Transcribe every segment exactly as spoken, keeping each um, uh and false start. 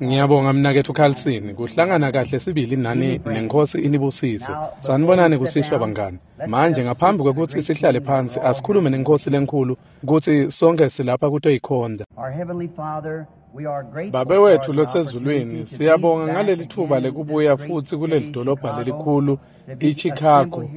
Ngiyabonga mnaketfu Carlson, kuhlangana kahle sibili nani neNkhosi inibusise. Sanibonani kusihlwa bangani. Manje ngaphambi kwekutsi sihlale phansi asikhulume neNkhosi lenkhulu kutsi sonke silapha kutoyikhonta. Babe wetfu losezulwini, siyabonga ngaleli thuba lekubuya futsi kuleli dolobha lelikhulu iChicago,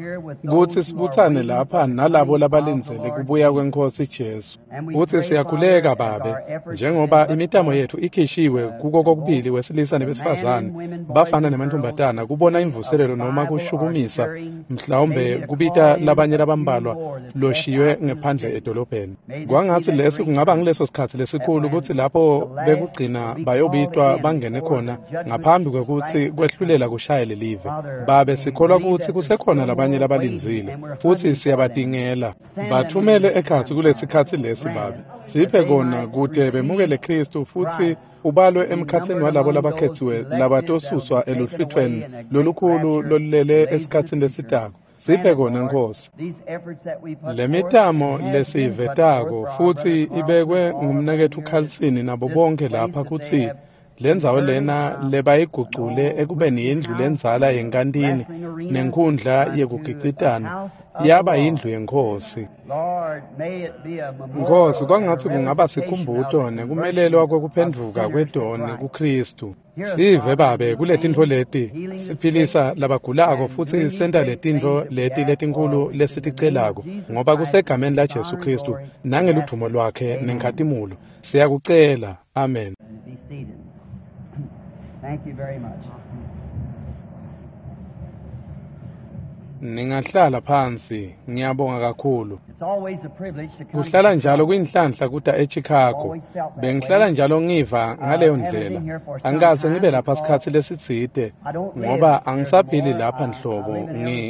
kutsi sibutsane lapha nalabo labalindzele kubuya kweNkhosi Jesu. Futsi siyakhuleka Babe, njengoba imitamo yetfu ikhishiwe kuko kokubili wesilisa nebesifazane, bafana nemantfombatana, kubona imvuselelo noma kushukumisa, mhlawumbe kubita labanye labambalwa loshiywe ngephandle edolobheni. Kwangatsi lesi kungaba ngileso sikhatsi lesikhulu kutsi lapho bekugcina bayobitwa bangene khona ngaphambi kwekutsi kwehlulela kushaye lelive. Babe, sikholwa kutsi kusekhona labanye labalindzile futsi siyabatingela. Bathumele ekhatsi kulesikhatsi lesi Babe. Siphe kona kute bemukele Kristu futsi ubalwe emkhatsini walabo labakhetsiwe labatosuswa eluhlwitfweni lolukhulu lolulele esikhatsini lesitako. Siphe kona Nkosi. Lemitamo lesivetako futsi ibekwe ngumnaketfu Carlson nabo bonke lapha kutsi lendzawo lena lebayigucule ekubeni yindlu lendzala yenkantini nenkhundla yekugicitana yaba yindlu yeNkhosi. Nkosi, kwangatsi kungaba sikhumbuto nekumelelwa kwekuphendvuka kwedoni kuKristu. Sive Babe kuletintfo leti siphilisa labagulako futsi senta letintfo leti letinkhulu lesiticelako, ngoba kusegameni la Jesu Kristu nangeludvumo lwakhe nenkhatimulo siyakucela. Amen. Thank you very much. Ningahlala phansi, ngiyabonga kakhulu. It's always a privilege to come. Kuhlala njalo kuyinhlanhla kuta eChicago. Bengihlala njalo ngiva ngaleyo ndlela. Angikaze ngibe lapha sikhatsi lesitsite ngoba angisaphili lapha nhlobo.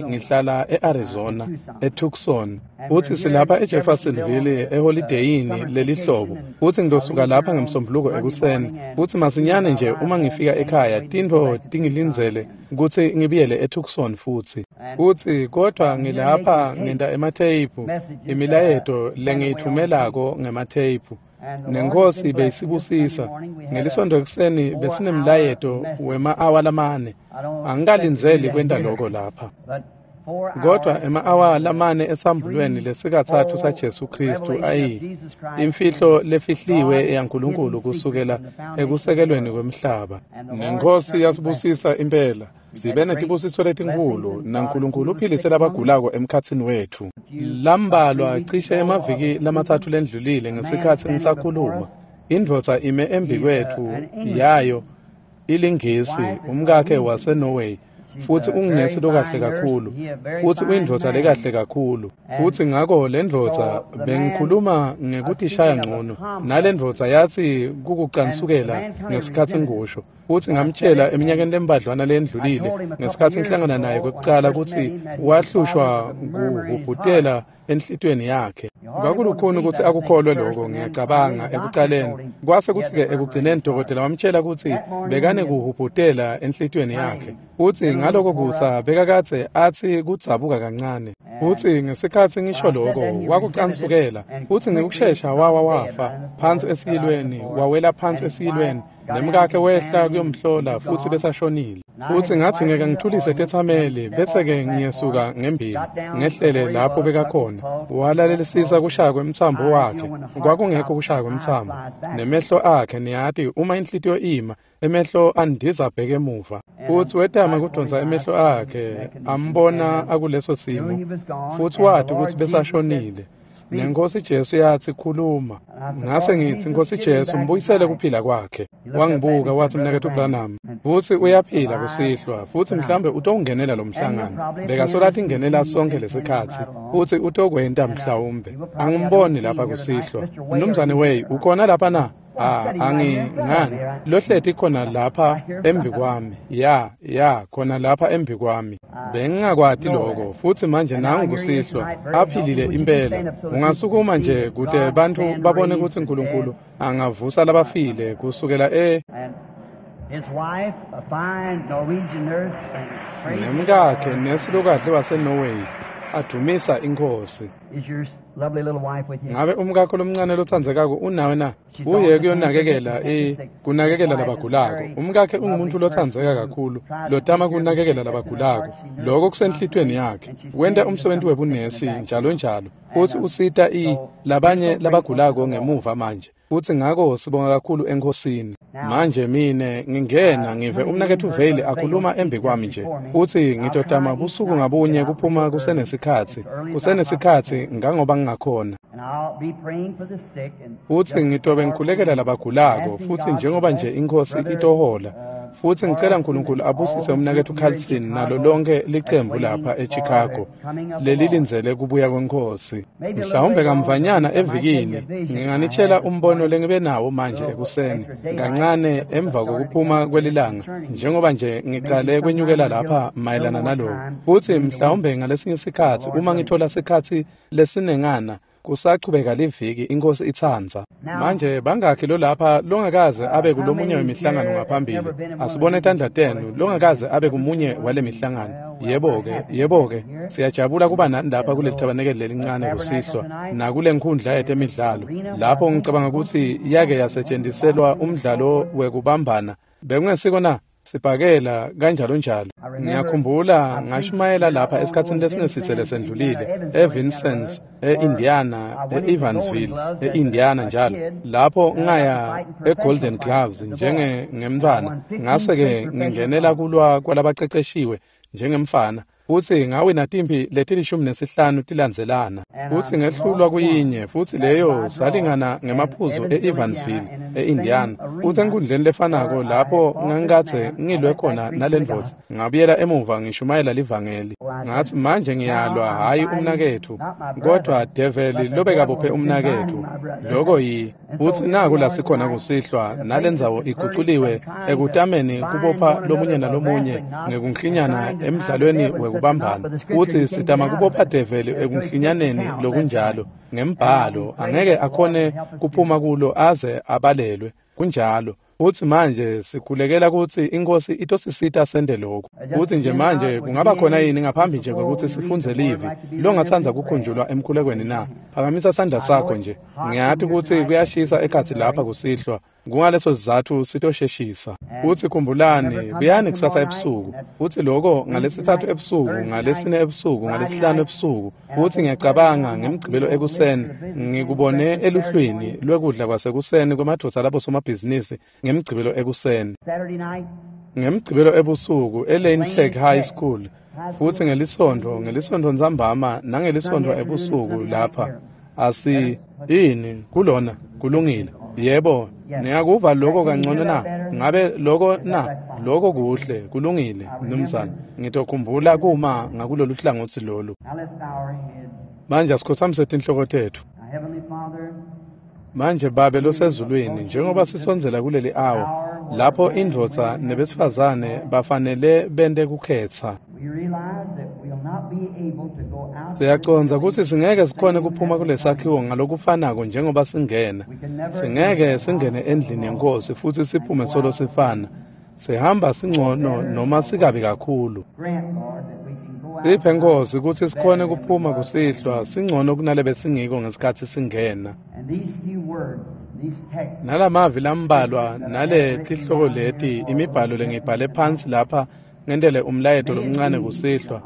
Ngihlala eArizona, eTucson. Futsi silapha eJeffersonville eholideyini lelihlobo. Futsi ngitosuka lapha ngemsombuluko ekuseni. Futsi masinyane nje uma ngifika ekhaya tintfo tingilindzele kutsi ngibuyele eTucson futsi. Futsi kodwa ngilapha ngenta ematheyiphu, imilayeto lengiyitfumelako ngematheyiphu. Nenkosi beyisibusisa. Ngelisonto ekuseni besinemlayeto wema-awa lamane. Angikalindzeli kwenta loko lapha. Kodwa ema-awa lamane esambulweni lesikatsatfu saJesu Kristu ayi imfihlo lefihliwe yaNkulunkulu kusukela ekusekelweni kwemhlaba. Nenkosi yasibusisa impela. Sibe netibusiso letinkhulu naNkulunkulu uphilise labagulako emkhatsini wetfu. Lambalwa cishe emaviki lamatsatfu lendlulile ngesikhatsi ngisakhuluma, indvodza ime embikwetfu yayo ilingisi, umkakhe waseNorway, futsi ungunesi lokahle kakhulu, futsi uyindvodza lekahle kakhulu. Futsi ngako lendvodza bengikhuluma ngekutishaya ngcono, nalendvodza yatsi kukucansukela ngesikhatsi ngikusho. Futsi ngamtshela eminyakeni lembadlwana lendlulile ngesikhatsi ngihlangana naye kwekucala kutsi wahlushwa kuhubhutela enhlitiyweni yakhe. Kwakulukhuni kutsi akukholwe lokho, ngiyacabanga ekucaleni. Kwase kutsi-ke ekugcineni dokotela wamtshela kutsi bekanekuhubhutela enhlitiyweni yakhe. Futsi ngaloko kusa bekakadze atsi kudzabuka kancane. Futsi ngesikhatsi ngisho lokho wakucansukela, futsi ngekushesha wawa wafa phansi esiyilweni, wawela phansi esiyilweni. Nemkakhe wehla kuyomhlola futsi besashonile. Futsi ngatsi ngeke ngithulise tetsameli bese-ke ngiyesuka ngembili ngehlele lapho bekakhona. Walalelisisa kushaya kwemtsambo wakhe. Kwakungekho kushaya kwemtsambo. Nemehlo akhe, niyati, uma inhlitiyo ima, emehlo andiza abheke emuva. Futsi wetama kudonsa emehlo akhe, ambona akuleso simo, futsi wati kutsi besashonile. Nenkosi Jesu yatsi khuluma. Ngase ngitsi, Nkosi Jesu, mbuyisele kuphila kwakhe. Wangibuka watsi, mnaketfu Branham, futsi uyaphila kusihlwa, futsi mhlambe utowungenela lo mhlangano. Bekasola tingenela sonke lesikhatsi, futsi utokwenta mhlawumbe. Angimboni lapha kusihlwa. Mnumzane Way, ukhona lapha na? Ah, angi ngani lohleti khona lapha embi kwami. Ya, ya, khona lapha embi kwami. Bengingakwati lokho, futsi manje nangu kusihlwa aphilile impela. Ungasukuma nje kute bantfu babone kutsi Nkulunkulu angavusa labafile kusukela e nemkakhe nesi lokahle waseNorway adumisa iNkhosi. Is your lovely little wife with you? Ngabe umkakho lomncane lotsandzekako unawe na? Uye kuyonakekela i kunakekela labagulako. Umkakhe ungumuntu lotsandzeka kakhulu, lotama kunakekela labagulako. Lokho kusenhlitweni yakhe. Wenta umsebenzi webunesi njalo njalo. Futhi usita i labanye labagulako ngemuva manje. Futhi ngako sibonga kakhulu enkosini. Manje mine ngingena ngive umnaketfu Vale akhuluma embi kwami nje. Uthi ngitotama busuku ngabunye kuphuma kusenesikhatsi. Kusenesikhatsi ngangoba ngingakhona. And I'll be praying for the sick and Futhi ngitobe ngikhulekela labagulako futhi njengoba nje inkosi itohola. Futhi ngicela uNkulunkulu abusise umnaketfu Carlson nalo lonke licembu lapha eChicago lelilindzele kubuya kwenkosi. Mhlawumbe kamvanyana evikini nginganitshela umbono lengibe nawo manje ekuseni kancane emva kokuphuma kwelilanga njengoba nje ngiqale kwenyukela lapha mayelana naloko. Futhi mhlawumbe ngalesinye isikhatsi uma ngithola sikhatsi lesinengana kusachubeka liviki inkosi itsandza. Manje bangakhi lo lapha longakaze abe kulomunye wemihlangano ngaphambili? Asibone tandla tenu longakaze abe kumunye wale mihlangano. Yebo-ke, yebo-ke, siyajabula kuba nani lapha kuleli thabanekeli lelincane kusihlwa nakule nkhundla yetemidlalo lapho ngicabanga ukuthi yake yasetshentiselwa umdlalo wekubambana. Bekungesiko na? Sibhakela kanjalo njalo. Ngiyakhumbula ngashumayela lapha esikhatsini lesingesithe lesendlulile eVincennes, eIndiana, eEvansville, eIndiana njalo. Lapho ngaya eGolden Gloves njenge ngemntwana. Ngase-ke ngingenela kulwa kwalabaceceshiwe njengemfana. Futhi ngawina timpi letilishumi nesihlanu tilandzelana. Futhi ngehlulwa kuyinye futhi leyo salingana ngemaphuzu e-Evansville, e-Indiana. Futhi enkundleni lefanako lapho ngangikathe ngilwe khona nalendvodza. Ngabuyela emuva ngishumayela livangeli. Ngathi manje ngiyalwa hhayi umnaketfu kodwa develi lobekabophe umnaketfu. Loko yi futhi naku la sikhona kusihlwa nalendzawo iguculiwe ekutameni kubopha lomunye nalomunye ngekunklinyana emdlalweni wekubambana. Futhi sitama kubopha develi ekunklinyaneni lokunjalo ngembhalo angeke akhone kuphuma kulo aze abalelwe. Kunjalo. Futhi manje sikhulekela ukuthi inkosi itosisita sende lokho. Futhi nje manje kungaba khona yini ngaphambi nje kokuthi sifunze livi longatsandza kukhunjulwa emkhulekweni na? Phakamisa sandla sakho nje. Ngiyathi ukuthi kuyashisa ekhatsi lapha kusihlwa. Kungaleso sizathu sitosheshisa. Futhi khumbulani, buyani kusasa ebusuku. Futhi lokho ngalesithathu ebusuku, ngalesine ebusuku, ngalesihlanu ebusuku. Futhi ngiyacabanga ngemigcibelo ekuseni ngikubone eluhlwini lwekudla kwasekuseni kwemadvodza labo somabhizinisi ngemigcibelo ekuseni. Saturday night, Ngemigcibelo ebusuku eLane Tech High School. Futhi ngelisonto, ngelisonto ntsambama nangelisonto ebusuku lapha. Asi ini kulona kulungile. Yebo, niyakuva lokho kangcono na? Ngabe lokho na? Lokho kuhle, kulungile, mnumzane. Ngitokhumbula kuma ngakulolu hlangothi lolu. now let's bow our heads. Manje asikhothamise tinhloko tethu. Now, Heavenly Father, Manje Babe losezulwini, njengoba sisondzela kuleli awa lapho indvodza nebesifazane bafanele bente kukhetsa. we realize that we'll not be able to go out. Siyacondza ukuthi singeke sikhone kuphuma kulesakhiwo ngalokufanako njengoba singena. Singeke singene endlini yenkosi futhi siphume solo sifana. Sihamba singcono noma sikabi kakhulu. Grant, Lord, that we can go out. Siphe Nkosi ukuthi sikhone kuphuma kusihlwa singcono kunalebe singiko ngesikhathi singena. And these few words, these texts, Nalamavi lambalwa nale tihloko leti imibhalo lengibhale phansi lapha ngentele umlayeto lomncane kusihlwa.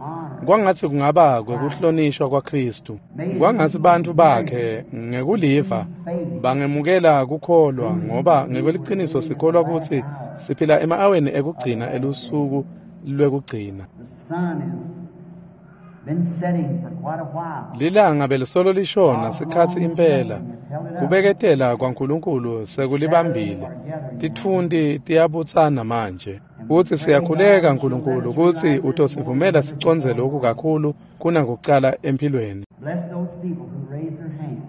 Kwangathi kungaba kwekuhlonishwa kwaKristu. Kwangathi bantu bakhe ngekuliva bangemukela kukholwa ngoba ngekweliciniso sikholwa ukuthi siphila ema-aweni ekugcina elusuku lwekugcina. the sun has been setting for quite a while. Lilanga belisolo lishona sikhatsi impela. Kubeketela kwaNkulunkulu sekulibambile. Titfunti tiyabutsana manje. Kuthi siyakhuleka Nkulunkulu ukuthi utosivumela sicondze lokhu kakhulu kunakucala empilweni. Bless those people who raise their hands.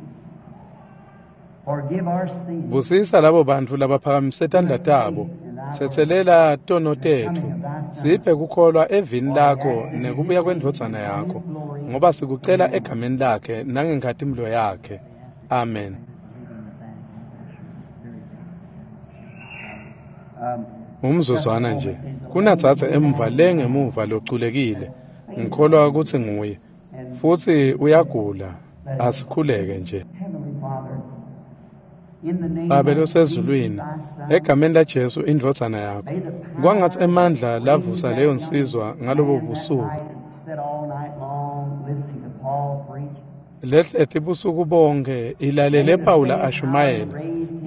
Forgive our sins. Busisa labo bantu labaphakamise tandla tabo. Tsetselela tono tetfu. Siphe kukholwa evini lakho nekubuya kwendvodzana yakho. Ngoba sikucela egameni lakhe nangenkhatimulo yakhe. Amen. Um, Umzuzwana nje. Kunatsatsa emva le ngemuva loculekile. Ngikholwa ukuthi nguye. Futhi uyagula. Asikhuleke nje. Babe losezulwini, egameni laJesu indvodzana yakho, kwangatsi emandla lavusa leyo nsizwa ngalobo busuku lehleti busuku bonke ilalele Pawula ashumayela,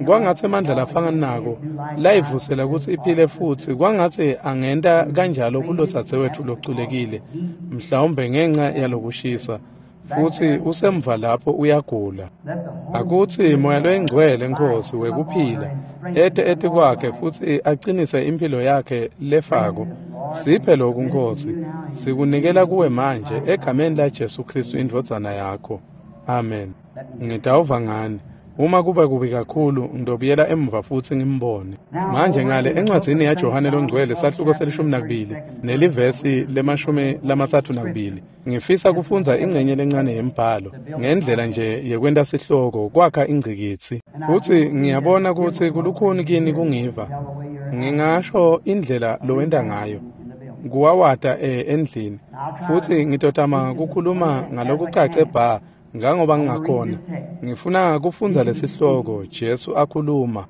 kwangatsi emandla lafana nako layivusela kutsi iphile futsi, kwangatsi angenta kanjalo kulodzadzewetfu loculekile, mhlawumbe ngenca yalokushisa, futsi usemva lapho uyagula. Akutsi Moya loyiNgcwele Nkhosi wekuphila ete etikwakhe futsi acinise imphilo yakhe lefako. Siphe lokhu Nkhosi, sikunikela kuwe manje egameni laJesu Khristu indvodzana yakho. Amen. Ngitawuva ngani uma kuba kubi kakhulu, ngidobuyela emuva futsi ngimbone. Manje ngale encwadzini yaJohane loNgcwele sahluko selishumi nakubili nelivesi lemashumi lamatsatfu nakubili, ngifisa kufundza ingcenye lencane yembhalo ngendlela nje yekwenta sihloko kwakha ingcikitsi. Futsi ngiyabona kutsi kulukhuni kini kungiva. Ngingasho indlela lowenta ngayo kuwawata e endlini, futsi ngitotama kukhuluma ngalokucace bha ngangoba ngingakhona. Ngifuna kufundza lesihloko Jesu akhuluma.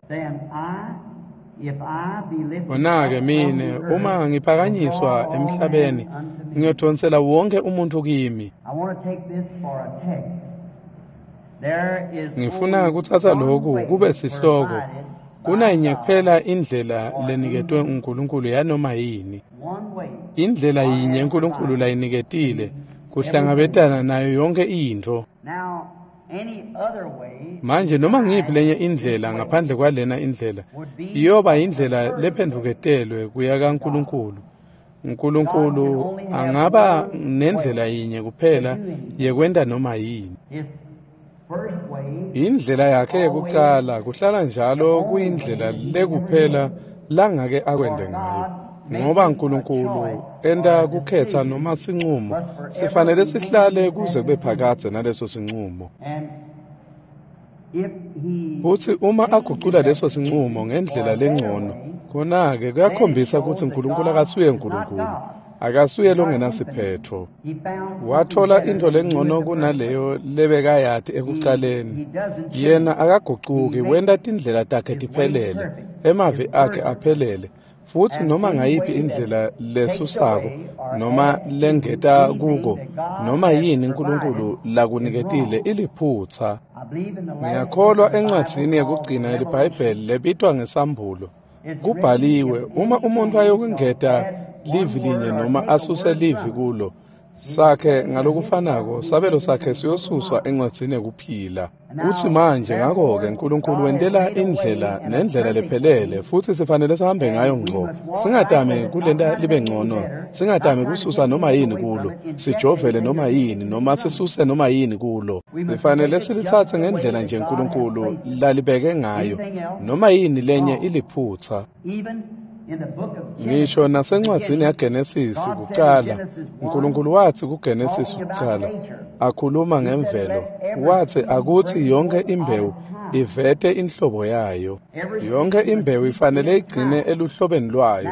Wona-ke mine uma ngiphakanyiswa emhlabeni ngiyodonsela wonke umuntu kimi. Ngifuna kutsatsa lokhu kube sihloko. Kunayinye kuphela indlela leniketwe uNkulunkulu yanoma yini. Indlela yinye uNkulunkulu layiniketile kuhlangabetana nayo yonke intfo. Manje noma ngiyiphi lenye indlela ngaphandle kwalena indlela iyoba indlela lephendvuketelwe kuya kaNkulunkulu. uNkulunkulu angaba nendlela yinye kuphela yekwenta noma yini. Indlela yakhe yekucala kuhlala njalo kuyindlela lekuphela langake akwente ngayo. Ngoba uNkulunkulu enta kukhetha noma sinqumo, sifanele sihlale kuze kube phakadze naleso sinqumo. Futsi uma agucula leso sinqumo ngendlela lengcono, khona-ke kuyakhombisa kutsi uNkulunkulu akasuye uNkulunkulu, akasuye longenasiphetfo. Wathola intfo lengcono kunaleyo lebekayati ekucaleni. Yena akagucuki, wenta tindlela takhe tiphelele, emavi akhe aphelele. Futsi noma ngayiphi indlela lesusako noma lengeta kuko noma yini uNkulunkulu lakuniketile iliphutsa. Ngiyakholwa encwadzini yekugcina yeliBhayibheli lebitwa ngesambulo. Kubhaliwe, uma umuntu ayokungeta livi linye noma asuse livi kulo sakhe ngalokufanako sabelo sakhe siyosuswa encwadzini yekuphila. Kutsi manje ngakho-ke uNkulunkulu wentela indlela nendlela lephelele, futsi sifanele sihambe ngayo ngco. Singatami kulenta libe ngcono, singatami kususa noma yini kulo, sijovele noma yini noma sisuse noma yini kulo. Sifanele silitsatse ngendlela nje uNkulunkulu lalibeke ngayo, noma yini lenye iliphutsa. Ngisho nasencwadzini yaGenesisi kucala, uNkulunkulu watsi kuGenesisi kucala, akhuluma ngemvelo, watsi akutsi yonke imbewu ivete inhlobo yayo. Yonke imbewu ifanele igcine eluhlobeni lwayo.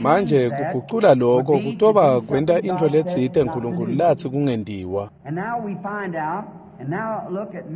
Manje kugucula lokho kutoba kwenta intfo letsite uNkulunkulu latsi kungentiwa.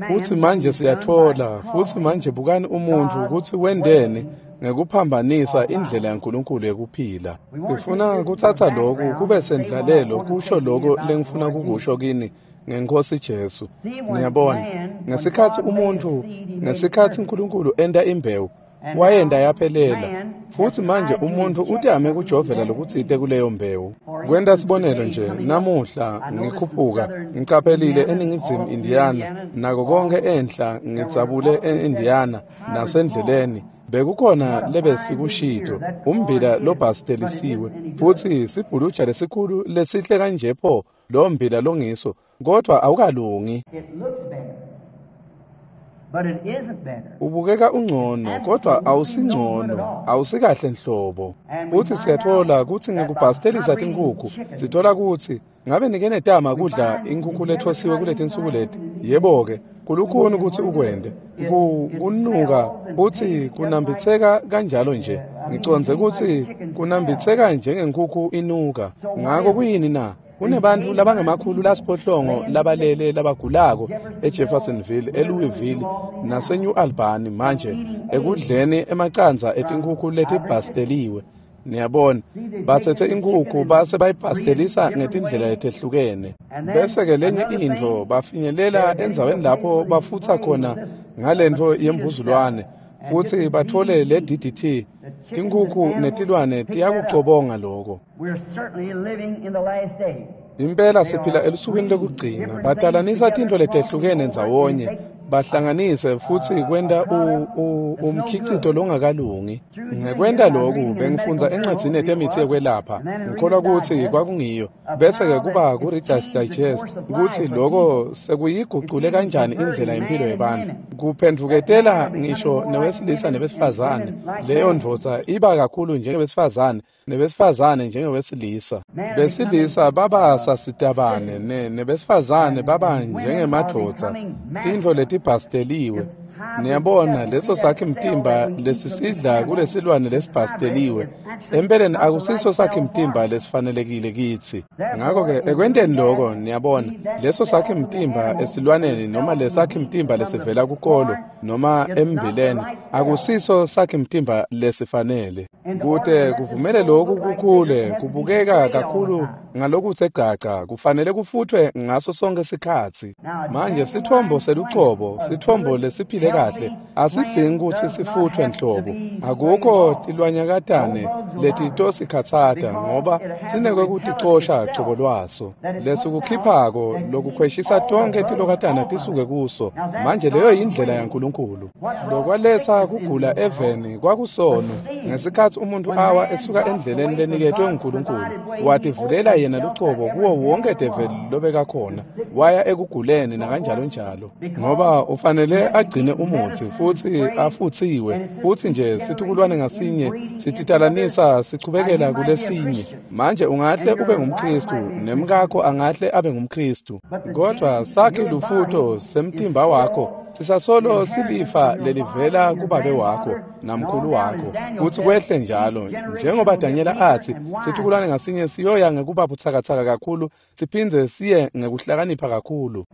Futsi manje siyatfola, futsi manje bukani umuntfu kutsi wenteni ngekuphambanisa indlela yaNkulunkulu yekuphila. Ngifuna kutsatsa lokhu kube sendlalelo kusho lokho lengifuna kukusho kini ngeNkhosi Jesu. Niyabona, ngesikhatsi umuntfu, ngesikhatsi uNkulunkulu enta imbewu, wayenta yaphelela. Futsi manje umuntfu utame kujovela lokutsite kuleyo mbewu. Kwenta sibonelo nje, namuhla ngikhuphuka, ngicaphelile eNingizimu Indiana, nako konke enhla ngidzabule e-Indiana nasendleleni. Bekukhona lebesikushito, ummbila lobhastelisiwe, futsi sibhuluja lesikhulu lesihle kanje pho lo mbila longiso, kodwa awukalungi. Ubukeka ungcono, kodwa awusingcono, awusikahle nhlobo. Futsi siyatfola kutsi ngekubhastelisa tinkhukhu, sitfola kutsi ngabe nike netama kudla inkhukhu lethosiwe kuletinsuku leti. Yebo-ke, kulukhuni kutsi ukwente. Kunuka futsi kunambitseka kanjalo nje. Ngicondze kutsi kunambitseka njengenkhukhu inuka. Ngako kuyini na? Kunebantfu labangemakhulu lasiphohlongo labalele labagulako eJeffersonville, eLouisville naseNew Albany manje ekudleni emacandza etinkhukhu letibhasteliwe. Niyabona, batsetse inkhukhu base bayibhastelisa ngetindlela letehlukene. Bese-ke lenye intfo bafinyelela endzaweni lapho bafutsa khona ngalentfo yembuzulwane futsi batfole le D D T. Tinkhukhu netilwane tiyakucobonga loko. Impela siphila elusukwini lokugcina. Batalanisa tintfo letehlukene ndzawonye, bahlanganise futsi kwenta umkhicito longakalungi. Ngekwenta loku bengifundza encwadzini yetemitsi yekwelapha, ngikholwa kutsi kwakungiyo. Bese-ke kuba ku-Reader's Digest kutsi loko sekuyigucule kanjani indlela yempilo yebantfu. Kuphendvuketela ngisho newesilisa nebesifazane. Leyo ndvodza iba kakhulu njengebesifazane, nebesifazane njengewesilisa. Besilisa baba sasitabane ne nebesifazane baba njengemadvodza. Tintfo letibhasteliwe. Niyabona, leso sakhi mtimba lesisidla kulesilwane lesibhasteliwe empeleni akusiso sakhi mtimba lesifanelekile kitsi. Ngakho-ke ekwenteni loko, niyabona, leso sakhi mtimba esilwaneni noma lesakhi mtimba lesivela kukolo noma embileni akusiso sakhi mtimba lesifanele. Kute kuvumele loku kukhule kubukeka kakhulu ngalokutse gaca, kufanele kufutfwe ngaso sonke sikhatsi. Manje sitfombo selucobo, sitfombo lesiphile kahle, asidzingi kutsi sifutfwe nhlobo. Akukho tilwanyakatane letitosikhatsata ngoba sinekwekuticosha cobo lwaso. Lesikukhiphako lokukhweshisa tonke tilokatana tisuke kuso. Manje leyo yindlela yaNkulunkulu. Lokwaletsa kugula eveni kwakusono ngesikhatsi umuntu awa esuka endleleni leniketwe nguNkulunkulu, wativulela yena lucobo kuwo wonke develi lobekakhona, waya ekuguleni nakanjalo njalo. Ngoba ufanele agcine umutsi futsi afutsiwe, futsi nje situkulwane ngasinye sititalanisa sichubekela kulesinye. Manje ungahle ube ngumKristu nemkakho angahle abe ngumKristu, kodwa sakhi lufuto semtimba wakho sisasolo silifa lelivela kubabe wakho namkhulu wakho, kutsi kwehle njalo. Njengoba Danyela atsi, situkulwane ngasinye siyoya ngekuba butsakatsaka kakhulu siphindze siye ngekuhlakanipha kakhulu.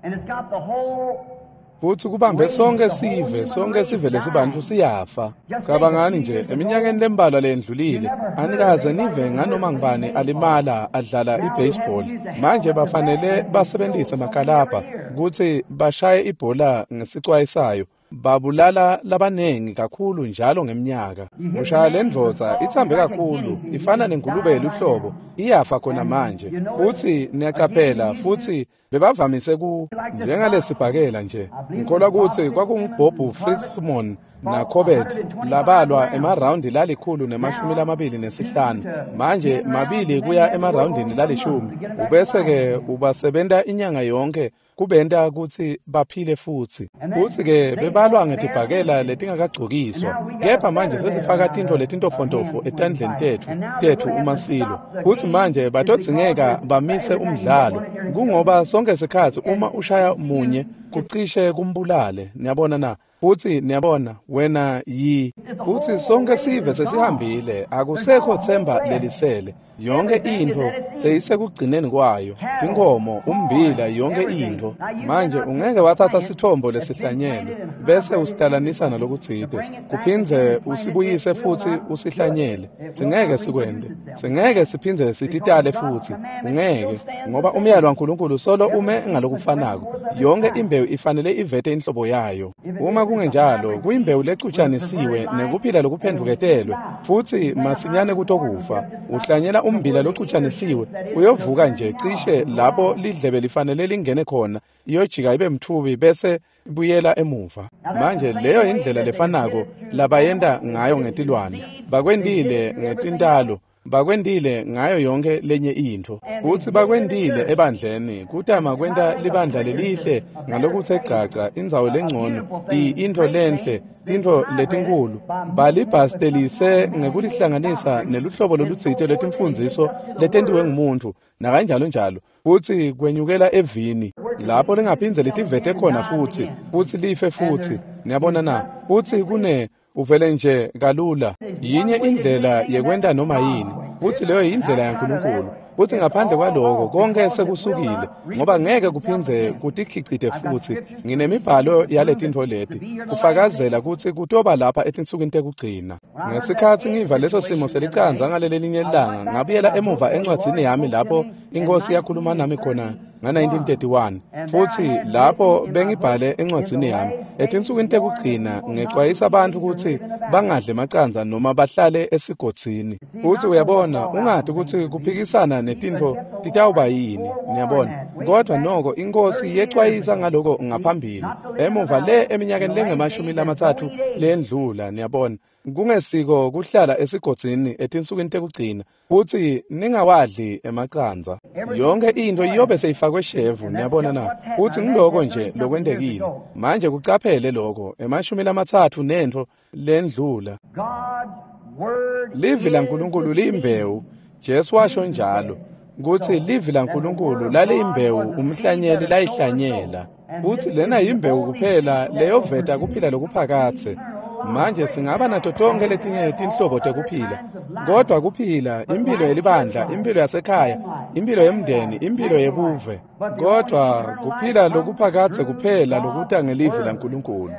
Futsi kubambe sonke sive, sonke sive lesibantfu siyafa. Cabangani nje, eminyakeni lembalwa leyendlulile, anikaze nive nganoma ngubani alimala adlala i-baseball. Manje bafanele basebenzise makalabha kutsi bashaye ibhola ngesicwayisayo. Babulala labanengi kakhulu njalo ngemnyaka. Ushaya le ndvodza ithambe kakhulu, ifana nengulube yeluhlobo, iyafa khona manje. Futsi niyacaphela, futsi bebavamise ku njengalesibhakela nje. Ngikholwa kutsi kwakunguBob Fritzmon naCorbett labalwa emarawundi lalikhulu nemashumi lamabili nesihlanu. Manje mabili kuya emarawundini lalishumi. Ubese-ke ubasebenta inyanga yonke kubenta kutsi baphile futsi. Futsi-ke bebalwa ngetibhakela letingakagcokiswa. Kepha manje sesifaka tintfo letintofontofo etandleni tetfu tetfu uma silo. Futsi manje batodzingeka bamise umdlalo. Kungoba sonke sikhatsi uma ushaya munye kucishe kumbulale. Niyabona na? Futsi niyabona wena yi. Futsi sonke sive sesihambile, akusekho themba lelisele. Yonke intfo seyisekugcineni kwayo, tinkhomo, umbila, yonke intfo. Manje ungeke watsatsa sithombo lesihlanyelwe bese usitalanisa nalokutsite, kuphindze usibuyise futsi usihlanyele. Singeke sikwente, singeke siphindze sititale futsi, ungeke, ngoba umyalo waNkulunkulu solo ume ngalokufanako. Yonke imbewu ifanele ivete inhlobo yayo. Uma kungenjalo, kuyimbewu lecutshanisiwe nekuphila lokuphendvuketelwe, futsi masinyane kutokufa. Uhlanyela umbila locutshanisiwe, uyovuka nje cishe lapho lidlebe lifanele lingene khona, iyojika ibe mtfubi bese ibuyela emuva. Manje leyo indlela lefanako labayenta ngayo ngetilwane. Bakwentile ngetintalo, bakwentile ngayo yonke lenye intfo. Futsi bakwentile ebandleni, kutama kwenta libandla lelihle ngalokutse gcagca, indzawo lengcono, intfo lenhle, tintfo letinkhulu. Balibhastelise ngekulihlanganisa neluhlobo lolutsite lwetimfundziso letentiwe ngumuntfu nakanjalo njalo. Futsi kwenyukela evini lapho lingaphindze litivete khona futsi, futsi life futsi. Niyabona na? Futsi kune uvele nje kalula. Yinye indlela yekwenta noma yini, futsi leyo yindlela yaNkulunkulu. Futsi ngaphandle kwaloko konke sekusukile, ngoba ngeke kuphindze kutikhicite futsi. Nginemibhalo yaletintfo leti kufakazela kutsi kutoba lapha etinsukwini tekugcina. Ngesikhatsi ngiva leso simo selicandza ngalelelinye lilanga, ngabuyela emuva encwadzini yami lapho iNkhosi yakhuluma nami khona nga nineteen thirty-one, futsi lapho bengibhale encwadzini yami etinsukwini tekugcina ngecwayisa bantfu kutsi bangadli emacandza noma bahlale esigodzini. Futsi uyabona, ungati kutsi kuphikisana netintfo titawuba yini, niyabona. Kodwa noko iNkhosi yecwayisa ngaloko ngaphambili emuva le eminyakeni lengemashumi lamatsatfu lendlula, niyabona. Kungesiko kuhlala esigodzini etinsukwini tekugcina, futsi ningawadli emacandza. Yonke intfo iyobe seyifakwe shevu, niyabona na. Futsi ngiloko nje lokwentekile. Manje kucaphele lokho emashumi lamatsatfu nentfo lendlula. Livi laNkulunkulu liyimbewu. Jesu washo njalo kutsi livi laNkulunkulu laliyimbewu umhlanyeli layihlanyela. Futsi lena yimbewu kuphela leyoveta kuphila lokuphakadze. Manje singaba nato tonke letinye tinhlobo tekuphila, kodwa kuphila imphilo yelibandla, imphilo yasekhaya, imphilo yemndeni, imphilo yebuve, kodwa kuphila lokuphakadze kuphela lokuta ngelivi laNkulunkulu.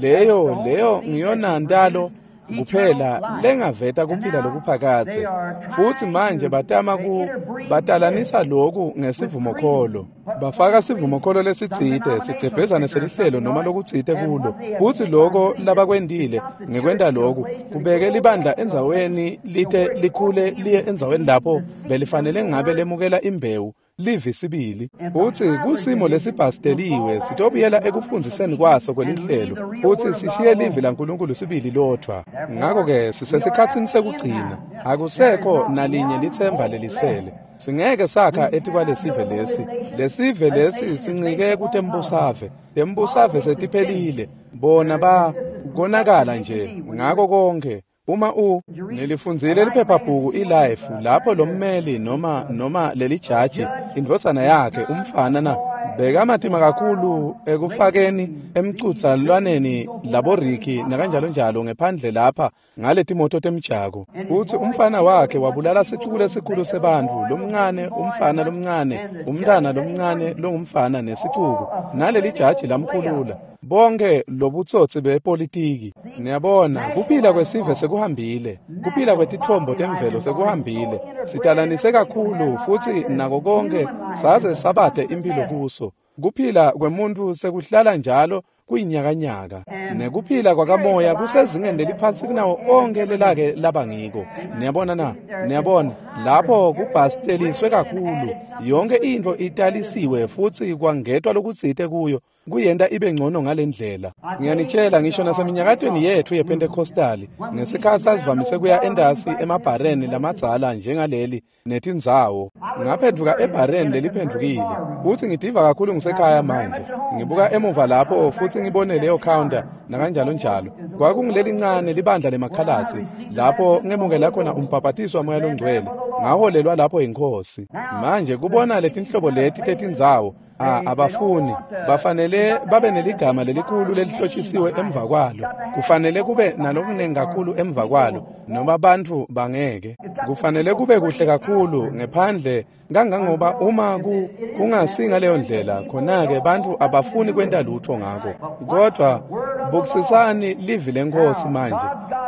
Leyo leyo ngiyona ntalo kuphela lengaveta kuphila lokuphakadze. Futsi manje batama ku batalanisa loku ngesivumokholo. Bafaka sivumokholo lesitsite, sigcebhezane selihlelo noma lokutsite kulo. Futsi loko labakwentile ngekwenta loku kubeke libandla endzaweni lite likhule liye endzaweni lapho belifanele ngabe lemukela imbewu livi sibili. Futsi kusimo lesibhasteliwe sitobuyela ekufundziseni kwaso kwelihlelo, futsi sishiye livi laNkulunkulu sibili lodvwa. Ngako-ke sisesikhatsini sekugcina, akusekho nalinye litsemba lelisele. Singeke sakha etikwalesive lesi. Lesive lesi sincike kutembusave. Tembusave setiphelile, bona ba konakala nje ngako konke. Uma u nilifundzile liphephabhuku iLife lapho lommeli noma noma lelijaji indvodzana yakhe umfana na bekamatima kakhulu ekufakeni emcudzalwaneni laboriki nakanjalo njalo ngephandle lapha ngaletimoto temjako. Futsi umfana wakhe wabulala sicuku lesikhulu sebantfu, lomncane umfana lomncane, umntana lomncane longumfana nesicuku, nalelijaji lamkhulula. Bonke lobutsotsi bepolitiki. Niyabona, kuphila kwesive sekuhambile, kuphila kwetitfombo temvelo sekuhambile. Sitalanise kakhulu futsi nako konke saze sabade impilo kuso. Kuphila kwemuntu sekuhlala njalo kuyinyakanyaka. Nekuphila kwakamoya kusezingeni leliphansi kunawo onke lelake laba ngiko. Niyabona na? Niyabona, lapho kubhasteliswe kakhulu. Yonke intfo italisiwe futsi kwangetwa lokutsite kuyo kuyenta ibe ngcono ngalendlela. Ngiyanitshela, ngisho naseminyakatweni yetfu yePentecostali, ngesikhatsi sasivamise kuya endasi emabhareni lamadzala njengaleli netindzawo. Ngaphendvuka ebhareni leliphendvukile, futsi ngidiva kakhulu ngisekhaya manje. Ngibuka emuva lapho futsi ngibone leyo counter nakanjalo njalo. Kwakungilelincane libandla lemakhalatsi lapho ngemukela khona umbhabhatiso waMoya loNgcwele. Ngaholelwa lapho yiNkhosi. Manje kubona letinhlobo leti tetindzawo, Ah, abafuni bafanele babe neligama lelikhulu lelihlotshisiwe emva kwalo. Kufanele kube nalokunengi kakhulu emva kwalo, noma bantfu bangeke. Kufanele kube kuhle kakhulu ngephandle kangangoba uma ku kungasi ngaleyo ndlela, khona-ke bantfu abafuni kwenta lutho ngako. Kodwa bukisisani livi leNkhosi manje.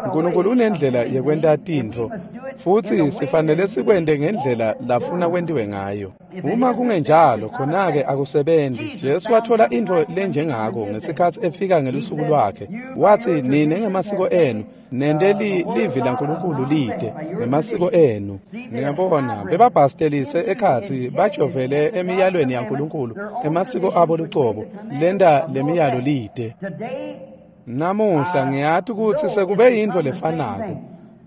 Nkulunkulu unendlela yekwenta tintfo, futsi sifanele sikwente ngendlela lafuna kwentiwe ngayo. Uma kungenjalo, khona-ke akusebenzi. Jesu wathola intfo lenjengako ngesikhatsi efika ngelusuku lwakhe. Watsi, nine ngemasiko enu nente livi laNkulunkulu lide ngemasiko enu. Niyabona, bebabhastelise ekhatsi bajovele emiyalweni yaNkulunkulu emasiko abo lucobo lenta lemiyalo lide. Namuhla ngiyati kutsi sekube yintfo lefanako.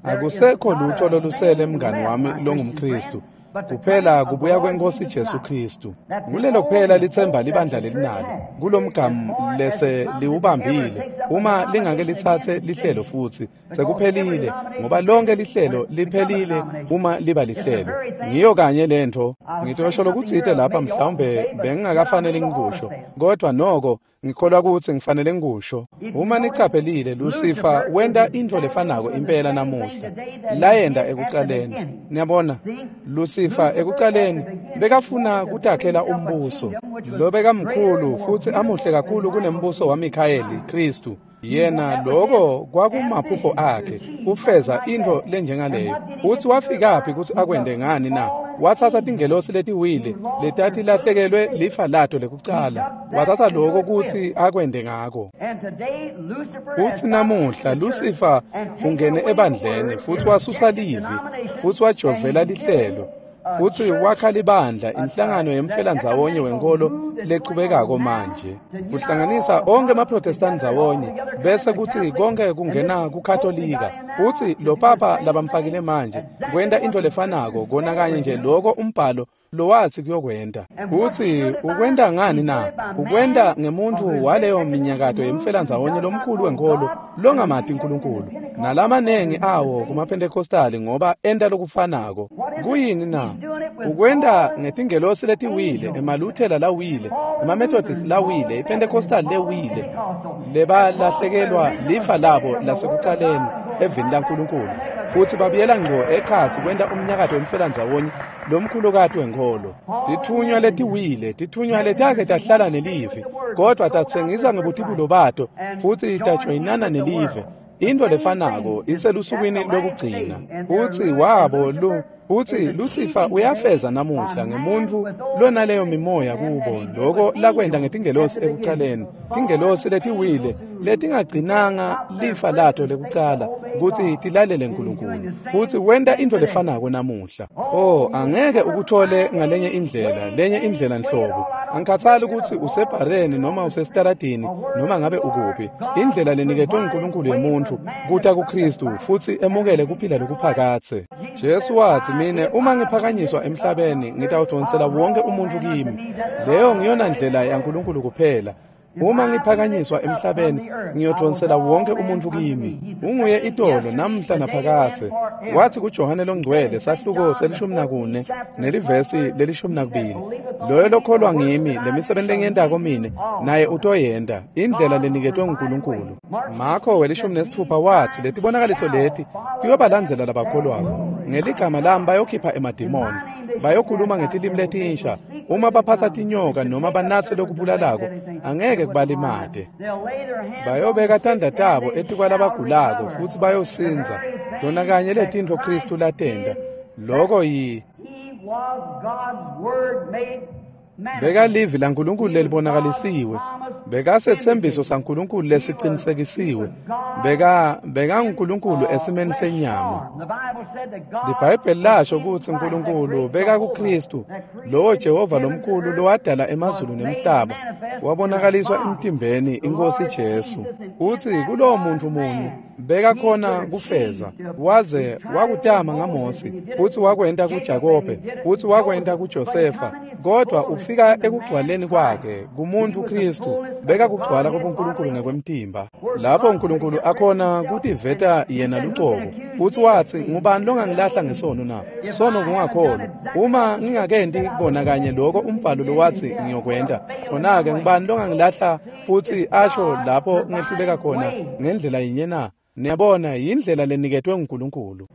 Akusekho lutho lolusele mngani wami longumKhristu, kuphela kubuya kweNkhosi Jesu Khristu. Ngulelo kuphela litsemba libandla lelinalo kulomgamu lese liwubambile. Uma lingake litsatse lihlelo futsi sekuphelile, ngoba lonke lihlelo liphelile uma liba lihlelo. Ngiyo kanye lentfo. Ngitosho lokutsite lapha, mhlawumbe bengingakafanele ngikusho, kodwa noko Ngikholwa kutsi ngifanele ngikusho. Uma nichaphelile, Lucifer wenta intfo lefanako impela namuhla layenta ekucaleni. Niyabona, Lucifer ekucaleni bekafuna kutakhela umbuso lobekamkhulu futsi amuhle kakhulu kunembuso waMikhayeli Khristu. Yena lokho kwakumaphupho akhe kufeza intfo lenjengaleyo. Utsi wafikaphi kutsi akwente ngani na? Watsatsa tingelosi letiwile letatilahlekelwe lifa lato lekucala, watsatsa lokho kutsi akwente ngako. Utsi namuhla Lucifer ungene ebandleni futsi wasusa livi futsi wajovela lihlelo futsi wakha libandla, inhlangano yemfelandzawonye wenkolo lechubekako manje, kuhlanganisa onke emaProtestant ndzawonye, bese kutsi konke kungena kuKatolika. Utsi lo papa labamfakile manje kwenta intfo lefanako kona kanye nje loko umbhalo lowatsi kuyokwenta. Utsi ukwenta ngani na? Ukwenta ngemuntfu waleyo minyakato yemfelandzawonye lomkhulu wenkolo longamati uNkulunkulu, nalamanengi awo kumaPentecostali ngoba enta lokufanako. Kuyini na? Ukwenta ngetingelosi letiwile, emaLuthela lawile, emaMethodist lawile, iPentecostal lewile, lebalahlekelwa lifa labo lasekucaleni evini laNkulunkulu, futsi babuyela ngco ekhatsi kwenta umnyakato wemfelandzawonye lomkhulukati wenkolo. Titfunywa letiwile, titfunywa letake tahlala nelive, kodvwa tatsengisa ngebutibulo bato futsi tajoyinana nelive. Intfo lefanako iselusukwini lwekugcina. Utsi wabo lu utsi Lucifer uyafeza namuhla ngemuntfu lonaleyo mimoya kubo, loko lakwenta ngetingelosi ekucaleni, tingelosi letiwile letingagcinanga lifa lato lekucala kutsi tilalele uNkulunkulu. Futsi wenta intfo lefanako namuhla. Oh, angeke ukuthole ngalenye indlela, lenye indlela nhlobo. Angikhathali kutsi usebhareni noma usesitaladini noma ngabe ukuphi. Indlela leniketwe nguNkulunkulu yemuntfu kuta kuKristu futsi emukele kuphila lokuphakadze. Jesu watsi, mine uma ngiphakanyiswa emhlabeni ngitawudonsela wonke umuntu kimi. Leyo ngiyona ndlela yaNkulunkulu kuphela. Uma ngiphakanyiswa emhlabeni ngiyodonsela wonke umuntu kimi. Unguye itolo namhla naphakadze. Wathi kuJohane longcwele sahluko selishumi nakune nelivesi lelishumi nakubili, loyo lokholwa ngimi lemisebenzi lengiyentako mine naye utoyenta, indlela leniketwe nguNkulunkulu. Marko welishumi nesitfupha watsi letibonakaliso leti tiyobalandzela labakholwako, ngeligama lami bayokhipha emadimoni, bayokhuluma ngetilimi letinsha, uma baphatsa tinyoka noma banatse lokubulalako angeke kubalimate. Bayobeka tandla tabo etikwalabagulako futsi bayosindza. Tona kanye letintfo Khristu latenta. Loko yi bekalivi laNkulunkulu lelibonakalisiwe, bekasethembiso saNkulunkulu lesicinisekisiwe, beka bekaNkulunkulu esimeni senyama. LiBhayibheli lasho kutsi uNkulunkulu beka kuKristu, lowo Jehova lomkhulu lowadala emazulu nemhlaba, wabonakaliswa emtimbeni iNkosi Jesu. Utsi kulowo muntu munye bekakhona kufeza, waze wakutama ngaMose, futsi wakwenta kuJakobe, futsi wakwenta kuJosefa, kodwa ufika ekugcwaleni kwakhe kumuntu Kristu, bekakugcwala kobuNkulunkulu ngekwemtimba. Lapho uNkulunkulu akhona kutiveta yena lucobo, futsi watsi, ngubani longangilahla ngesono na? Sono kungakholwa. Uma ngingakenti kona kanye loko umbhalo lowatsi ngiyokwenta, khona-ke ngubani longangilahla futsi asho lapho ngehluleka khona ngendlela yinye na? Niyabona, yindlela leniketwe nguNkulunkulu.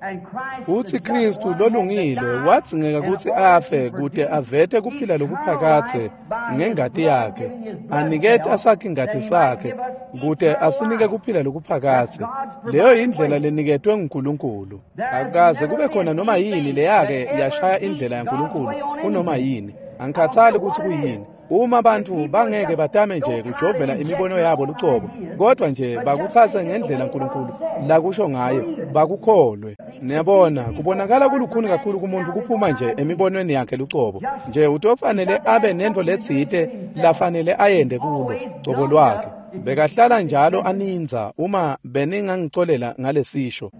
Utsi Kristu lolungile wadzingeka kutsi afe kute avete kuphila lokuphakadze ngengati yakhe, anikete asakhe ingati sakhe kute asinike kuphila lokuphakadze. Leyo yindlela leniketwe nguNkulunkulu. Akukaze kube khona noma yini leyake yashaya indlela yaNkulunkulu kunoma yini. Angikhathali kutsi kuyini. Uma bantfu bangeke batame nje kujovela imibono yabo lucobo, kodwa nje bakutsatse ngendlela uNkulunkulu lakusho ngayo, bakukholwe. Niyabona, kubonakala kulukhuni kakhulu kumuntu kuphuma nje emibonweni yakhe lucobo. Nje utofanele abe nentfo letsite lafanele ayende kulo cobo lwakhe. Bekahlala njalo aninza, uma beningangicolela ngalesisho.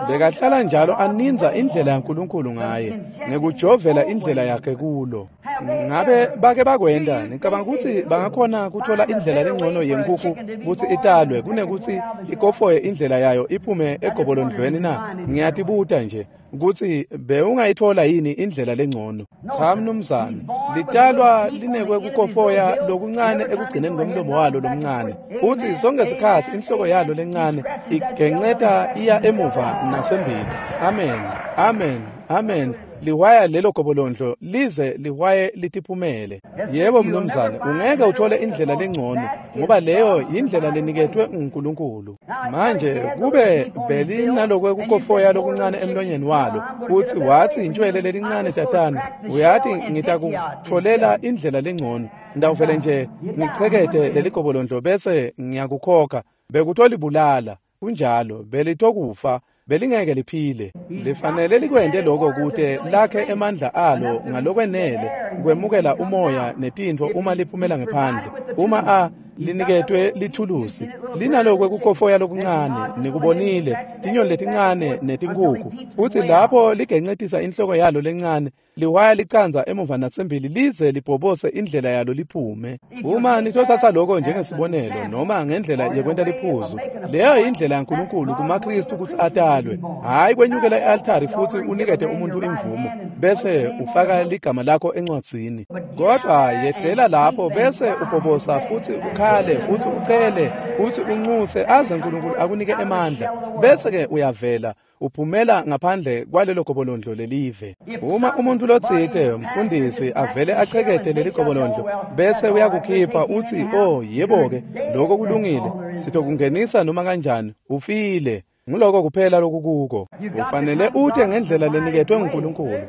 Bekahlala njalo aninza indlela yaNkulunkulu ngaye, ngekujovela indlela yakhe kulo. Ngabe bake bakwenta, ngicabanga ukuthi bangakhona kuthola indlela lengcono yenkukhu kutsi italwe kunekuthi ikofoye indlela yayo iphume egobolondlweni na? Ngiyatibuta nje. Kutsi bewungayitfola yini indlela lengcono? Cha mnumzane, litalwa linekwe kukofoya lokuncane ekugcineni kwemlomo walo lomncane. Utsi sonke sikhatsi inhloko yalo lencane igenceta iya emuva nasembili. Amen, amen, amen. Liwaya lelo gobolondlo lize liwaye litiphumele. Yebo mnumzane, ungeke uthole indlela lengcono ngoba leyo indlela leniketwe uNkulunkulu. Manje kube belinalokwe kukofoya lokuncane emlonyeni walo, uthi wathi intshwele lelincane tatana, uyati ngitakutfolela indlela lengcono. Ndawuvele nje ngichekete leli gobolondlo bese ngiyakukhokha. Bekutolibulala kunjalo, belitokufa. Belingeke liphile. Lifanele likwente lokho kute lakhe emandla alo ngalokwenele kwemukela umoya netintfo uma liphumela ngephandle. Uma a liniketwe lithulusi linalokwe kukofoya lokuncane, nikubonile, tinyoni letincane netinkukhu. Uthi lapho ligencetisa inhloko yalo lencane, liwaya licandza emuva nasembili lize libhobose indlela yalo liphume. Uma nitothatha lokho njengesibonelo noma ngendlela yekwenta liphuzu, leyo indlela yaNkulunkulu kumaKristu kutsi atalwe, hhayi kwenyukela e-altari futsi unikete umuntu imvumo bese ufaka ligama lakho encwadzini. Kodwa yehlela lapho bese ubhobosa futsi ukhale futsi ucele futsi uncuse aze uNkulunkulu akunike emandla, bese-ke uyavela uphumela ngaphandle kwalelo gobolondlo lelive. Uma umuntu lotsite mfundisi avele achekete leli gobolondlo bese uyakukhipha uthi, oh yebo-ke lokho kulungile, sitokungenisa noma kanjani, ufile. Nguloko kuphela lokukuko. Ufanele ute ngendlela leniketwe nguNkulunkulu,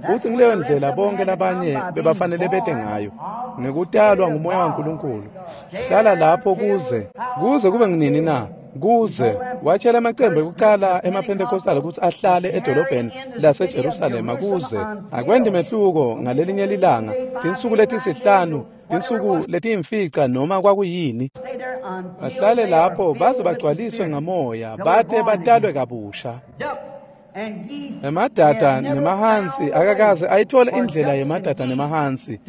futhi ngileyo ndlela bonke labanye bebafanele bete ngayo, ngekutalwa ngumoya waNkulunkulu. Hlala lapho kuze kuze kube nginini na? Kuze watshela amacembe ekucala emaPentecostal ukuthi ahlale edolobheni laseJerusalema kuze akwendi mehluko ngalelinye lilanga, tinsuku letisihlanu, tinsuku letiyimfica noma kwakuyini, bahlale lapho baze bagcwaliswe ngamoya, bate batalwe kabusha. Emadada nemahansi akakaze ayithole indlela yemadada nemahansi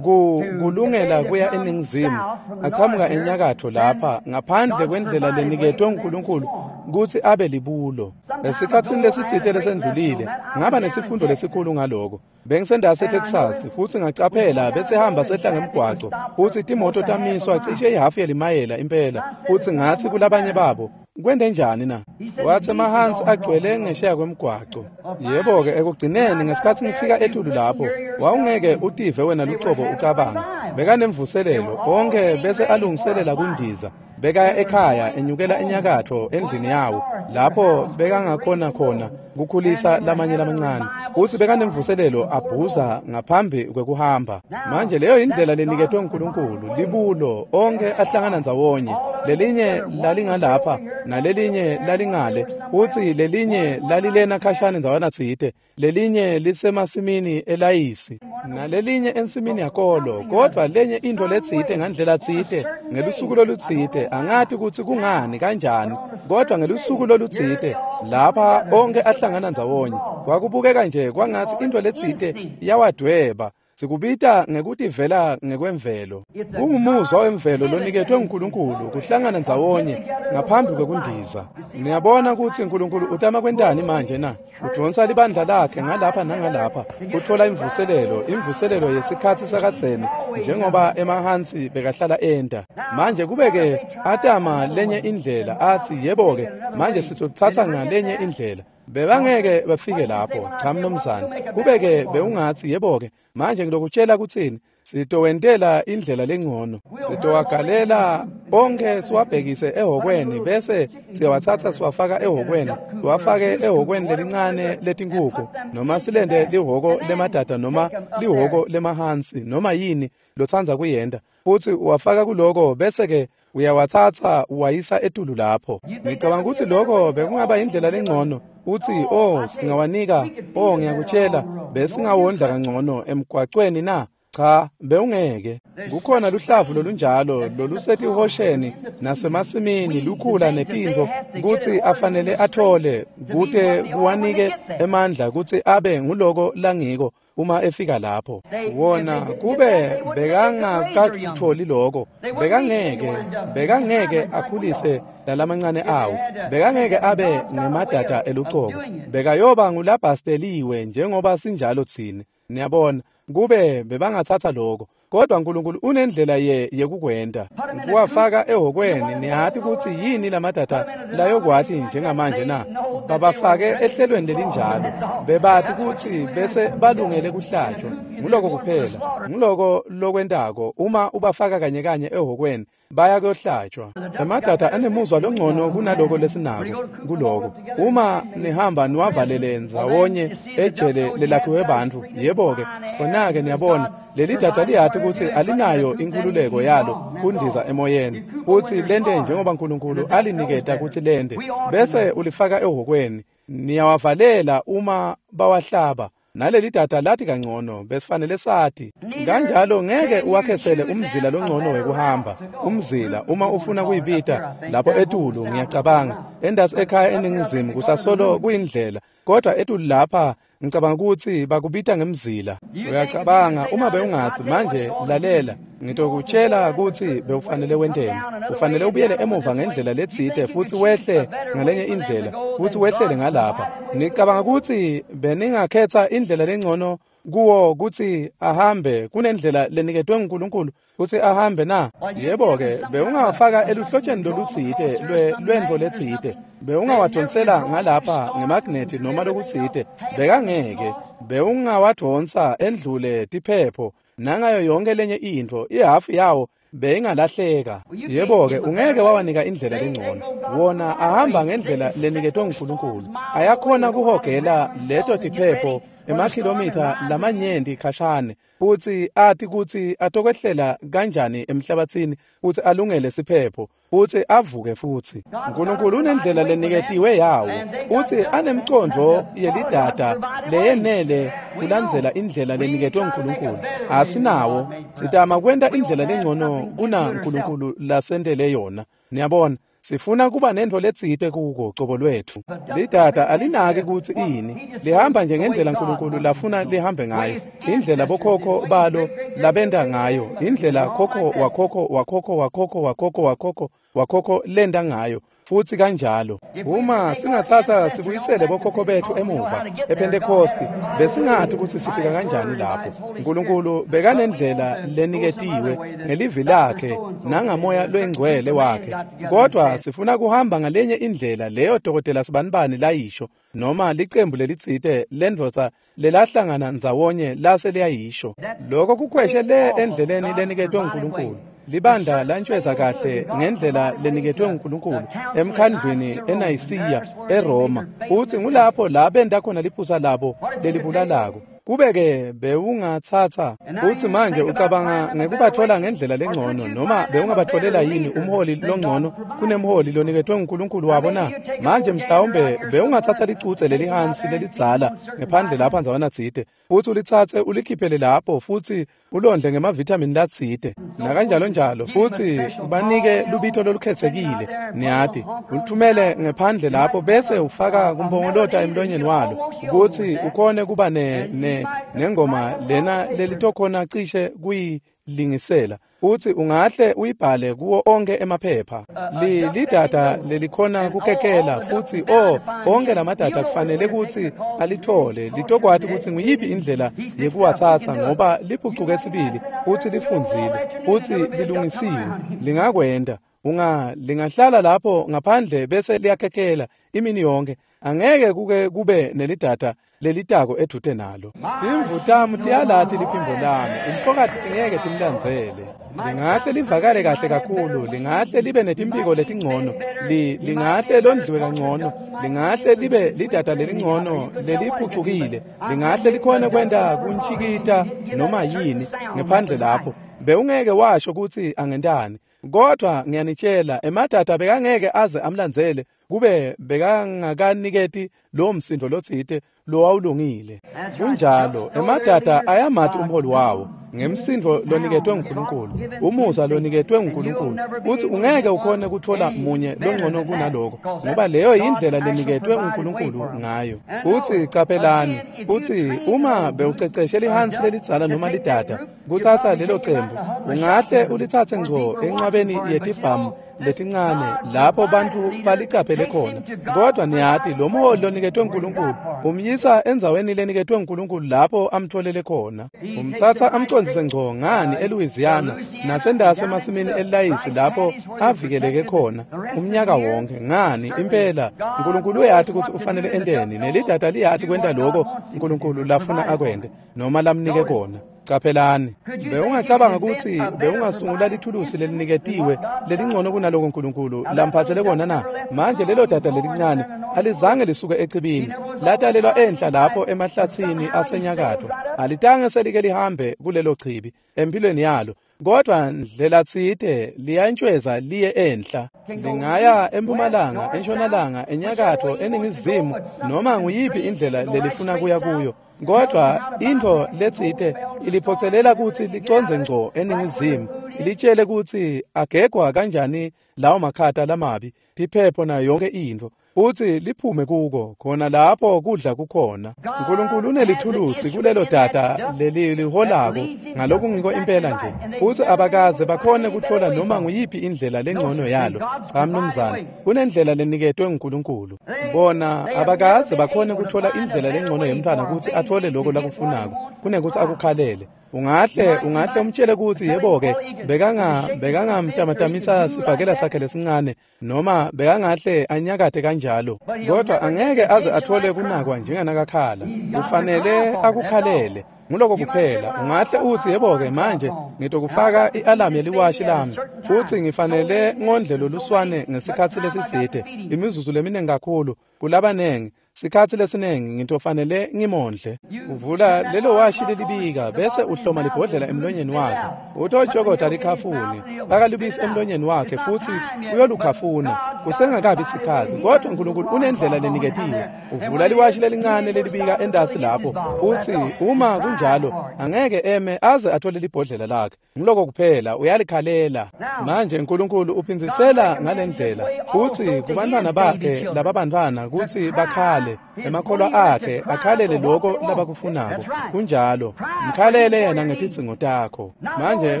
kulungela kuya eningizimu achamuka enyakatho lapha ngaphandle kwendlela leniketwe uNkulunkulu kutsi abe libulo. Esikhatsini lesitsite lesendlulile ngaba nesifundo lesikhulu ngaloko. Bengisendase eTexas futsi ngacaphela bese hamba sehla ngemgwaco futsi timoto tamiswa cishe ihafu yelimayela impela, futsi ngatsi kulabanye babo, kwente njani na? Wathi emahansi agcwele ngesheya kwemgwaco. Yebo-ke ekugcineni ngesikhatsi ngifika etulu lapho, wawungeke utive wena lucobo ucabanga. Bekanemvuselelo onke bese alungiselela kundiza. Bekaya ekhaya enyukela enyakatho endlini yawo lapho bekangakhona khona kukhulisa lamanye lamancane, futsi bekanemvuselelo abhuza ngaphambi kwekuhamba. Manje leyo indlela leniketwe uNkulunkulu, libulo onke ahlangana ndzawonye, lelinye lalingalapha nalelinye lalingale, futsi lelinye lalilena khashane ndzawana tsite, lelinye lisemasimini elayisi nalelinye ensimini yakolo. Kodwa lenye intfo letsite ngandlela tsite ngelusuku lolutsite, angati kutsi kungani kanjani, kodwa ngelusuku lolutsite lapha onke ahlangana ndzawonye, kwakubukeka nje kwangatsi intfo letsite yawadweba. Sikubita ngekutivela ngekwemvelo. Kungumuzwa wemvelo loniketwe uNkulunkulu kuhlangana ndzawonye ngaphambi kwekundiza. Niyabona kutsi uNkulunkulu utama kwentani manje na? Udvonsa libandla lakhe ngalapha nangalapha, kutfola imvuselelo, imvuselelo yesikhatsi sakadzeni njengoba emahansi bekahlala enta. Manje kube-ke atama lenye indlela atsi, yebo-ke manje sitotsatsa ngalenye indlela. Bebangeke bafike lapho, cha mnumzane. Kube-ke bewungatsi, yebo-ke manje ngilokutshela kutsini, sitowentela indlela lengcono, sitowagalela onke siwabhekise ehhokweni bese siyawatsatsa siwafaka ehhokweni, siwafake ehhokweni lelincane letinkukhu, noma silente lihhoko lemadada noma lihhoko lemahansi noma yini lotsandza kuyenta, futsi uwafaka kuloko bese-ke uyawatsatsa uwayisa etulu lapho. Ngicabanga kutsi lokho bekungaba indlela lengcono. Utsi, oh singawanika, oh ngiyakutshela, besingawondla kangcono emgwacweni na? Cha, bewungeke. Kukhona luhlavu lolunjalo lolusetihosheni nasemasimini lukhula netintfo kutsi afanele athole kute kuwanike emandla kutsi abe nguloko langiko uma efika lapho. Wona kube bekangakakutholi lokho, bekangeke bekangeke akhulise lalamancane awo, bekangeke abe ngemadada elucobo, bekayoba ngulabhasteliwe njengoba sinjalo tsine. Niyabona, kube bebangathatha lokho. Kodwa uNkulunkulu unendlela ye yekukwenta kuwafaka ehokweni. Niyati kutsi yini lamadada layokwati njengamanje na? Babafake ehlelweni lelinjalo, bebati kutsi bese balungele kuhlatshwa. Nguloko kuphela, nguloko lokwentako uma ubafaka kanye kanye ehokweni, baya kuyohlatshwa. Emadada anemuzwa longcono kunaloko lesinako kuloko. Uma nihamba niwavalele ndzawonye ejele lelakhiwe bantfu, yebo-ke khona-ke niyabona leli dada liyati kutsi alinayo inkhululeko yalo kundiza emoyeni, kutsi lente njengoba uNkulunkulu aliniketa kutsi lente, bese ulifaka ehokweni. Niyawavalela uma bawahlaba. Naleli dada lati kangcono, besifanele sati. Kanjalo ngeke uwakhetsele umzila longcono wekuhamba. Umzila uma ufuna kuyibita lapho etulu, ngiyacabanga endasi ekhaya eningizimu kusasolo kuyindlela, kodwa etulu lapha ngicabanga ukuthi bakubita ngemzila. Uyacabanga uma bewungathi manje lalela, ngitokutshela ukuthi bewufanele wenteni. Ufanele ubuyele emuva ngendlela letsite futhi wehle ngalenye indlela futhi wehlele ngalapha. Ngicabanga ukuthi beningakhetha indlela lengcono kuwo kutsi ahambe kunendlela leniketwe nguNkulunkulu kutsi ahambe na? Yebo-ke, bewungawafaka eluhlotsheni lolutsite lwentfo letsite, bewungawadonsela ngalapha ngemagnethi noma lokutsite, bekangeke. Bewungawadonsa endlule tiphepho nangayo yonke lenye intfo, ihafu yawo beyingalahleka. Yebo-ke, ungeke wawanika indlela lengcono. Wona ahamba ngendlela leniketwe nguNkulunkulu. Ayakhona kuhogela leto tiphepho emakhilomitha lamanyenti khashane, futsi ati kutsi atokwehlela kanjani emhlabatsini futsi alungele siphepho futsi avuke futsi. uNkulunkulu unendlela leniketiwe yawo, futsi anemcondvo yelidada leyenele kulandzela indlela leniketwe nguNkulunkulu. Asinawo, sitama kwenta indlela lengcono kunaNkulunkulu lasentele yona. Niyabona, sifuna kuba nentfo letsite kuko cobo lwetfu. Lidada alinaki kutsi ini, lihamba nje ngendlela uNkulunkulu lafuna lihambe ngayo, indlela bokhokho balo labenta ngayo, indlela khokho wakhokho wakhokho wakhokho wakhokho wakhokho wakhokho lenda ngayo, futsi kanjalo. Uma singatsatsa sibuyisele bokhokho betfu emuva ePhentekosti, besingati kutsi sifika kanjani lapho. uNkulunkulu bekanendlela leniketiwe ngelivi lakhe nangamoya lwengcwele wakhe, kodwa sifuna kuhamba ngalenye indlela leyo dokotela sibanibani layisho, noma licembu lelitsite lendvodza lelahlangana ndzawonye lase liyayisho. Lokho kukhweshe le endleleni leniketwe nguNkulunkulu. Libandla lantshweza kahle ngendlela leniketwe nguNkulunkulu emkhandlwini eNayisiya eRoma, uthi ngulapho la benta khona liphutsa labo lelibulalako. Kube-ke bewungatsatsa uthi manje ucabanga ngekubathola ngendlela lengcono, noma bewungabatholela yini umholi longcono kunemholi loniketwe nguNkulunkulu wabo na? Manje mhlawumbe bewungatsatsa licutse lelihansi lelidzala ngephandle lapha ndzawana tsite, futhi ulitsatse ulikhiphele lapho futhi ulondle ngemavithamini latsite nakanjalo njalo, futhi ubanike lubito lolukhetsekile, niyati, ulithumele ngephandle lapho bese ufaka kumpongolota emlonyeni walo ukuthi ukhone kuba ne, ne nengoma lena lelitokhona cishe kuyilingisela, uthi ungahle uyibhale kuwo onke emaphepha. Li lidada lelikhona kukekela futhi oh onke lamadada kufanele kutsi alithole litokwati kutsi nguyiphi indlela yekuwatsatsa, ngoba liphucuke sibili futhi lifundzile futhi lilungisiwe. Lingakwenta unga lingahlala lapho ngaphandle bese liyakekela imini yonke, angeke kuke kube nelidada lelitako edvute nalo. Timvu tami tiyalati liphimbo lami, umfokati tingeke timlandzele. Lingahle livakale kahle kakhulu, lingahle libe netimpiko letingcono, li lingahle londliwe kangcono, lingahle libe lidada lelingcono leliphucukile, lingahle likhone kwenta kuntshikita noma yini ngephandle lapho. Bewungeke washo kutsi angentani, kodwa ngiyanitshela emadada bekangeke aze amlandzele kube bekangakaniketi lo msindo lotsite lowawulungile. Kunjalo, emadada ayamati umholi wawo. Ngemsindvo loniketwe nguNkulunkulu, umusa loniketwe nguNkulunkulu, uthi ungeke ukhone kuthola munye longcono kunaloko, ngoba leyo yindlela leniketwe nguNkulunkulu ngayo. Uthi caphelani, uthi uma bewuceceshe lihansi lelidzala noma lidada kutsatsa lelo cembu, ungahle ulitsatse ngco enqwabeni yetibhamu letincane lapho bantu balicaphele khona. Kodwa niyati lo mholi loniketwe nguNkulunkulu umyisa endzaweni leniketwe nguNkulunkulu lapho amtholele khona. Umtsatsa amcondzise ngco ngani eLouisiana nasendase emasimini elayisi lapho avikeleke khona umnyaka wonke. Ngani impela uNkulunkulu uyati ukuthi ufanele enteni, nelidada liyati kwenta lokho uNkulunkulu lafuna akwente noma lamnike kona. Caphelani, bewungacabanga ukuthi bewungasungula lithulusi leliniketiwe lelingcono kunaloko uNkulunkulu lamphathele kona na? Manje lelo dada lelincane alizange lisuke echibini, latalelwa enhla lapho emahlathini asenyakatho, alitange selike lihambe kulelo chibi empilweni yalo, kodwa ndlela tsite liyantshweza liye enhla. Lingaya empumalanga, entshonalanga, enyakatho, eningizimu, noma nguyiphi indlela lelifuna kuya kuyo, kodwa intfo letsite iliphocelela kutsi licondze ngco eningizimu, ilitshele kutsi agegwa kanjani lawo makhata lamabi, tiphepho nayo yonke intfo, uthi liphume kuko khona lapho kudla kukhona. uNkulunkulu unelithulusi kulelo dada leliholako ngalokungiko impela nje, uthi abakaze bakhone kuthola noma nguyiphi indlela lengcono yalo. Cha mnumzane, kunendlela leniketwe nguNkulunkulu. Bona abakaze bakhone kuthola indlela lengcono yemntwana kutsi athole lokho lakufunako kunekuthi akukhalele. Ungahle ungahle umtshele ukuthi yebo-ke bekanga bekangamtamatamisa sibhakela sakhe lesincane noma bekangahle anyakate kanjalo, kodwa angeke aze athole kunakwa njenganakakhala. Kufanele akukhalele, nguloko kuphela. Ungahle uthi yebo-ke manje ngitokufaka i-alamu yeliwashi lami futhi ngifanele ngondle loluswane ngesikhatsi lesitsite, imizuzu leminingi kakhulu kulabanengi, sikhatsi lesinengi ngitofanele ngimondle. Uvula lelo washi lelibika bese uhloma libhodlela emlonyeni wakhe, utojokoda likhafune akalubisi emlonyeni wakhe futhi uyolukhafuna kusengakabi sikhatsi. Kodwa uNkulunkulu unendlela leniketiwe. Uvula liwashi lelincane lelibika endasi lapho, uthi uma kunjalo angeke eme aze athole libhodlela lakhe. Ngiloko kuphela, uyalikhalela. Manje uNkulunkulu uphindzisela ngalendlela, uthi kubantwana bakhe lababantwana kutsi bakhale, emakholwa akhe akhalele lokho labakufunako. Kunjalo, mkhalele yena ngetidzingo takho. Manje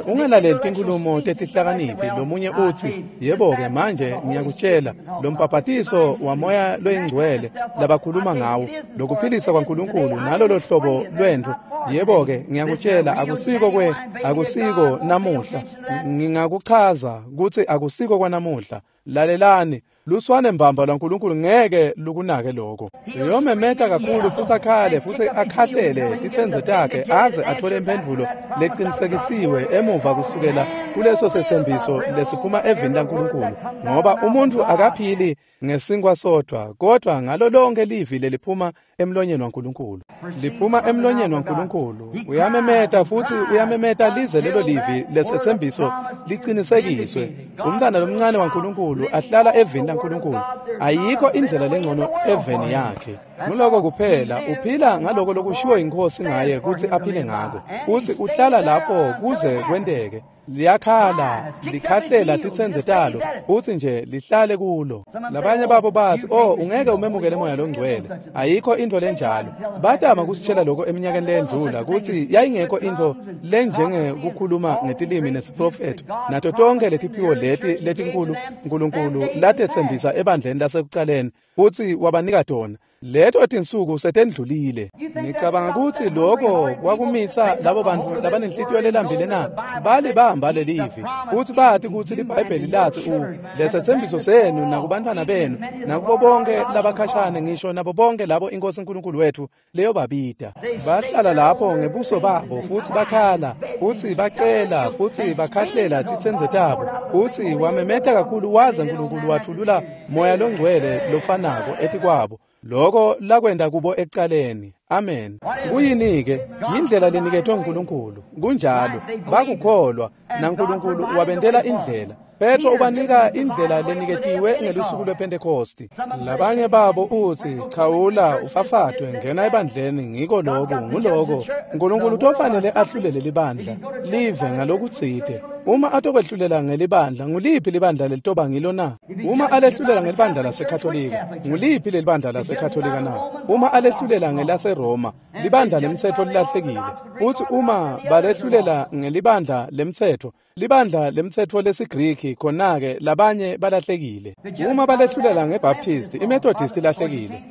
ungalaleli tinkhulumo tetihlakaniphi. Lomunye uthi yebo-ke manje ngiyakutshela lo mbhabhatiso wamoya loyingcwele labakhuluma ngawo, lokuphilisa kwaNkulunkulu nalolo hlobo lwentfo, yebo-ke ngiyakutshela akusiko kwe akusiko namuhla. Ngingakuchaza kutsi akusiko kwanamuhla. Lalelani, luswane mbamba lwaNkulunkulu ngeke lukunake lokho. Uyomemeta kakhulu futhi akhale futhi akhahlele titsenze takhe aze athole imphendvulo leqinisekisiwe emuva kusukela kuleso sethembiso lesiphuma evini laNkulunkulu, ngoba umuntu akaphili ngesinkwa sodwa kodwa ngalo lonke livi leliphuma emlonyeni waNkulunkulu. Liphuma emlonyeni waNkulunkulu. Uyamemeta futhi uyamemeta lize lelo livi lesethembiso liqinisekiswe. Umntwana lomncane waNkulunkulu ahlala evini laNkulunkulu. Ayikho indlela lengcono eveni yakhe. Nguloko kuphela, uphila ngaloko lokushiwo inkosi ngaye kutsi aphile ngako. Uthi uhlala lapho kuze kwenteke. Liyakhala, likhahlela titsenze talo, uthi nje lihlale kulo. Labanye babo bathi, oh ungeke umemukele moya longcwele, ayikho into lenjalo. Batama kusitshela lokho eminyakeni lendlula kutsi yayingekho into lenjenge kukhuluma ngetilimi nesiprofetho nato tonke letiphiwo leti letinkulu uNkulunkulu latetsembisa ebandleni lasekucaleni kutsi wabanika tona. Leto tinsuku setendlulile. Ngicabanga kutsi lokho kwakumisa labo bantu labanenhlitiyo lelambile na balibamba lelivi kutsi bathi kutsi liBhayibheli lathi u lesethembiso senu nakubantwana benu nakubo bonke labakhashane ngisho nabo bonke labo inkosi uNkulunkulu wethu leyo babida. Bahlala lapho ngebuso babo futhi bakhala futhi bacela futhi bakhahlela titsenze tabo. Uthi wamemeta kakhulu waze uNkulunkulu wathulula moya longcwele lofanako etikwabo. Loko lakwenda kubo ekucaleni. Amen. Kuyini-ke? Yindlela leniketwe nguNkulunkulu. Kunjalo. Bakukholwa naNkulunkulu wabentela indlela. Petro ubanika indlela leniketiwe ngelusuku lwePhentekosti. Labanye babo utsi, chawula ufafatwe ngena ebandleni, ngiko loku nguloko. Nkulunkulu utofanele ahlulele libandla live ngalokutsite. Uma atokwehlulela ngelibandla, nguliphi libandla lelitoba ngilo na? Uma alehlulela ngelibandla laseKatolika, nguliphi lelibandla laseKatolika na? Uma alehlulela ngelaseRoma, libandla lemtsetfo lilahlekile. Utsi uma balehlulela ngelibandla lemtsetfo, libandla lemtsetfo lesiGriki, khona-ke labanye balahlekile. Uma balehlulela ngeBaptist, iMethodist ilahlekile,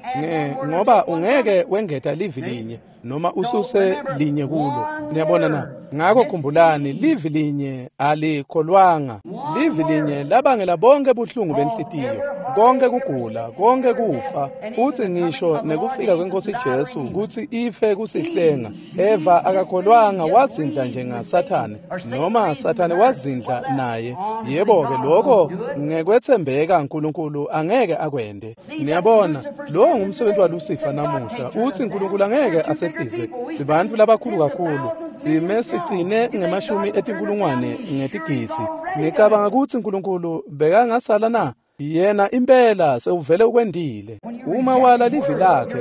ngoba ungeke wengeta livi linye noma ususe linye kulo. Niyabona na? Ngakho khumbulani, livi linye alikholwanga. Livi linye labangela bonke buhlungu benhlitiyo, konke kugula, konke kufa, futsi ngisho nekufika kweNkosi Jesu kutsi ife kusihlenga. Eva akakholwanga, wazindla njengaSathane, noma Sathane wazindla naye. Yebo-ke, lokho ngekwetsembeka uNkulunkulu angeke akwente. Niyabona, lowo ngumsebenzi waLusifa namuhla. Utsi uNkulunkulu angeke asehlise. Sibantfu labakhulu kakhulu, sime sigcine ngemashumi etinkulungwane ngetigidzi. Ngicabanga kutsi uNkulunkulu bekangasala na? Yena impela sewuvele ukwendile. Uma wala livi lakhe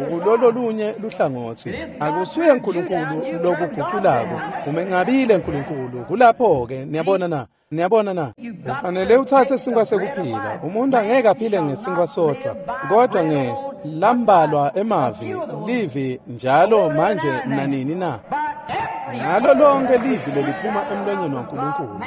ukulolo lunye luhlangotsi, akusuye uNkulunkulu lokuguculako, umencabile uNkulunkulu. Kulapho-ke, niyabona na? Niyabona na? Ufanele utsatse sinkwa sekuphila. Umuntu angeke aphile ngesinkwa sodwa, kodwa nge lambalwa emavi livi njalo manje nanini na. Ngalo lonke livi leliphuma emlonyeni waNkulunkulu,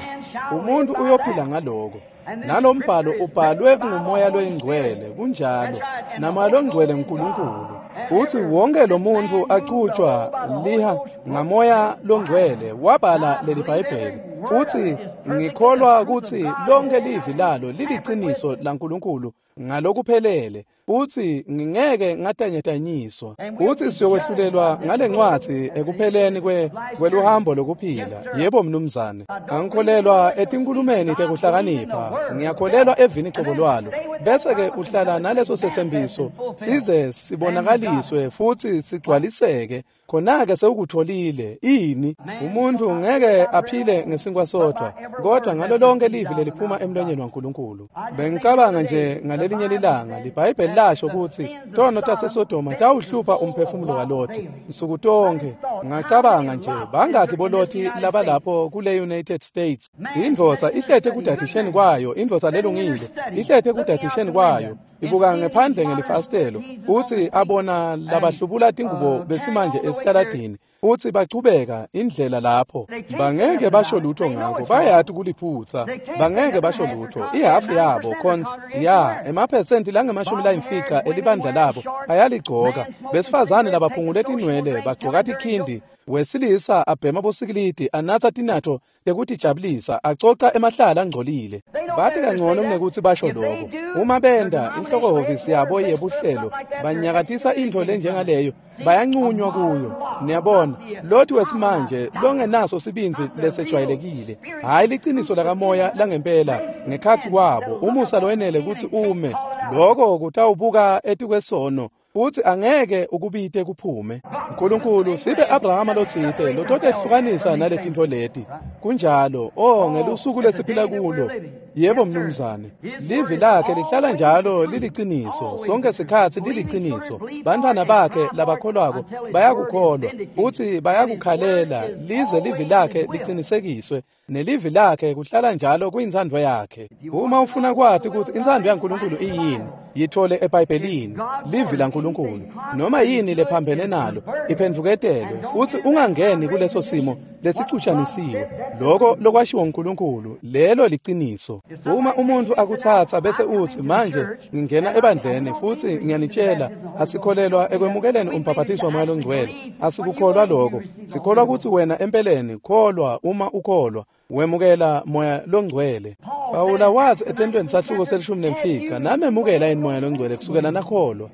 umuntu uyophila ngaloko. Nalo mbhalo ubhalwe ngumoya loyingcwele, kunjalo, namoya longcwele nguNkulunkulu. Uthi wonke lo muntu achutshwa liha ngamoya longcwele wabhala leli Bhayibheli. Futhi ngikholwa kutsi lonke livi lalo liliciniso laNkulunkulu ngalokuphelele. Uthi ngingeke ngatanyatanyiswa. Uthi siyokwehlulelwa ngale ncwadzi ekupheleni kwe kweluhambo lokuphila. Yebo mnumzane. Angikholelwa etinkulumeni tekuhlakanipha, ngiyakholelwa evini cobo lwalo. Bese-ke uhlala naleso setsembiso size sibonakaliswe futhi sigcwaliseke. Khona-ke sewukutholile. Ini? Umuntu ngeke aphile ngesinkwa sodwa, kodwa ngalo lonke livi leliphuma emlonyeni waNkulunkulu. Bengicabanga nje ngalelinye lilanga, liBhayibheli lasho kutsi tono taseSodoma tawuhlupha umphefumulo waLoti nsuku tonke. Ngacabanga nje, bangakhi boLoti labalapho kule United States? Indvodza ihlete kudadisheni kwayo, indvodza lelungile ihlete kudadisheni kwayo, ibuka ngephandle ngelifasitelo, utsi abona labahlubula tingubo besimanje esitaladini, utsi bachubeka indlela lapho. Bangeke basho lutho ngako, bayati kuliphutsa, bangeke basho lutho. Ihafu yabo khonza ya emaphesenti langemashumi layimfica elibandla labo ayaligcoka. Besifazane labaphungule tinwele bagcoka tikhindi, wesilisa abhema bosikilidi, anatsa tinatfo tekutijabulisa, acoca emahlala angcolile. Bathi kangcono kunekuthi basho lokho. Uma benda inhlokohhovisi yabo yebuhlelo banyakatisa intfo lenjengaleyo, bayancunywa kuyo. Niyabona, Loti wesimanje longenaso sibindzi lesejwayelekile, hhayi liciniso lakamoya langempela ngekhatsi kwabo, umusa lowenele kutsi ume. Loko kutawubuka etikwesono, futsi angeke ukubite kuphume. Nkulunkulu sibe Abrahama lotsite lototehlukanisa naletintfo leti. Kunjalo, oh, ngelusuku lesiphila kulo. Yebo mnumzane. Livi lakhe lihlala njalo liliciniso, sonke sikhatsi liliciniso. Bantfwana bakhe labakholwako bayakukholwa, futsi bayakukhalela lize livi lakhe licinisekiswe. Nelivi lakhe kuhlala njalo kuyintsandvo yakhe. Uma ufuna kwati kutsi intsandvo yaNkulunkulu iyini, yithole eBhayibhelini, livi laNkulunkulu. Noma yini lephambene nalo iphendvuketelwe, futsi ungangeni kuleso simo lesicutshanisiwe. Loko lokwashiwo nguNkulunkulu, lelo liciniso. Uma umuntu akutsatsa bese utsi, manje ngingena ebandleni futsi ngiyanitshela, asikholelwa ekwemukeleni umbhaphathiso waMoya loNgcwele. Asikukholwa lokho. Sikholwa kutsi wena empeleni kholwa. Uma ukholwa, wemukela Moya loNgcwele. Pawula wathi etentweni sahluko selishumi nemfica, namemukela yini Moya loNgcwele kusukela nakholwa?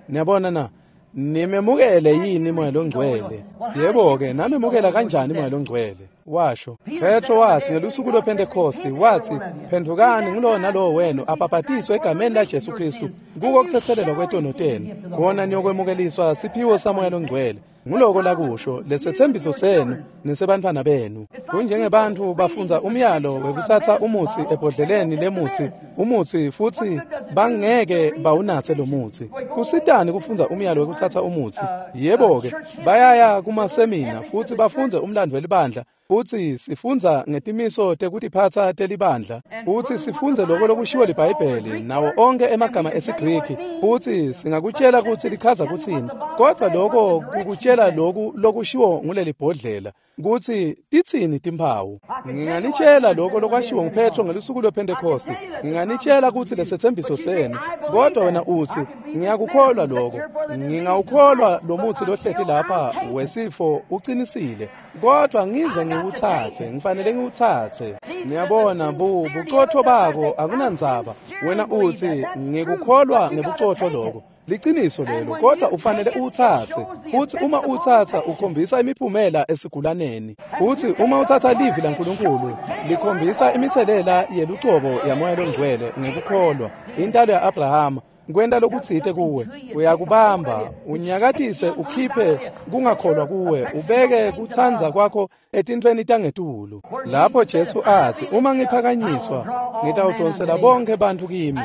Niyabona na? Nimemukele yini Moya loNgcwele? Yebo-ke, namemukela kanjani Moya loNgcwele? Washo. Petro wathi ngelusuku lwePhentekosti, wathi, phendvukani ngulowo nalowo wenu abhabhatiswe egameni laJesu Kristu Kuko kutsetselelwa kwetono tenu, khona niyokwemukeliswa siphiwo saMoya loNgcwele. Nguloko lakusho lesethembiso senu nesebantfwana benu. Kunjengebantfu bafundza umyalo wekutsatsa umutsi ebhodleleni lemutsi, umutsi futsi bangeke bawunatse lo mutsi. Kusitani kufundza umyalo wekutsatsa umutsi? Yebo-ke, bayaya kumasemina futsi bafundze umlandvo welibandla. Futsi sifundza ngetimiso tekutiphatsa telibandla, futsi sifundze loko lokushiwo liBhayibheli nawo onkhe emagama esiGriki, futsi singakutjela kutsi lichaza kutsini, kodvwa loko kukutjela loku lokushiwo nguleli bhodlela kutsi titsini timphawu. Nginganitjela loko lokwashiwo nguPetro ngelusuku lwePhentekhosti, nginganitjela kutsi lesethembiso senu, kodwa wena utsi ngiyakukholwa loko, ngingawukholwa lo mutsi lohleti lapha wesifo ucinisile, kodwa ngize ngiwutsatse, ngifanele ngiwutsatse. Niyabona, bu bucotfo bako akunandzaba. Wena utsi ngikukholwa ngebucotfo loko, liciniso lelo, kodwa ufanele uwutsatse. Futsi uma utsatsa ukhombisa imiphumela esigulaneni. Futsi uma utsatsa livi laNkulunkulu likhombisa imitselela yelucobo yaMoya loNgcwele ngekukholwa, intalo ya-Abrahama, kwenta lokutsite kuwe, uyakubamba unyakatise ukhiphe kungakholwa kuwe, ubeke kutsandza kwakho etintfweni tangetulu. Lapho Jesu atsi, uma ngiphakanyiswa ngitawudonsela bonkhe bantfu kimi.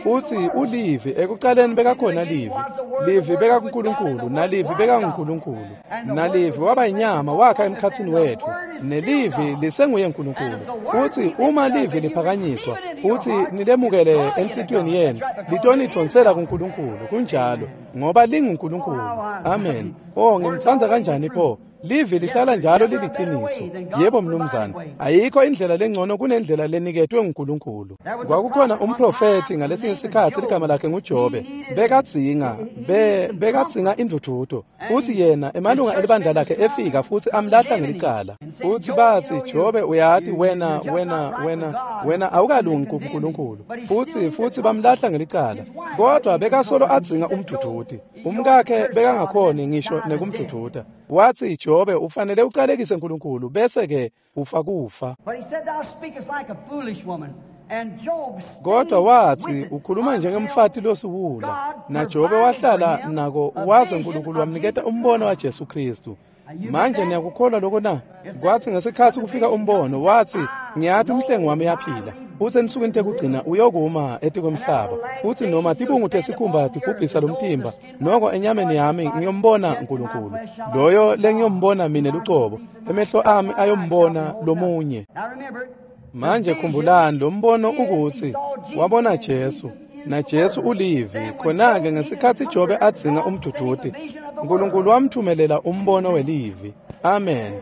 Futsi ulivi, ekucaleni bekakhona livi, livi bekakuNkulunkulu, nalivi bekanguNkulunkulu, nalivi waba inyama wakha emkhatsini wetfu, nelivi lisenguye Nkulunkulu. Futsi uma livi liphakanyiswa futsi nilemukele enhlitiyweni yenu, litonidvonsela kuNkulunkulu. Kunjalo, ngoba linguNkulunkulu. Amen. Oh, ngimtsandza kanjani pho! Livi lihlala njalo liliciniso. Yebo mnumzane, ayikho indlela lengcono kunendlela leniketwe nguNkulunkulu. Kwakukhona umprofethi ngalesinye sikhatsi ligama lakhe nguJobe. Bekadzinga, be bekadzinga indvudvuto. Futsi yena emalunga elibandla lakhe efika futsi amlahla ngelicala. Futsi batsi, Jobe, uyati wena wena wena wena awukalungi kuNkulunkulu. Futsi futsi bamlahla ngelicala. Kodwa bekasolo adzinga umdvudvuti. Umkakhe bekangakhoni ngisho nekumdvudvuta. Watsi, Jobe, ufanele ucalekise uNkulunkulu bese ke ufa kufa. Kodwa watsi ukhuluma njengemfati losiwula, naJobe wahlala nako waze uNkulunkulu wamniketa umbono waJesu Kristu. Manje niyakukholwa lokho na? Kwathi ngesikhatsi kufika umbono, watsi ngiyati umhlengi wami uyaphila, futsi ensukwini tekugcina uyokuma etikwemhlaba, futsi noma tibungu tesikhumba tibhubhisa lomtimba, noko enyameni yami ngiyombona uNkulunkulu, loyo lengiyombona mine lucobo, emehlo ami ayombona lomunye. Manje khumbulani lo mbono ukuthi wabona Jesu, na Jesu ulivi. Khona-ke ngesikhatsi Jobe adzinga umdvudvuti, uNkulunkulu wamthumelela umbono welivi. Amen.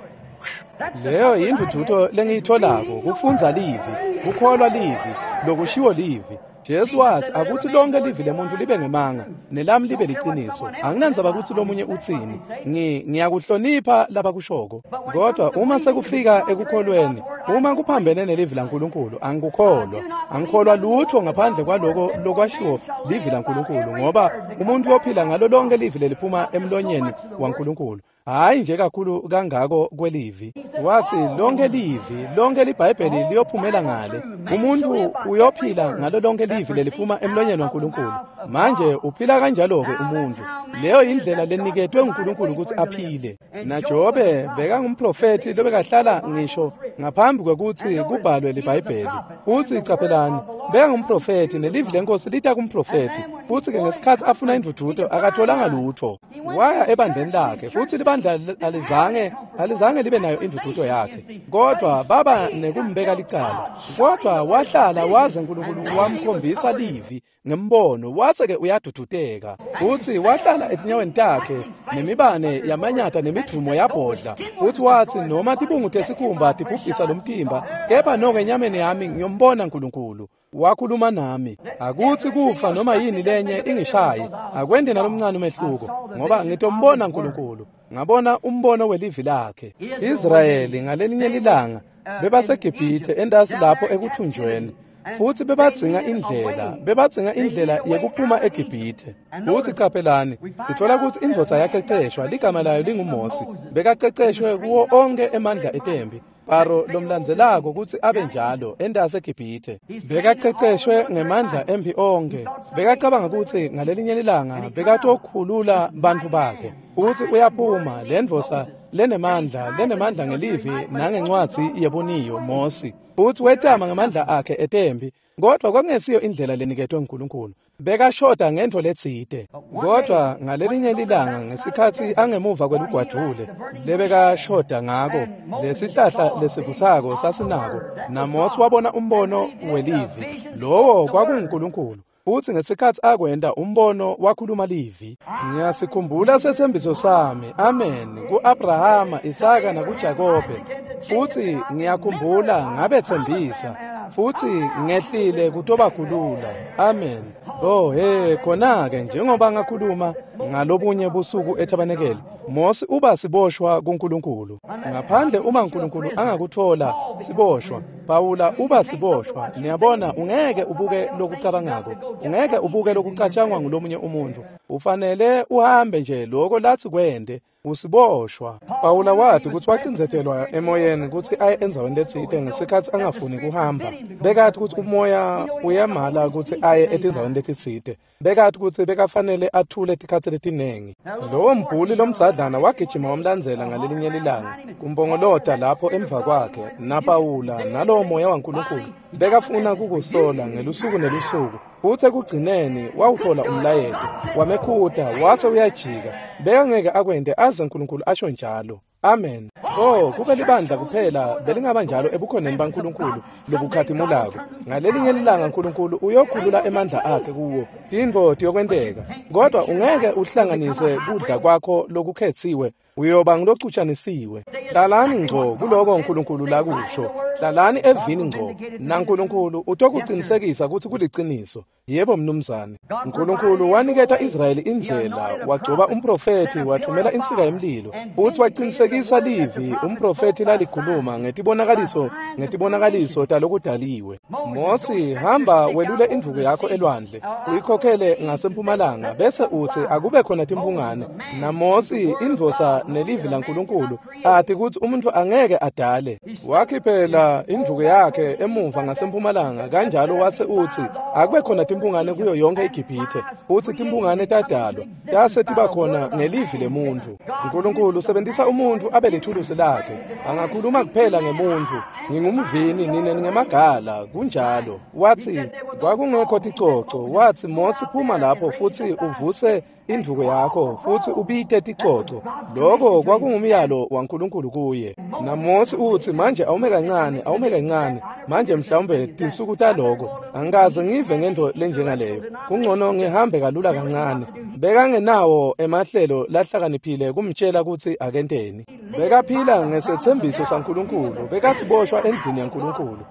Leyo yindvudvuto lengiyitholako, kufundza livi, kukholwa livi, lokushiwo livi. Jesu watsi akutsi lonke livi lemuntu libe ngemanga, nelami libe liciniso. Anginandzaba kutsi lomunye utsini, ngi ngiyakuhlonipha labakushoko. Kodwa uma sekufika ekukholweni, uma kuphambene nelivi laNkulunkulu, angikukholwa. Angikholwa lutho ngaphandle kwaloko lokwashiwo livi laNkulunkulu, ngoba umuntu uyophila ngalo lonke livi leliphuma emlonyeni waNkulunkulu. Hayi nje kakhulu kangako kwelivi. Watsi lonke livi, lonke liBhayibheli liyophumela ngale. Umuntu uyophila ngalo lonke livi leliphuma emlonyeni waNkulunkulu. Manje uphila kanjalo-ke umuntu. Leyo indlela leniketwe nguNkulunkulu ukuthi aphile. NaJobe bekangumprofethi lobekahlala ngisho ngaphambi kwekutsi kubhalwe liBhayibheli. Futsi caphelani, bekangumprofethi nelivi lenkosi lita kumprofethi. Futsi-ke ngesikhatsi afuna indvudvuto akatholanga lutho. Waya ebandleni lakhe, futsi libandla alizange alizange libe nayo indvudvuto yakhe, kodwa baba nekumbeka licala. Kodwa wahlala waze uNkulunkulu wamkhombisa livi ngembono, wase-ke uyaduduteka. Futsi wahlala etinyaweni takhe nemibane yamanyata nemidvumo yabhodla. Futsi watsi noma tibungu tesikhumba tibhubhisa lomtimba, kepha noko enyameni yami ngiyombona uNkulunkulu. Wakhuluma nami, akutsi kufa noma yini lenye ingishaye, akwente nalomncane umehluko, ngoba ngitombona uNkulunkulu. Ngabona umbono welivi lakhe. Israyeli ngalelinye lilanga bebaseGibhithe entasi lapho ekuthunjweni, futsi bebadzinga indlela, bebadzinga indlela yekuphuma eGibhithe. Futsi caphelani, sithola kutsi indvodza yaceceshwa, ligama layo linguMosi, bekaceceshwe kuwo onke emandla etempi. Faro lomlandzelako kutsi abe njalo entase eGibhithe. Bekaqeqeshwe ngemandla emphi onkhe. Bekacabanga kutsi ngalelinye lilanga bekatokhulula bantfu bakhe. Utsi uyaphuma lendvodza lenemandla lenemandla ngelivi nangencwadzi yebuniyo Mosi. Utsi wetama ngemandla akhe etempi, kodwa kwakungesiyo indlela leniketwe nguNkulunkulu. Bekashoda ngentfo letsite. Kodwa ngalelinye lilanga ngesikhatsi angemuva kwelugwadvule lebekashoda ngako, lesihlahla lesivutsako sasinako, naMosi wabona umbono welivi. Lowo kwakunguNkulunkulu. Futsi ngesikhatsi akwenta umbono wakhuluma livi. Ngiyasikhumbula setsembiso sami, amen, ku-Abrahama, Isaka nakuJakobe. Futsi ngiyakhumbula ngabetsembisa. Futsi ngehlile kutobakhulula. Amen. Oh hey, khona-ke njengoba ngakhuluma ngalobunye busuku ethabanekeli, Mosi uba siboshwa kuNkulunkulu. Ngaphandle uma uNkulunkulu angakuthola siboshwa, Pawula uba siboshwa. Niyabona, ungeke ubuke lokucabangako, ungeke ubuke lokucatshangwa ngulomunye umuntu. Ufanele uhambe nje lokho lathi kwende. Usiboshwa. Pawula wathi kutsi wacindzetelwa emoyeni kutsi aye endzaweni letsite ngesikhatsi angafuni kuhamba. Bekathi kutsi umoya uyamala kutsi aye etindzaweni letitsite. Bekathi kutsi bekafanele athule tikhatsi letinengi. Lowo mbhuli lomdzadlana wagijima wamlandzela ngalelinye lilanga kumpongolota lapho emva kwakhe naPawula nalowo moya waNkulunkulu. Bekafuna kukusola ngelusuku nelusuku. Futsi ekugcineni wawuthola umlayeto, wamekhuta wase uyajika. Bekangeke akwente aze uNkulunkulu asho njalo. Amen. Oh, kube libandla kuphela belingaba njalo ebukhoneni baNkulunkulu lobukhatimulako. Ngalelinye lilanga uNkulunkulu uyokhulula emandla akhe kuwo. Tintfo tiyokwenteka. Kodwa ungeke uhlanganise kudla kwakho lokukhetsiwe. Uyoba ngulocutjanisiwe. Hlalani ngco kuloko uNkulunkulu lakusho. Hlalani evini ngco. NaNkulunkulu utokuqinisekisa kutsi kuliciniso. Yebo mnumzane. uNkulunkulu waniketa Israyeli indlela, wagcoba umprofethi, wathumela insika yemlilo. Futsi waqinisekisa livi umprofethi lalikhuluma ngetibonakaliso ngetibonakaliso talokudaliwe. Mosi, hamba welule indvuku yakho elwandle, uyikhokhele ngasempumalanga, bese utsi akube khona timphungane. NaMosi indvodza nelivi laNkulunkulu ati kutsi umuntu angeke adale. Wakhiphela indvuku yakhe emuva ngasempumalanga kanjalo wase utsi akube khona timphungane kuyo yonke iGibhithe. Futsi timphungane tadalwa tase tiba khona ngelivi lemuntu. uNkulunkulu usebenzisa umuntu abe lithulusi lakhe. Angakhuluma kuphela ngemuntu. Ngingumvini, nine ningemagala. Kunjalo. Wathi kwakungekho ticoco. Wathi Mosi phuma lapho futsi uvuse indvuku yakho futsi ubite ticoco. Lokho kwakungumyalo waNkulunkulu kuye. NaMosi utsi manje awume kancane, awume kancane. Manje mhlawumbe tinsuku taloko angikaze ngive ngento lenjengaleyo. Kungcono ngihambe kalula kancane. Bekangenawo emahlelo lahlakaniphile kumtshela kutsi akenteni. Bekaphila ngesetsembiso saNkulunkulu. Bekasiboshwa endlini yaNkulunkulu.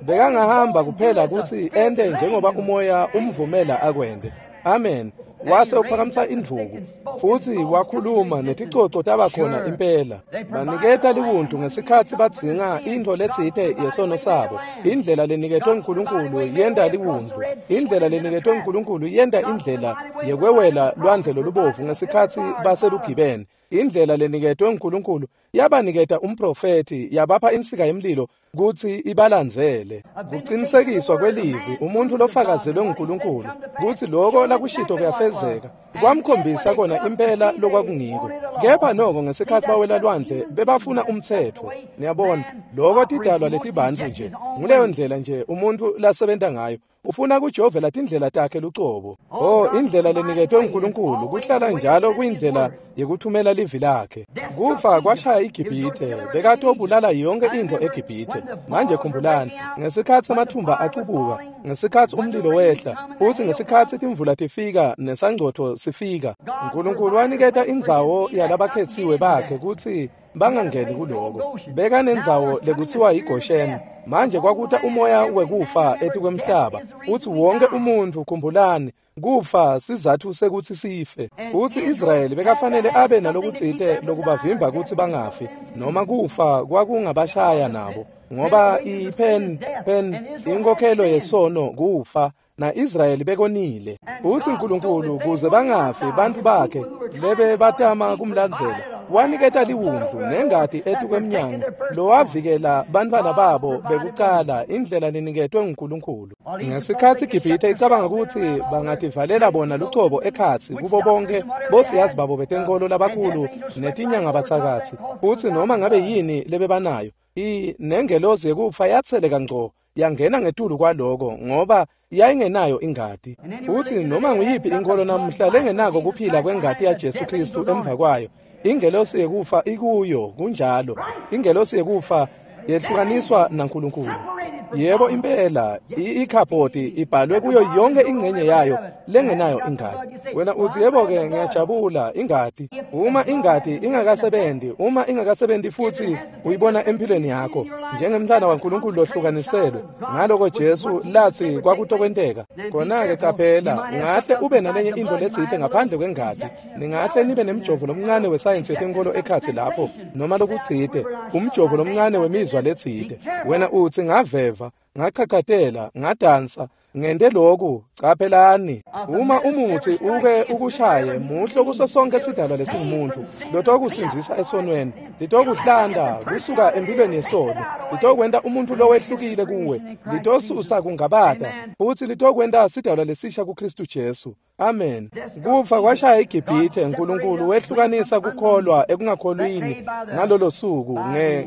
Bekangahamba kuphela kutsi ente njengoba umoya umvumela akwente. Amen. Wase uphakamisa indvuku futsi wakhuluma neticoco taba khona impela. Baniketa liwundlu ngesikhatsi badzinga intfo letsite yesono sabo. Indlela leniketwe nguNkulunkulu yenta liwundlu. Indlela leniketwe nguNkulunkulu yenta indlela yekwewela lwandle lolubovu ngesikhatsi baselugibeni. Indlela leniketwe nguNkulunkulu yabaniketa umprofethi, yabapha insika yemlilo kutsi ibalandzele. Kuqinisekiswa kwelivi umuntu lofakazelwe nguNkulunkulu kutsi lokho lakushito kuyafezeka. Kwamkhombisa kona impela lokwakungiko. Kepha noko ngesikhatsi bawela lwandle bebafuna umtsetfo. Niyabona, lokho tidalwa letibantfu nje. Nguleyo ndlela nje umuntu lasebenta ngayo. Ufuna kujovela tindlela takhe lucobo. Oh, indlela leniketwe nguNkulunkulu kuhlala njalo kuyindlela yekuthumela livi lakhe. Kufa kwashaya iGibhithe, bekatobulala yonke intfo eGibhithe. Manje khumbulani, ngesikhatsi amathumba acubuka, ngesikhatsi umlilo wehla, futsi ngesikhatsi timvula tifika nesangcotfo sifika, uNkulunkulu waniketa indzawo yalabakhetsiwe bakhe kutsi bangangeni kuloko. Bekanendzawo lekutsiwa yiGosheni. Manje kwakuta umoya wekufa etikwemhlaba. Utsi wonke umuntfu, khumbulani, kufa sizatfu sekutsi sife. Utsi Israyeli bekafanele abe nalokutsite lokubavimba kutsi bangafi, noma kufa kwakungabashaya nabo, ngoba ipen pen inkokhelo yesono kufa. Na-Israyeli bekonile. Utsi uNkulunkulu kuze bangafi bantfu bakhe lebe batama kumlandzela, Waniketa liwundlu nengati etukwemnyango lowavikela bantfwana babo bekucala indlela leniketwe nguNkulunkulu. Ngesikhatsi iGibhithe icabanga kutsi bangativalela bona lucobo ekhatsi kubo bonke bosiyazi babo betenkolo labakhulu netinyangabatsakatsi futsi noma ngabe yini lebebanayo, i nengelozi yekufa yatseleka ngco yangena ngetulu kwaloko ngoba yayingenayo ingati. Futsi noma nguyiphi inkolo namuhla lengenako kuphila kwengati yaJesu Kristu emva kwayo, ingelosi yekufa ikuyo. Kunjalo, ingelosi yekufa yehlukaniswa naNkulunkulu. Yebo impela, ikhabhodi ibhalwe kuyo yonke ingcenye yayo lengenayo ingati. Wena uthi yebo-ke ngiyajabula ingati. Uma ingati ingakasebenzi, uma ingakasebenzi futhi uyibona empilweni yakho njengemntwana waNkulunkulu lohlukaniselwe ngaloko Jesu lathi kwakutokwenteka, khona-ke caphela, ungahle ube nalenye into letsite ngaphandle kwengati. Ningahle nibe nemjovo lomncane wesayensi yetenkolo ekhatsi lapho noma lokutsite, umjovo lomncane wemizwa letsite. Wena uthi ngaveva, ngachachatela, ngadansa, ngente lokhu. Caphelani, uma umuthi uke ukushaye muhle kuso sonke sidalwa lesingumuntu lotokusindzisa esonweni, litokuhlanda kusuka empilweni yesono, litokwenta umuntu lowehlukile kuwe, litosusa kungabata futhi litokwenta sidalwa lesisha kuKristu Jesu. Amen. Kufa kwashaya iGibhithe. uNkulunkulu wehlukanisa kukholwa ekungakholwini ngalolo suku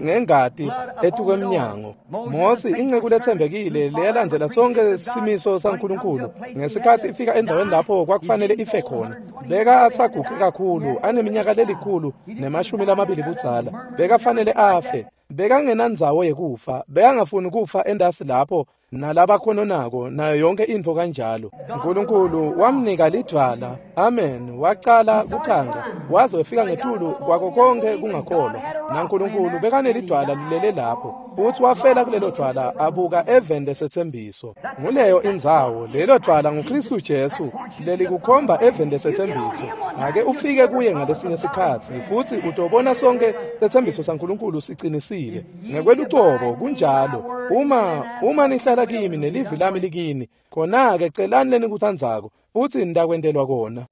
ngengati etukwemnyango. Mose inceku letsembekile leyalandzela sonke simiso saNkulunkulu ngesikhatsi ifika endzaweni lapho kwakufanele ife khona, beka asaguge kakhulu, aneminyaka lelikhulu nemashumi lamabili budzala, bekafanele afe. Bekangenandzawo yekufa, bekangafuni kufa endasi lapho nalabakhononako nayo yonke intfo kanjalo. uNkulunkulu wamnika lidvwala. Amen. Wacala kucanca waze wefika ngetulu kwako konke kungakholwa, naNkulunkulu bekanelidvwala lilele lapho futhi wafela kulelo dvwala abuka eveni lesetsembiso. Nguleyo indzawo, lelo dvwala nguKristu Jesu lelikukhomba eveni lesetsembiso. Ake ufike kuye ngalesinye sikhatsi futhi utobona sonke setsembiso saNkulunkulu sicinisile ngekwelucobo. Kunjalo. Uma uma nihlala kimi nelivi lami likini, khona-ke celani lenikutsandzako futhi nitakwentelwa kona,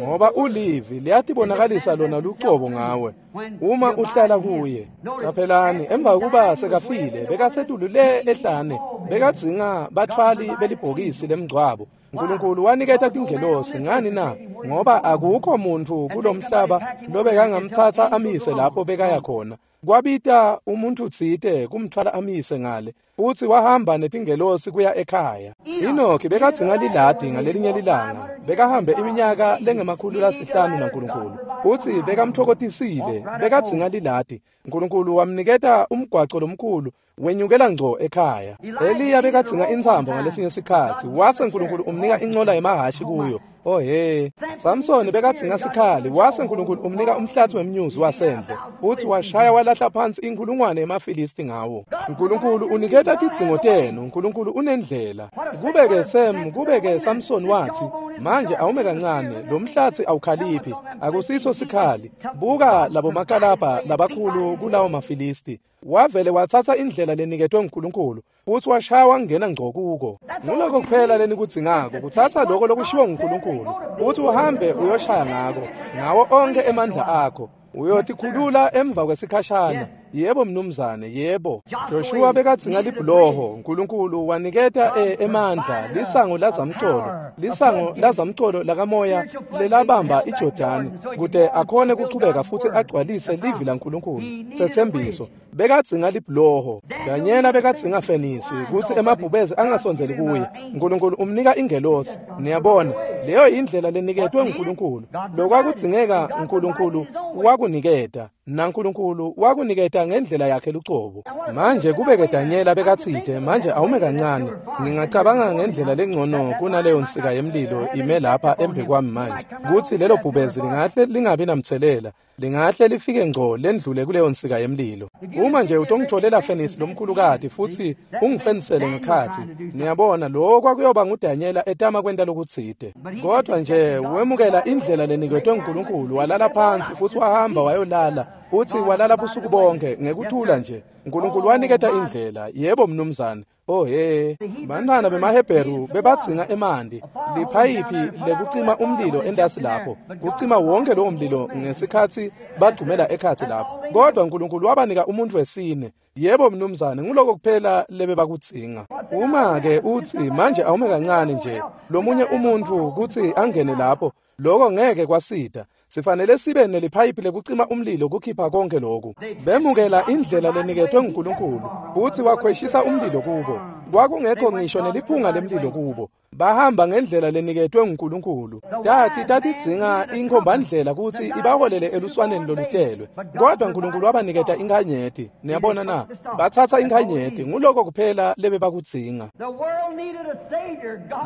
ngoba ulivi liyatibonakalisa lona lucobo ngawe uma uhlala kuye. Caphelani, emva kokuba sekafile bekasetulu le ehlane, bekadzinga batfwali belibhokisi lemngcwabo. uNkulunkulu waniketa tingelosi. Ngani na? Ngoba akukho muntfu kulomhlaba lobekangamtsatsa amise lapho bekaya khona. Kwabita umuntu tsite kumtfwala amise ngale, futhi wahamba netingelosi kuya ekhaya. Enoki bekadzinga liladi ngalelinye lilanga, bekahambe iminyaka lengemakhulu lasihlanu naNkulunkulu, futhi bekamthokotisile, bekadzinga liladi. uNkulunkulu wamniketa umgwaco lomkhulu wenyukela ngco ekhaya. Eliya bekadzinga intsambo ngalesinye sikhatsi, wase uNkulunkulu umnika incola yemahhashi kuyo. Oh he, Samsoni bekadzinga sikhali, wase uNkulunkulu umnika umhlatsi wemnyuzi wasendle, futhi washaya walahla phansi inkulungwane yemaFilisti ngawo. uNkulunkulu uniketa tidzingo tenu. uNkulunkulu unendlela. Kube-ke Sam, kube-ke Samsoni wathi, manje awume kancane, lo mhlatsi awukhaliphi, akusiso sikhali. Buka labo makalabha labakhulu kulawo maFilisti. Wavele watsatsa indlela leniketwe nguNkulunkulu futhi washaya wangena ngco kuko. Nguloko kuphela lenikudzingako, kutsatsa loko lokushiwo nguNkulunkulu futhi uhambe uyoshaya ngako ngawo onke emandla akho. Uyotikhulula emva kwesikhashana. Yebo mnumzane, yebo. Joshua bekadzinga libhuloho. uNkulunkulu waniketa e, emandla lisango lazamcolo, lisango lazamcolo lakamoya lelabamba iJordani kute akhone kuchubeka futhi agcwalise livi laNkulunkulu setsembiso. Bekadzinga libhuloho. Danyela bekadzinga fenisi kutsi emabhubezi angasondzeli kuye. uNkulunkulu umnika ingelosi. Niyabona, leyo indlela leniketwe nguNkulunkulu. Lokwakudzingeka uNkulunkulu wakuniketa, naNkulunkulu wakuniketa ngendlela yakhe lucobo. Manje kubeke Danyela bekatsite, manje awume kancane, ngingacabanga ngendlela lengcono kunaleyo nsika yemlilo ime lapha embi kwami manje, kutsi lelo bhubezi lingahle lingabi namtselela, lingahle lifike ngco lendlule kuleyo nsika yemlilo. Uma nje utongitholela fenisi lomkhulukati futhi ungifenisele ngekhatsi, niyabona, lokho kwakuyoba nguDanyela etama kwenta lokutsite. Kodwa nje wemukela indlela leniketwe nguNkulunkulu, walala phansi futhi wahamba wayolala, futhi walala busuku bonke ngekuthula nje. uNkulunkulu waniketa indlela. Yebo mnumzane. Oh he, bantwana bemaHebheru bebadzinga emanti, liphayiphi lekucima umlilo entasi lapho, kucima wonke lowo mlilo ngesikhatsi bagcumela ekhatsi lapho. Kodwa uNkulunkulu wabanika umuntu wesine. Yebo mnumzane, nguloko kuphela lebebakudzinga. Uma ke utsi manje awume kancane nje, lomunye umuntu kutsi angene lapho, lokho ngeke kwasida. Sifanele sibe neliphayiphi lekucima umlilo kukhipha konke lokhu. Bemukela indlela leniketwe nguNkulunkulu, futsi wakhweshisa umlilo kubo. Kwakungekho ngisho neliphunga lemlilo kubo. Bahamba ngendlela leniketwe nguNkulunkulu. Tati tatidzinga inkhombandlela kutsi ibaholele eluswaneni lolutelwe. Kodwa uNkulunkulu wabaniketa inkhanyeti. Niyabona na? Batsatsa inkhanyeti, nguloko kuphela lebebakudzinga.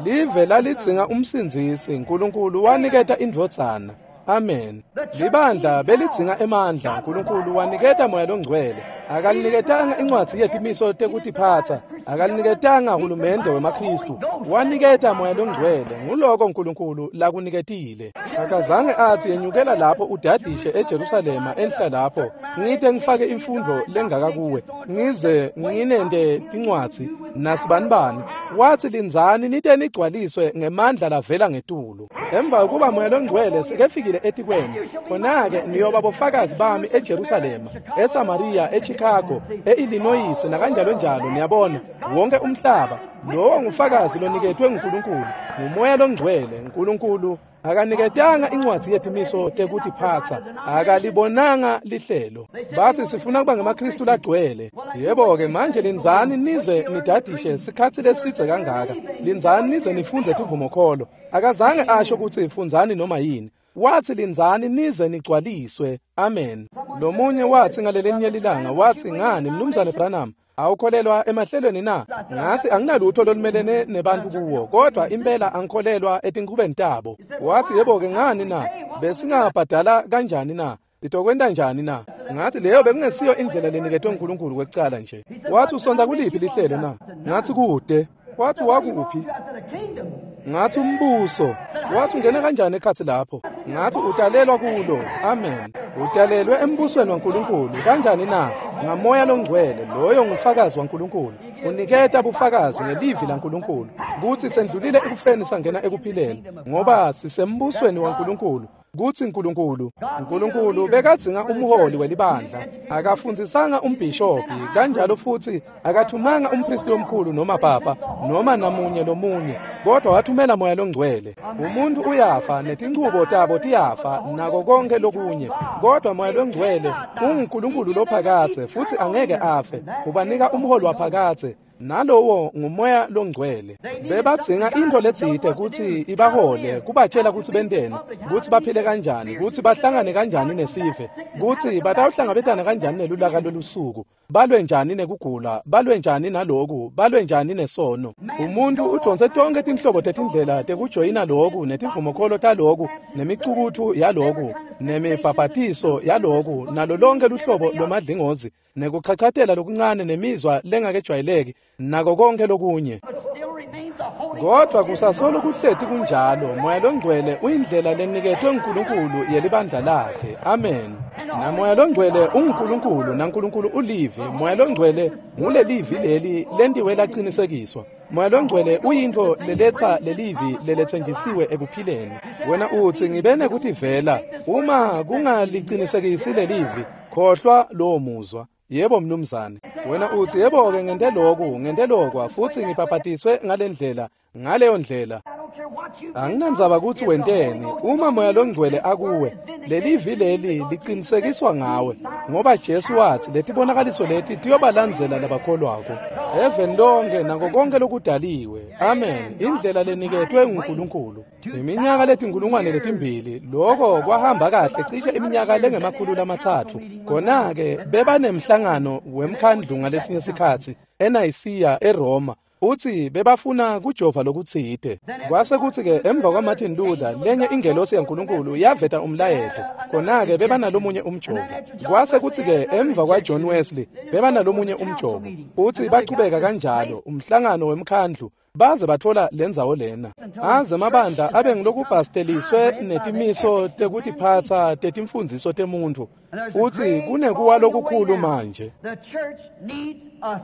Live lalidzinga umsindzisi, uNkulunkulu waniketa indvodzana. Amen. Libandla belidzinga emandla, uNkulunkulu waniketa Moya loNgcwele. Akaliniketanga incwadzi yetimiso tekutiphatsa, akaliniketanga hulumende wemaKhristu. Waniketa Moya loNgcwele, nguloko uNkulunkulu lakuniketile. Akazange atsi yenyukela lapho udadishe eJerusalema enhla lapho, ngite ngifake imfundo lengaka kuwe, ngize nginente tincwadzi nasibanibani. Watsi lindzani nite nigcwaliswe ngemandla lavela ngetulu. Emva kokuba Moya loNgcwele sekefikile etikweni, khona-ke niyoba bofakazi bami eJerusalema, eSamaria, eChicago, eIllinois nakanjalo njalo. Niyabona, wonke umhlaba lowo ngufakazi loniketwe nguNkulunkulu, nguMoya loNgcwele. uNkulunkulu akaniketanga incwadzi yetimiso tekutiphatsa, akalibonanga lihlelo. Batsi sifuna kuba ngemaKhristu lagcwele. Yebo-ke manje lindzani nize nidadishe sikhatsi lesidze kangaka, lindzani nize nifundze tivumokholo. Akazange asho kutsi fundzani noma yini. Watsi lindzani nize nigcwaliswe. Amen. Lomunye watsi ngalelinye lilanga, watsi ngani Mnumzane Branham, awukholelwa emahlelweni na? Ngathi anginalutho lolumelene nebantu kuwo, kodwa impela angikholelwa etinkhubeni tabo. Wathi yebo-ke ngani na? Besingabhadala kanjani na? Sitokwenta njani na? Ngathi leyo bekungesiyo indlela leniketwe uNkulunkulu kwekucala nje. Wathi usonta kuliphi lihlelo na? Ngathi kude. Wathi wakuphi? Ngathi umbuso. Wathi ungena kanjani ekhatsi lapho? Ngathi utalelwa kulo. Amen. Utalelwe embusweni waNkulunkulu. Kanjani na? Ngamoya loNgcwele, loyo ngufakazi waNkulunkulu. Uniketa bufakazi ngelivi laNkulunkulu kutsi sendlulile ekufeni sangena ekuphileni, ngoba sisembusweni waNkulunkulu. Kutsi uNkulunkulu, uNkulunkulu bekadzinga umholi welibandla. Akafundzisanga umbhishobhi, kanjalo futsi akathumanga umpristi lomkhulu noma papa noma namunye lomunye, kodwa wathumela Moya loNgcwele. Umuntu uyafa netinchubo tabo tiyafa nako konke lokunye, kodwa Moya loNgcwele unguNkulunkulu lophakadze futsi angeke afe. Ubanika umholi waphakadze, nalowo nguMoya loNgcwele. Bebadzinga into letsite kutsi ibahole, kubatshela kutsi benteni, kutsi baphile kanjani, kutsi bahlangane kanjani nesive, kutsi batawuhlangabetana kanjani nelulaka lolusuku, balwe njani nekugula, balwe njani naloku, balwe njani nesono. Umuntu udonse tonke tinhlobo tetindlela tekujoyina loku, netivumokholo taloku, nemicukutfu yaloku, nemibhabhatiso yaloku, nalo lonke luhlobo lwemadlingozi, nekuchachatela lokuncane nemizwa lengakejwayeleki, nako konke lokunye. Kodwa kusasolo kuhleti kunjalo, Moya loNgcwele uyindlela leniketwe nguNkulunkulu yelibandla lakhe. Amen. NaMoya loNgcwele unguNkulunkulu, naNkulunkulu ulivi. Moya loNgcwele ngulelivi leli lentiwe laqinisekiswa. Moya loNgcwele uyintfo leletsa lelivi leletsenjisiwe ekuphileni. Wena utsi ngibe nekutivela, uma kungalicinisekisi lelivi, khohlwa lowo muzwa. Yebo mnumzane. Wena utsi yebo-ke ngente loku, ngente lokwa, futsi ngibhabhatiswe ngalendlela, ngaleyo ndlela. Anginandzaba kutsi wenteni, uma Moya loNgcwele akuwe, lelivi leli liqinisekiswa ngawe, ngoba Jesu watsi letibonakaliso leti tiyobalandzela labakholwako eveni lonke nako konke lokudaliwe. Amen. Indlela leniketwe nguNkulunkulu. Iminyaka letinkulungwane letimbili, loko kwahamba kahle cishe iminyaka lengemakhulu lamatsatfu. Kona-ke bebanemhlangano wemkhandlu ngalesinye sikhatsi eNayisiya eRoma. Uthi bebafuna kujova lokutsite. Kwase kutsi-ke emva kwaMartin Luther, lenye ingelosi yaNkulunkulu yaveta umlayeto. Khona-ke bebanalomunye umjovo. Kwase kutsi-ke emva kwaJohn Wesley, bebanalomunye umjovo. Uthi bachubeka kanjalo, umhlangano wemkhandlu, baze bathola lendzawo lena. Aze mabandla abe ngilokubhasteliswe netimiso tekutiphatsa tetimfundziso temuntfu. Uthi kunekuwa lokukhulu manje. The church needs a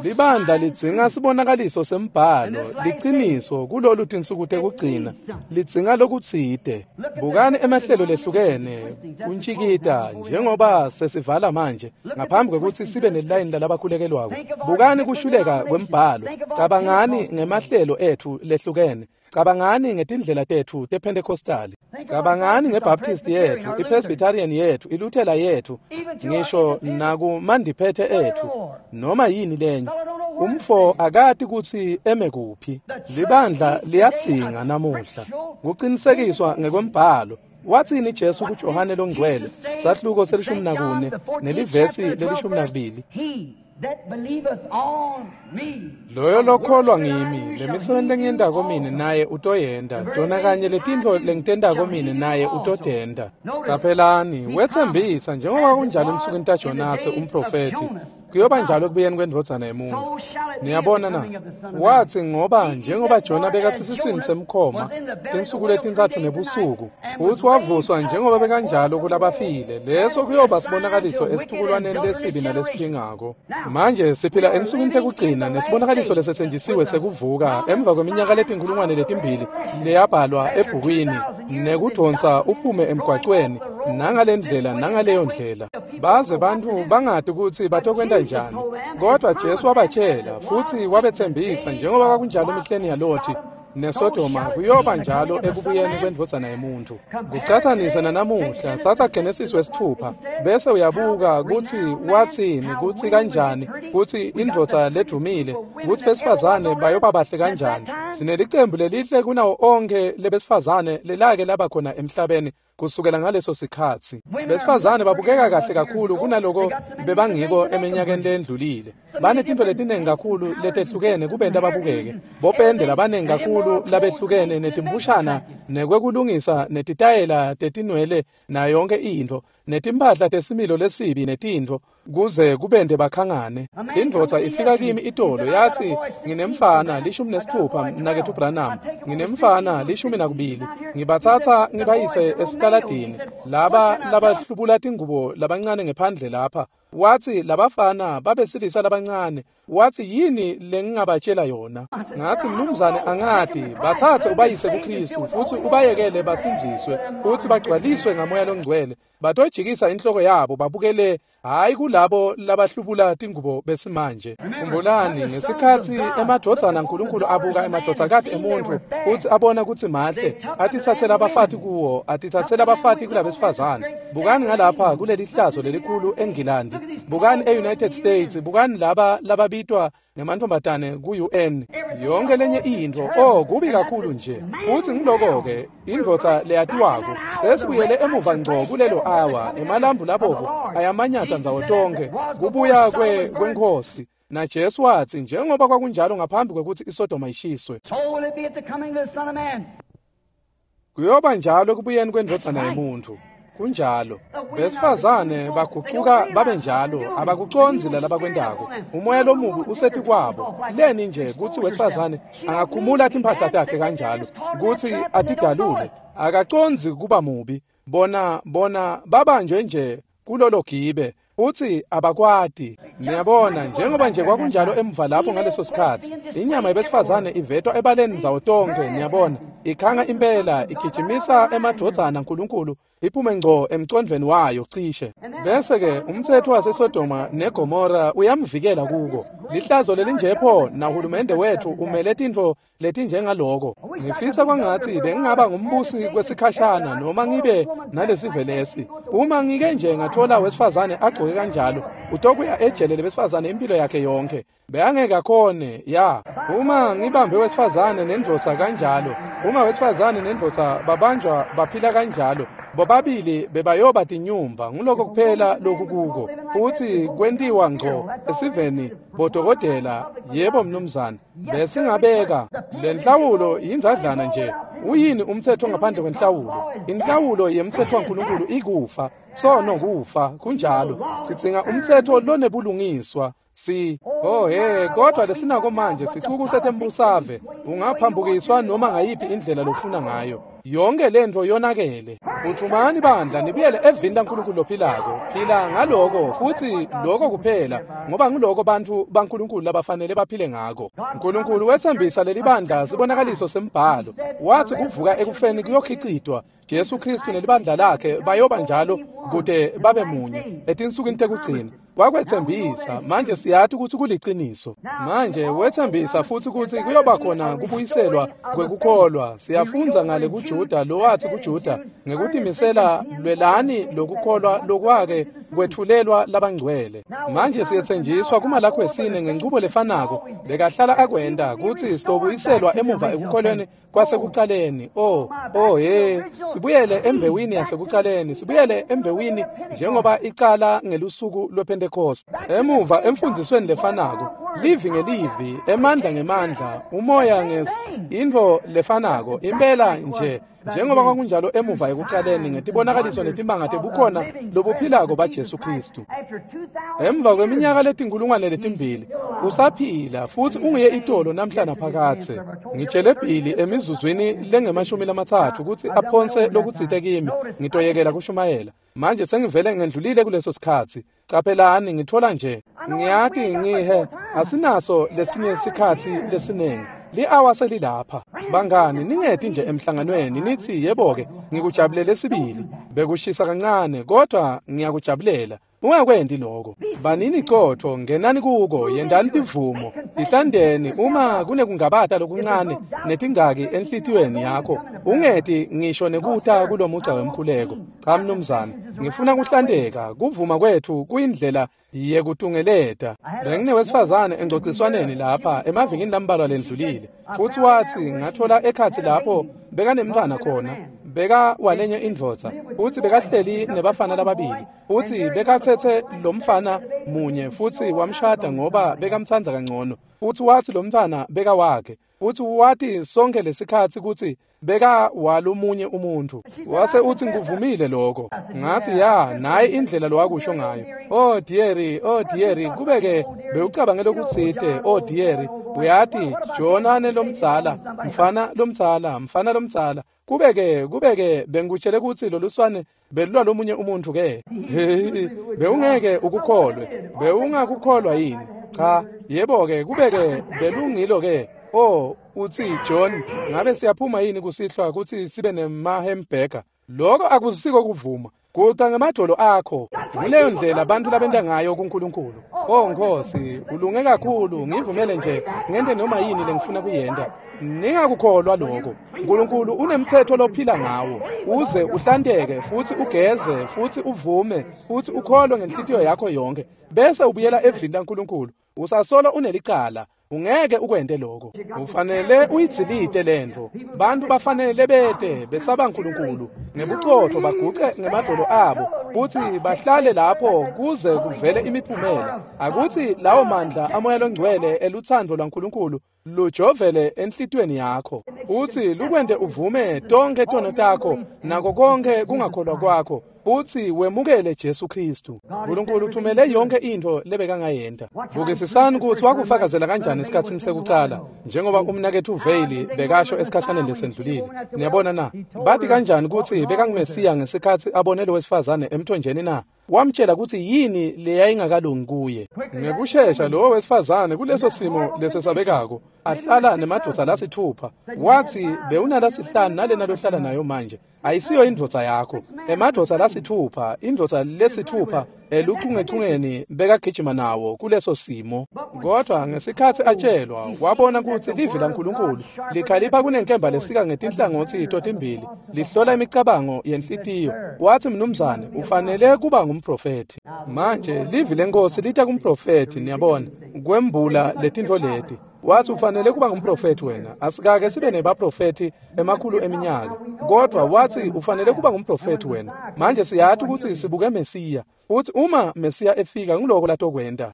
Libandla lidzinga sibonakaliso sembhalo, liciniso kulolu tinsuku tekugcina, lidzinga lokutsite. Bukani emahlelo lehlukene kuntjikita njengoba sesivala manje ngaphambi kwekutsi sibe nelayini lalabakhulekelwako. Bukani kushuleka kwembhalo, cabangani ngemahlelo etfu lehlukene. Cabangani ngetindlela tetfu tePentecostali. Cabangani ngeBaptist yetfu, iPresbyterian yetfu, iLuthela yetfu, ngisho nakumandiphethe etfu, noma yini lenye. Umfo akati kutsi eme kuphi. Libandla liyadzinga namuhla kucinisekiswa ngekwembhalo. Watsini Jesu kuJohane longcwele, sahluko selishumi nakune nelivesi lelishumi nakubili? Loyo lokholwa ngimi, lemisebenti lengiyentako mine naye utoyenta, tona kanye letintfo lengitentako mine naye utotenta. Qaphelani, wetsembisa njengoba kunjalo ensukwini taJonase umprofethi, kuyoba njalo ekubuyeni kwendvodzana yemuntfu. Niyabona na? Watsi ngoba njengoba Jona bekathi siswini semkhoma tinsuku letintsatfu nebusuku, utsi wavuswa njengoba bekanjalo kulabafile, leso kuyoba sibonakaliso esitukulwaneni lesibi nalesiphingako. Manje siphila ensukwini tekugcina nesibonakaliso lesetsenjisiwe sekuvuka emva kweminyaka letinkulungwane letimbili leyabhalwa ebhukwini nekudonsa uphume emgwacweni nangalendlela nangaleyo ndlela. Baze bantfu bangati kutsi batokwenta njani, kodwa Jesu wabatshela futsi wabetsembisa njengoba kwakunjalo emihleni yaLothi neSodoma kuyoba njalo ekubuyeni kwendvodzana yemuntfu. Kucatsanisa nanamuhla, tsatsa Genesis wesithupha bese uyabuka kutsi watsini, kutsi kanjani, kutsi indvodza ledumile, kutsi besifazane bayoba bahle kanjani. Sinelicembu lelihle kunawo onkhe lebesifazane lelake laba khona emhlabeni kusukela ngaleso sikhatsi. Besifazane babukeka kahle kakhulu kunaloko bebangiko eminyakeni lendlulile. Banetintfo letinengi kakhulu letehlukene kubenta babukeke. Bopende labanengi kakhulu labehlukene netimbushana nekwekulungisa netitayela tetinwele nayo yonke intfo, netimphahla tesimilo lesibi netintfo kuze kubende bakhangane. Indvodza ifika kimi itolo yathi, nginemfana lishumi nesithupha mnaketfu Branham, nginemfana lishumi nakubili, ngibatsatsa ngibayise esikaladini laba labahlubula tingubo labancane ngephandle lapha. Watsi labafana babesilisa labancane. Watsi yini lengingabatshela yona? Ngathi mnumzane angati, bathathe ubayise kuKristu futsi ubayekele basindziswe futsi bagcwaliswe ngamoya longcwele. Batojikisa inhloko yabo babukele hayi kulabo labahlubula tingubo besimanje. Khumbulani ngesikhatsi emadvodzana aNkulunkulu abuka emadvodzakati emuntfu futsi abona kutsi mahle, atitsatsela abafati kuwo, atitsatsela abafati kulabesifazane. Bukani ngalapha kuleli hlazo lelikhulu eNgilandi, bukani e-United States, bukani laba lababitwa ngemantfombatane ku-U N. Yonke lenye intfo, oh kubi kakhulu nje. Futsi ngiloko-ke indvodza leyatiwako sesibuyele emuva ngco kulelo awa, emalambu labovu ayamanyata ndzawo tonkhe kubuya kwe kweNkhosi. Na Jesu watsi njengoba kwakunjalo ngaphambi kwekutsi iSodoma ishiswe, kuyoba njalo ekubuyeni kwendvodzana yemuntfu. Kunjalo. Besifazane bagucuka babe njalo, abakucondzi labakwentako. Umoya lomubi usetikwabo. Leni nje kutsi wesifazane angakhumula timphahla takhe kanjalo, kutsi atidalule, akacondzi kuba mubi. Bona bona babanjwe nje kulolo gibe futsi abakwati. Niyabona njengoba nje kwakunjalo emva lapho ngaleso sikhatsi, inyama yebesifazane ivetwa ebaleni ndzawo tonkhe. Niyabona ikhanga impela, igijimisa emadvodzana aNkulunkulu iphume ngco emcondvweni wayo cishe. Bese-ke umtsetfo waseSodoma neGomora uyamvikela kuko. Lihlazo lelinjepho nahulumende wetfu umele tintfo letinjengaloko. Ngifisa kwangatsi bengingaba ngumbusi kwesikhashana noma ngibe nalesive lesi. Uma ngike nje ngathola wesifazane agcoke kanjalo, utokuya ejele lebesifazane impilo yakhe yonke. Beyangeke akhone ya. Uma ngibambe wesifazane nendvodza kanjalo, uma wesifazane nendvodza babanjwa baphila kanjalo, bobabili bebayoba tinyumba. Nguloko kuphela lokukuko. Futsi kwentiwa ngco esiveni bodokotela. Yebo mnumzane, besingabeka lenhlawulo yinzadlana nje. Uyini umtsetfo ngaphandle kwenhlawulo? Inhlawulo yemtsetfo waNkulunkulu ikufa, sono kufa. Kunjalo. Sidzinga umtsetfo lonebulungiswa. Si oh hey, kodwa lesinako manje sicuku setembusave. Ungaphambukiswa noma ngayiphi indlela lofuna ngayo. Yonke lentfo yonakele. Phutfumani bandla nibuyele evini laNkulunkulu lophilako. Phila ngaloko futsi lokho kuphela, ngoba ngiloko bantfu baNkulunkulu labafanele baphile ngako. Nkulunkulu wetsembisa leli bandla sibonakaliso sembhalo. Wathi kuvuka ekufeni kuyokhicitwa. Jesu Kristu nelibandla lakhe bayoba njalo kute babe munye etinsukwini tekugcina. Wakwetsembisa, manje siyati kutsi kuliciniso. Manje wetsembisa futsi kutsi kuyoba khona kubuyiselwa kwekukholwa. Siyafundza ngale kuJuda lowathi kuJuda ngekutimisela lwelani lokukholwa lokwake kwetfulelwa labangcwele. Manje siyetsenjiswa kumalakho wesine ngenchubo lefanako bekahlala akwenta kutsi sitobuyiselwa emuva ekukholweni kwasekucaleni. Oh, oh hey, sibuyele embewini yasekucaleni, sibuyele embewini njengoba icala ngelusuku lwePentecost. Emuva emfundzisweni lefanako, livi ngelivi, emandla ngemandla, umoya nges intfo lefanako, impela nje njengoba kwakunjalo emuva ekucaleni ngetibonakaliso netimanga tebukhona lobuphilako baJesu Kristu. Emva kweminyaka letinkulungwane letimbili usaphila futsi unguye itolo namhla naphakadze. Ngitshele Billy emizuzwini lengemashumi lamatsatfu kutsi aphonse lokutsite kimi, ngitoyekela kushumayela. Manje sengivele ngendlulile kuleso sikhatsi. Caphelani ngithola nje ngiyati ngihe asinaso lesinye sikhatsi lesinengi. Li-awa selilapha. Bangani, ningeti nje emhlanganweni nithi yebo-ke ngikujabulele sibili. Bekushisa kancane kodwa ngiyakujabulela. Ungakwendi lokho. Banini qotho, ngenani kuko, yendani tivumo, ihlandeni uma kunekungabata lokuncane netingcaki enhlitiyweni yakho. Ungeti ngisho nekuta kulomugca wemkhuleko. Cha mnumzane, ngifuna kuhlandeka. Kuvuma kwethu kuyindlela yekutungeleta. Benginewesifazane engcociswaneni lapha emavikini lambalwa lendlulile. Futsi wathi ngathola ekhatsi lapho bekanemntfwana khona, beka walenye indvodza, futsi bekahleli nebafana lababili, futsi bekatsetse lomfana munye futsi wamshada ngoba bekamtsandza kangcono. Futsi wathi lomntfwana beka wakhe, futsi wathi sonke lesikhatsi kutsi beka walomunye umuntu. Wase uthi ngikuvumile lokho. Ngathi ya, nayi indlela lowakusho ngayo. Oh dear, oh dear, kubeke bewucabangela ukutsite, oh dear, uyati Jonane lomdzala, mfana lomdzala, mfana lomdzala. Kubeke kubeke bengikutshele kutsi loluswane belulwa lomunye umuntu ke. Bewungeke ukukholwe, bewungakukholwa yini? Cha, yebo ke, kubeke belungilo ke. Oh, uthi John, ngabe siyaphuma yini kusihlwa kutsi sibe nema-hamburger? Lokho akusiko kuvuma. Guca ngemadolo akho. Nguleyo ndlela abantu labenta ngayo kuNkulunkulu. Oh Nkosi, ulunge kakhulu, ngivumele nje ngente noma yini lengifuna kuyenta. Ningakukholwa lokho. uNkulunkulu unemthetho lophila ngawo. Uze uhlanteke futhi ugeze futhi uvume futhi ukholwe ngenhlitiyo yakho yonke. Bese ubuyela evini laNkulunkulu. Usasolo unelicala. Ungeke ukwente lokho. Ufanele uyidzilite lento. Bantu bafanele bete besaba uNkulunkulu ngebuqotho baguce ngemadolo abo futhi bahlale lapho kuze kuvele imiphumela. Akuthi lawo mandla amoya longcwele eluthando lwaNkulunkulu lujovele enhlitiyweni yakho. Uthi lukwente uvume tonke tono takho nako konke kungakholwa kwakho. Futhi wemukele Jesu Kristu. uNkulunkulu uthumele yonke into lebekangayenta. Bukisisani ukuthi wakufakazela kanjani esikhatsini sekucala, njengoba umnaketfu Veyili bekasho esikhashaneni lesendlulile. Niyabona na? Bathi kanjani ukuthi bekanguMesiya ngesikhatsi abone lo wesifazane emthonjeni na? Wamtshela ukuthi yini leyayingakalungi kuye. Ngekushesha lowo wesifazane kuleso simo lesesabekako ahlala nemadvodza lasithupha. Wathi bewunalasihlanu nalena lohlala nayo manje ayisiyo indvodza yakho. Emadvodza lasithupha, indvodza lesithupha eluchungechungeni bekagijima nawo kuleso simo. Kodwa ngesikhatsi atshelwa wabona kutsi livi laNkulunkulu likhalipha kunenkemba lesika ngetinhlangotsi totimbili, lihlola imicabango yenhlitiyo. Wathi mnumzane ufanele kuba ngumprofethi. Manje livi lenkosi lita kumprofethi, niyabona, kwembula letintfo leti. Wathi ufanele kuba ngumprofethi wena. Asikake sibe nebaprofethi emakhulu eminyaka, kodwa wathi ufanele kuba ngumprofethi wena. Manje siyati ukuthi sibuke Mesiya. Uthi uma Mesiya efika ngiloko latokwenta.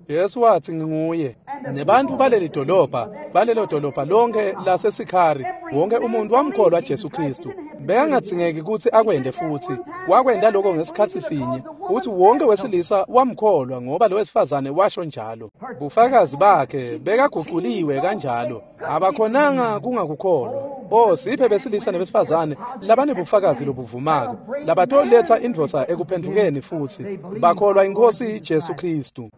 Yesu wathi nginguye. Nebantu baleli dolobha, balelo dolobha lonke laseSikhari, wonke umuntu wamkholwa Jesu Kristu. Bekangadzingeki kutsi akwente futsi. Wakwenta lokho ngesikhatsi sinye. Uthi wonke wesilisa wamkholwa ngoba lo wesifazane washo njalo. Bufakazi bakhe bekaguquliwe kanjalo. Abakhonanga kungakukholwa. Oh, siphe besilisa nebesifazane labanebufakazi lobuvumako, labatoletsa indvodza ekuphendvukeni futsi bakholwa iNkhosi Jesu Kristu.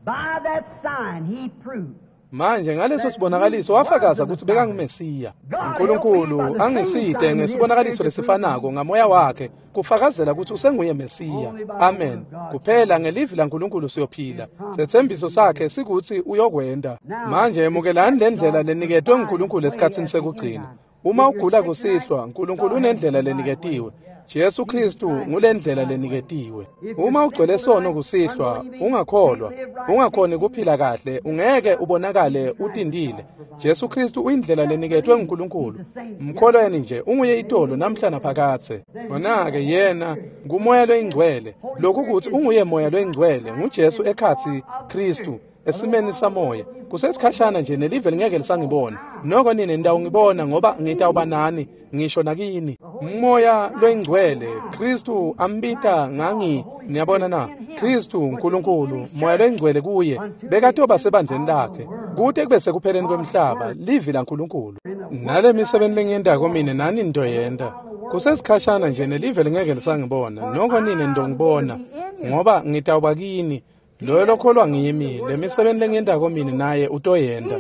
By that sign he proved. Manje ngaleso sibonakaliso wafakaza kutsi bekanguMesiya. uNkulunkulu angisite ngesibonakaliso lesifanako ngamoya wakhe kufakazela kutsi usenguye Mesiya. Amen. Kuphela ngelivi laNkulunkulu siyophila. Setsembiso sakhe sikutsi uyokwenda. Manje emukelani lendlela leniketwe nguNkulunkulu esikhatsini sekugcina. Uma ugula kusihlwa, uNkulunkulu unendlela leniketiwe. Jesu Kristu ngulendlela leniketiwe. Uma ugcwele sono kusihlwa, ungakholwa, ungakhoni kuphila kahle, ungeke ubonakale utindile. Jesu Kristu uyindlela leniketwe nguNkulunkulu. Mkholweni nje, unguye itolo namhla naphakadze. Khona-ke yena ngumoya loyingcwele. Lokhu kutsi unguye moya loyingcwele, nguJesu ekhatsi Kristu esimeni samoya. Kusesikhashana nje nelive lingeke lisangibona. Noko nine nitawungibona ngoba ngitawuba nani ngisho nakini. Umoya loyingcwele Kristu ambita ngangi, niyabona na? Kristu uNkulunkulu, moya loyingcwele kuye bekatoba sebandleni lakhe kute kube sekupheleni kwemhlaba, livi laNkulunkulu. Nale misebenti lengiyentako mine nani nitoyenta. Kusesikhashana nje nelive lingeke lisangibona. Noko nine nitongibona ngoba ngitawuba kini. Loyo lokholwa ngimi, lemisebenti lengiyentako mine naye utoyenta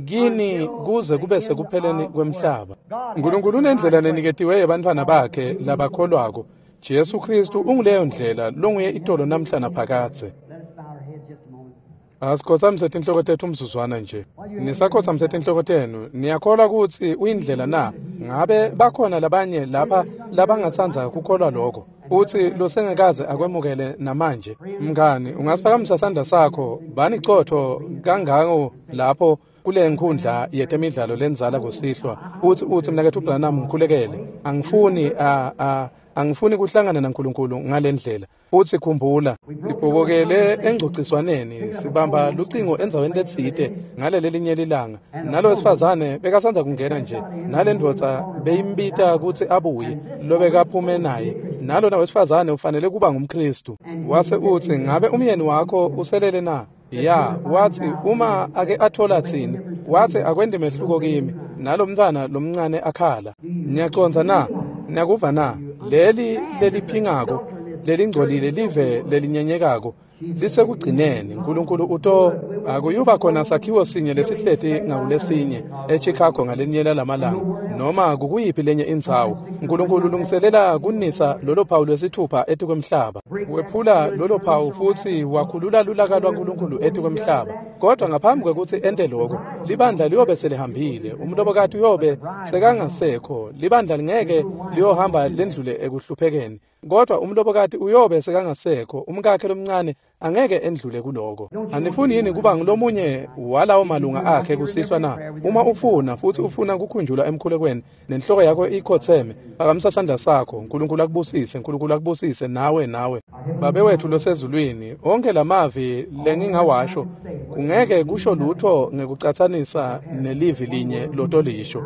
kini kuze kube sekupheleni kwemhlaba. uNkulunkulu unendlela leniketiwe yebantfwana bakhe labakholwako. Jesu Kristu unguleyo ndlela longuye itolo namhla naphakadze. Let us bow our heads just a moment. Asikhotsamise tinhloko tetfu umzuzwana nje. Nisakhotsamise tinhloko tenu, niyakholwa kutsi uyindlela na? Ngabe bakhona labanye lapha labangatsandza kukholwa lokho? Uthi losengakaze akwemukele namanje. Mngani, ungasiphakamisa sandla sakho, bani cotho kangako lapho kule nkhundla yetemidlalo lenzala kusihlwa. Uthi uthi mnaketfu Branham ngikhulekele. Angifuni a a angifuni kuhlangana naNkulunkulu ngalendlela. Uthi khumbula, sibhobokele engcociswaneni, sibamba lucingo endzaweni letsite ngaleli linye lilanga. Nalo wesifazane bekasandza kungena nje, nale ndvodza beyimbita kutsi abuye, lobekaphume naye. Nalona wesifazane ufanele kuba ngumKristu. Wase utsi, ngabe umyeni wakho uselele na? Ya, wathi uma ake athola tsini, wathi akwendi mehluko kimi. Nalo mntfwana lomncane akhala. Niyacondza na? Niyakuva na? Leli leliphingako, lelingcolile live lelinyenyekako lisekugcineni. uNkulunkulu uto akuyuba khona sakhiwo sinye lesihleti ngakulesinye eChicago ngalenye lamalanga noma kukuyiphi lenye indzawo. uNkulunkulu ulungiselela kunisa lolo phawu lwesithupha etikwemhlaba. Wephula lolo phawu futsi wakhulula lulaka lwaNkulunkulu etikwemhlaba. Kodwa ngaphambi kwekutsi ente lokho, libandla liyobe selihambile, umlobokati uyobe sekangasekho, libandla lingeke liyohamba lendlule ekuhluphekeni. Kodwa umlobokati uyobe sekangasekho, umkakhe lomncane angeke endlule kuloko. Anifuni yini kuba ngulomunye walawo malunga akhe kusihlwa na? Uma ufuna futsi ufuna kukhunjulwa emkhulekweni nenhloko yakho ikhotseme, phakamisa sandla sakho. uNkulunkulu akubusise, uNkulunkulu akubusise nawe nawe. Babe wethu losezulwini, onke lamavi lengingawasho kungeke kusho lutho ngekucatsanisa nelivi linye lotolisho.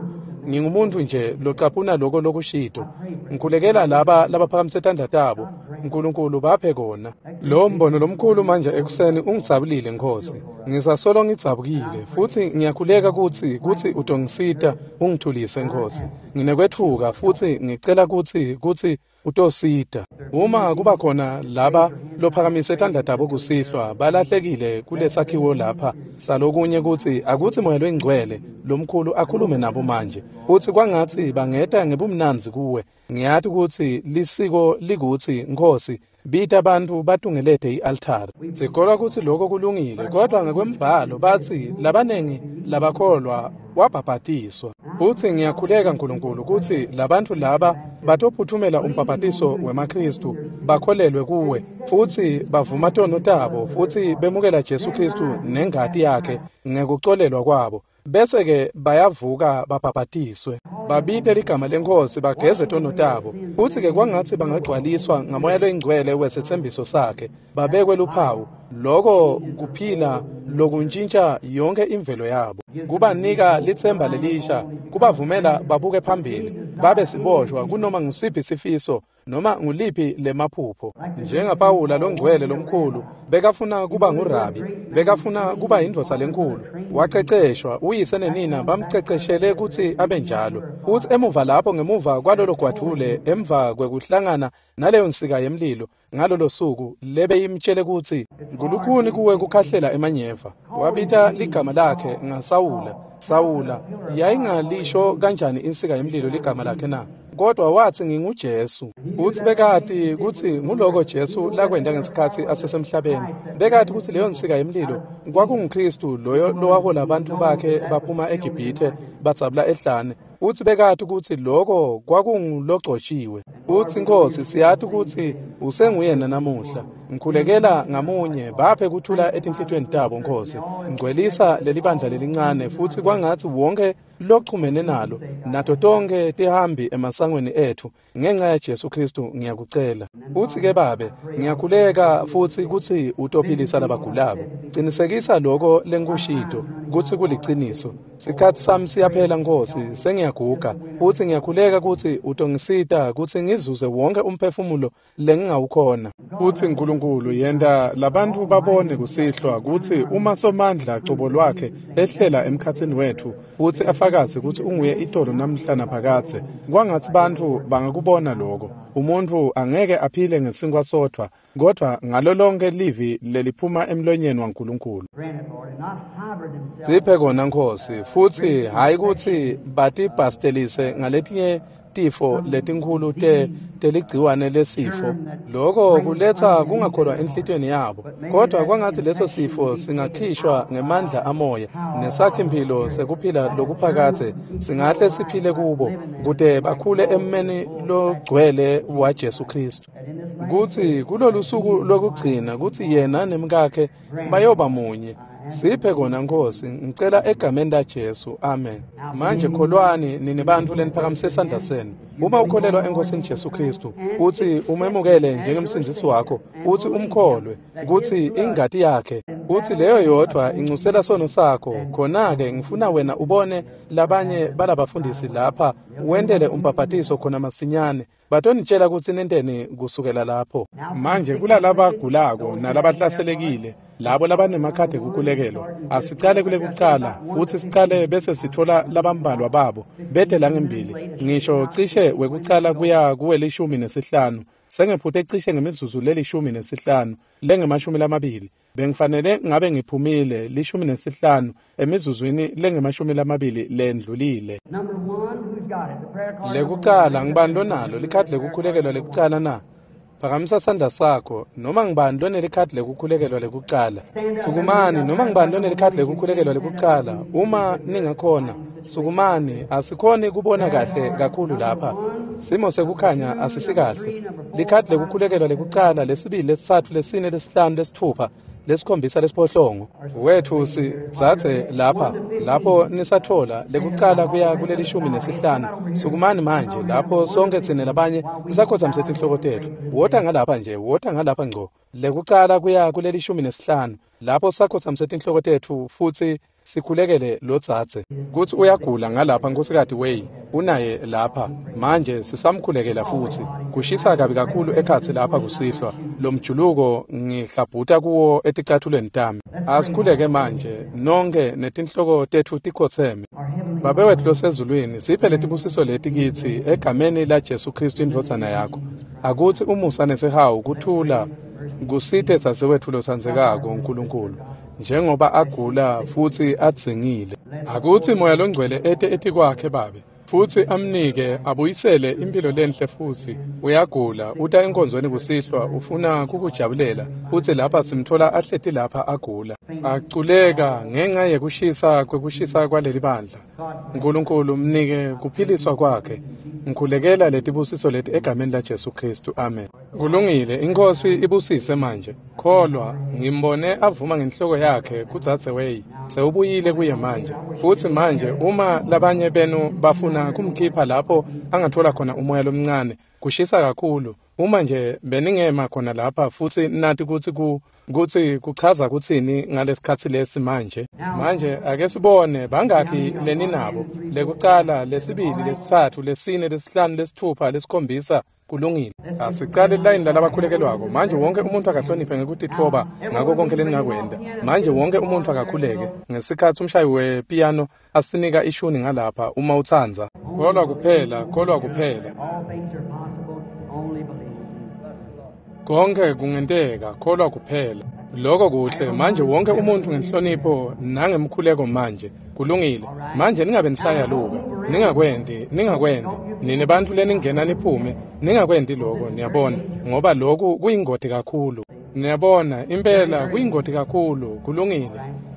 Ngingumuntu nje locaphuna lokho lokushito. Ngikhulekela laba labaphakamise tandla tabo. uNkulunkulu baphe kona. Lo mbono lomkhulu manje ekuseni ungidzabulile Nkosi. Ngisasolo ngidzabukile futsi ngiyakhuleka kutsi kutsi utongisita ungithulise Nkosi. Nginekwetfuka futsi ngicela kutsi kutsi utosita. Uma kuba khona laba lophakamise tandla tabo kusihlwa balahlekile kulesakhiwo lapha salokunye kutsi akutsi moya loyingcwele lomkhulu akhulume nabo manje. Utsi kwangatsi bangeta ngebumnandzi kuwe. Ngiyati kutsi lisiko likutsi Nkosi bita abantu batungelete i-altari. Sikholwa kutsi lokho kulungile, kodwa ngekwembhalo batsi labanengi labakholwa wabhabhatiswa. Futsi ngiyakhuleka Nkulunkulu kutsi labantu laba batophuthumela umbhabhatiso wemaKristu, bakholelwe kuwe futsi bavuma tono tabo futsi bemukela Jesu Kristu nengati yakhe ngekucolelwa kwabo. Bese-ke bayavuka babhabhatiswe, babite ligama leNkhosi, bageze tono tabo. Futsi-ke kwangatsi bangagcwaliswa ngamoya loyingcwele wesethembiso sakhe, babekwe luphawu. Loko kuphila lokuntshintsha yonke imvelo yabo, kubanika litsemba lelisha, kubavumela babuke phambili. babe siboshwa kunoma ngusiphi sifiso noma nguliphi lemaphupho. NjengaPawula longcwele lomkhulu bekafuna kuba ngurabi, bekafuna kuba indvodza lenkulu. Waceceshwa, uyise nenina bamceceshele kutsi abe njalo. Futsi emuva lapho ngemuva kwalolo gwadvule, emva kwekuhlangana naleyo nsika yemlilo ngalolo suku lebeyimtshele kutsi ngulukhuni kuwe kukhahlela emanyeva, wabita ligama lakhe ngaSawula. Sawula yayingalisho kanjani insika yemlilo ligama lakhe na? Kodwa wathi nginguJesu. Uthi bekati kutsi nguloko Jesu lakwenta ngesikhatsi asesemhlabeni. Bekati kutsi leyo nsika yemlilo kwakunguKristu loyo lowahola abantu bakhe baphuma eGibhithe badzabula ehlane. Uthi bekati kutsi loko kwakungulogcotshiwe. Uthi Nkosi, siyati kutsi usenguyena namuhla. Ngikhulekela ngamunye, baphe kuthula etinhlitiyweni tabo Nkosi. Ngcwelisa leli bandla lelincane futsi kwangatsi wonke lochumene nalo nato tonke tihambi emasangweni ethu ngenxa ya Jesu Kristu ngiyakucela. Uthi ke Babe, ngiyakhuleka futsi kutsi utophilisa labagulako. Cinisekisa loko lengikushito kutsi kuliciniso. Sikhatsi sami siyaphela Nkosi, sengiyaguga. Futsi ngiyakhuleka kutsi utongisita kutsi ngizuze wonke umphefumulo lengingawukhona. Futsi Nkulunkulu yenta labantu babone kusihlwa kutsi uma Somandla cobo lwakhe ehlela emkhatsini wethu futsi afakaze kutsi unguye itolo namhla naphakadze, kwangatsi bantfu bangakubona loko. Umuntfu angeke aphile ngesinkwa sodvwa, kodvwa ngalo lonke livi leliphuma emlonyeni waNkulunkulu. Siphe kona Nkosi, futsi hayi kutsi batibhastelise ngaletinye tifo letinkhulu te teligciwane lesifo. Loko kuletsa kungakholwa enhlitiyweni yabo, kodwa kwangatsi leso sifo singakhishwa ngemandla amoya nesakhimpilo sekuphila lokuphakadze singahle siphile kubo kute bakhule emmeni logcwele wa Jesu Kristu. Kutsi kulolu suku lokugcina kutsi yena nemkakhe bayoba munye. Siphe kona Nkosi, ngicela egameni la Jesu, amen. Manje kholwani nini bantfu leniphakamise sandla senu. Uma ukholelwa eNkosini Jesu Kristu, uthi umemukele njengemsindzisi wakho, uthi umkholwe kutsi ingati yakhe, uthi leyo yodwa incusela sono sakho, khona-ke ngifuna wena ubone labanye balabafundisi lapha wentele umbhabhatiso khona masinyane. Batonitshela kutsi nenteni kusukela lapho. Manje kulalabagulako nalabahlaselekile, labo labanemakhadi ekukhulekelwa, asicale kule kucala futsi sicale bese sithola labambalwa babo bete langembili, ngisho cishe wekucala kuya kuwelishumi nesihlanu. Sengephute cishe ngemizuzu lelishumi nesihlanu lengemashumi lamabili. Bengifanele ngabe ngiphumile lishumi nesihlanu emizuzwini lengemashumi lamabili lendlulile. Lekucala ngibani lonalo likhadi lekukhulekelwa lekucala na? Phakamisa sandla sakho. Noma ngibani lonelikhadi lekukhulekelwa lekucala? Sukumani. Noma ngibani lonelikhadi lekukhulekelwa lekucala? Uma ningakhona, sukumani. Asikhoni kubona kahle kakhulu lapha. Simo sekukhanya asisikahle. Likhadi lekukhulekelwa lekucala, lesibili, lesitsatfu, lesine, lesihlanu, lesitfupha, lesikhombisa, lesiphohlongo. Wethu sidzatse lapha lapho nisatfola lekucala kuya kulelishumi nesihlanu. Sukumani manje lapho sonke tsine labanye sisakhotsamise tinhloko tetfu. Wota ngalapha nje, wota ngalapha ngco. Lekucala kuya kulelishumi nesihlanu lapho sisakhotsamise tinhloko tetfu futsi sikhulekele lodzadze kutsi uyagula ngalapha. Nkhosikati Way unaye lapha manje, sisamkhulekela futsi. Kushisa kabi kakhulu ekhatsi lapha kusihlwa, lomjuluko ngihlabhuta kuwo eticathulweni tami. Asikhuleke manje nonke netinhloko tetfu tikhotseme. Babe wetfu losezulwini, siphe letibusiso leti kitsi egameni la Jesu Kristu indvodzana yakho. Akutsi umusa nesihawu kuthula kusite dzadzewetfu lotsandzekako Nkulunkulu, njengoba agula futsi adzingile. Akutsi Moya Longcwele ete etikwakhe Babe, futsi amnike abuyisele impilo lenhle. Futsi uyagula, uta enkonzweni kusihlwa, ufuna kukujabulela, futsi lapha simthola ahleti lapha agula, aculeka ngenxa yekushisa kwekushisa kwaleli bandla. Nkulunkulu mnike kuphiliswa kwakhe. Ngikhulekela letibusiso leti egameni la Jesu Kristu, amen. Kulungile, iNkosi ibusise manje. Kholwa, ngimbone avuma ngenhloko yakhe kudzadze Way. Sewubuyile kuye manje. Futsi manje uma labanye benu bafuna kumkhipha lapho angathola khona umoya lomncane, kushisa kakhulu, Uma nje beningema khona lapha futsi nati kutsi ku kutsi kuchaza kutsini ngalesikhatsi lesi manje. Manje ake sibone bangakhi leninabo. Lekucala, lesibili, lesitsatfu, lesine, lesihlanu, lesitfupha, lesikhombisa. Kulungile. Asicale line lalabakhulekelwako. Manje wonke umuntu akahloniphe ngekutitfoba ngako konke leningakwenta. Manje wonke umuntu akakhuleke. Ngesikhatsi umshayi wepiano asinika ishuni ngalapha uma utsandza. Kholwa kuphela, kholwa kuphela. Konke kungenteka, kholwa kuphela. Lokho kuhle. Manje wonke umuntu ngenhlonipho nangemkhuleko manje. Kulungile. Manje ningabe nisayaluka. Ningakwendi, ningakwendi. Nine bantfu leningena niphume, ningakwendi lokho, niyabona, ngoba lokhu kuyingoti kakhulu. Niyabona, impela kuyingoti kakhulu. Kulungile.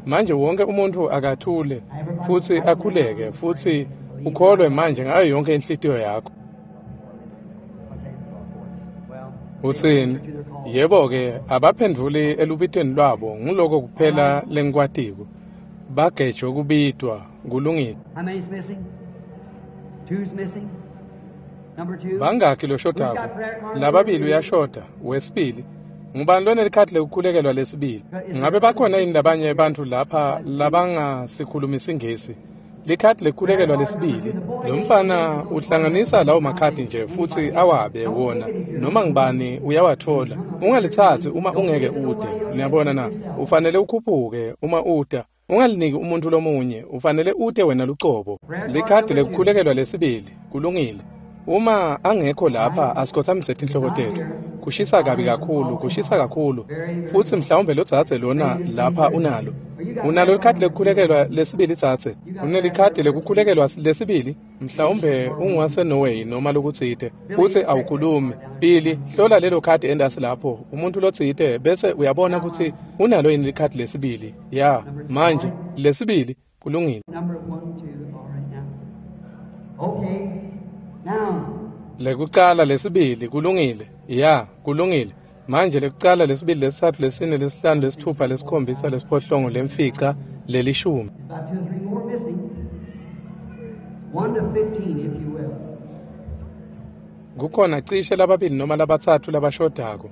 Manje wonke umuntu akathule futsi akhuleke futsi ukholwe manje ngayo yonke inhlitiyo yakho. Utsini? Yebo-ke, abaphendvuli elubitweni lwabo, nguloko kuphela lengikwatiko. Bagejwe kubitwa. Kulungile. Bangakhi loshodako? Lababili uyashoda, wesibili. Ngubani lonelikhadi lekukhulekelwa lesibili? Ngabe bakhona yini labanye bantfu lapha labangasikhulumi isiNgisi? Likhadi lekukhulekelwa lesibili. Lo mfana uhlanganisa lawo makhadi nje futsi awabe wona. Noma ngibani uyawatfola. Ungalithatsi uma ungeke ude. Niyabona na? Ufanele ukhuphuke uma uda. Ungaliniki umuntu lomunye, ufanele ute wena lucobo. Likhadi lekukhulekelwa lesibili. Kulungile. Uma angekho lapha asikhothamise tinhloko tetfu. Kushisa kabi kakhulu, kushisa kakhulu. Futsi mhlawumbe lodzadze lona lapha unalo. Unalo likhadi lekukhulekelwa lesibili dzadze? Unelikhadi lekukhulekelwa lesibili? Mhlawumbe unguwaseNorway noma lokutsite. Utsi awukhulumi. Billy, hlola lelo khadi endasi lapho. Umuntu lotsite bese uyabona kutsi unalo yini likhadi lesibili. Ya, manje lesibili kulungile. Okay. Now Lekucala, lesibili kulungile. Ya, kulungile. Manje lekucala, lesibili, lesitsatfu, lesine, lesihlanu, lesitfupha, lesikhombisa, lesiphohlongo, lemfica, lelishumi. About two or three more missing. One to fifteen, if you will. Kukhona cishe lababili noma labatsatfu labashodako.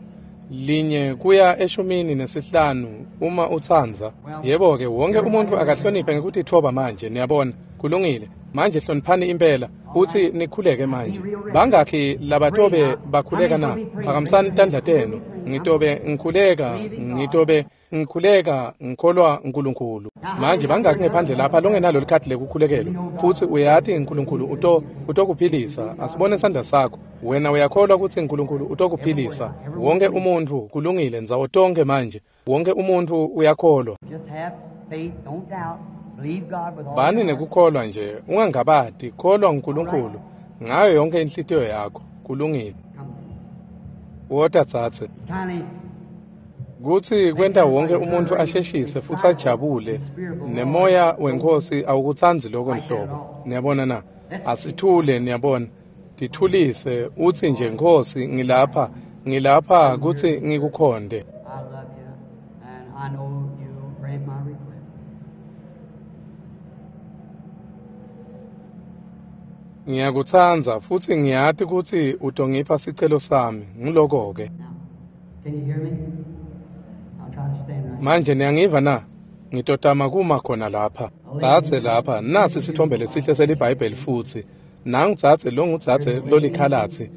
Linye kuya eshumini nesihlanu uma utsandza. Yebo-ke, wonke umuntu akahloniphe ngekutitfoba manje, niyabona. Kulungile. Manje hloniphani impela utsi nikhuleke manje. Bangakhi labatobe bakhuleka na? Phakamisani tandla tenu. Ngitobe ngikhuleka, ngitobe ngikhuleka ngikholwa uNkulunkulu. Manje bangakhi ngephandle lapha longenalo likhadi lekukhulekelwa futsi uyati uNkulunkulu uto utokuphilisa? Asibone sandla sakho. Wena uyakholwa kutsi uNkulunkulu utokuphilisa? Wonke umuntu kulungile ndzawo tonke manje. Wonke umuntu uyakholwa. Just have faith, don't doubt. Believe God with all Bani your heart. nekukholwa nje, ungangabati, kholwa uNkulunkulu ngayo yonke inhlitiyo yakho. Kulungile. Come. Wota dzadze. It's kindly Kutsi kwenta wonke umuntu asheshise futsi ajabule, nemoya wenkosi awukutsandzi lokho nhlobo. Niyabona na? Asithule, niyabona. Tithulise utsi nje, Nkosi, ngilapha, ngilapha kutsi ngikukhonde. I love you, and I know you grant my request. Ngiyakutsandza futsi ngiyati kutsi utongipha sicelo sami. Ngiloko-ke. Now, can you hear me? I'll try to stand right. Manje niyangiva na? Ngitotama kuma khona lapha. Dzadze lapha, nasi sithombe lesihle seliBhayibheli futsi. Nangu dzadze longudzadze lolikhalatsi.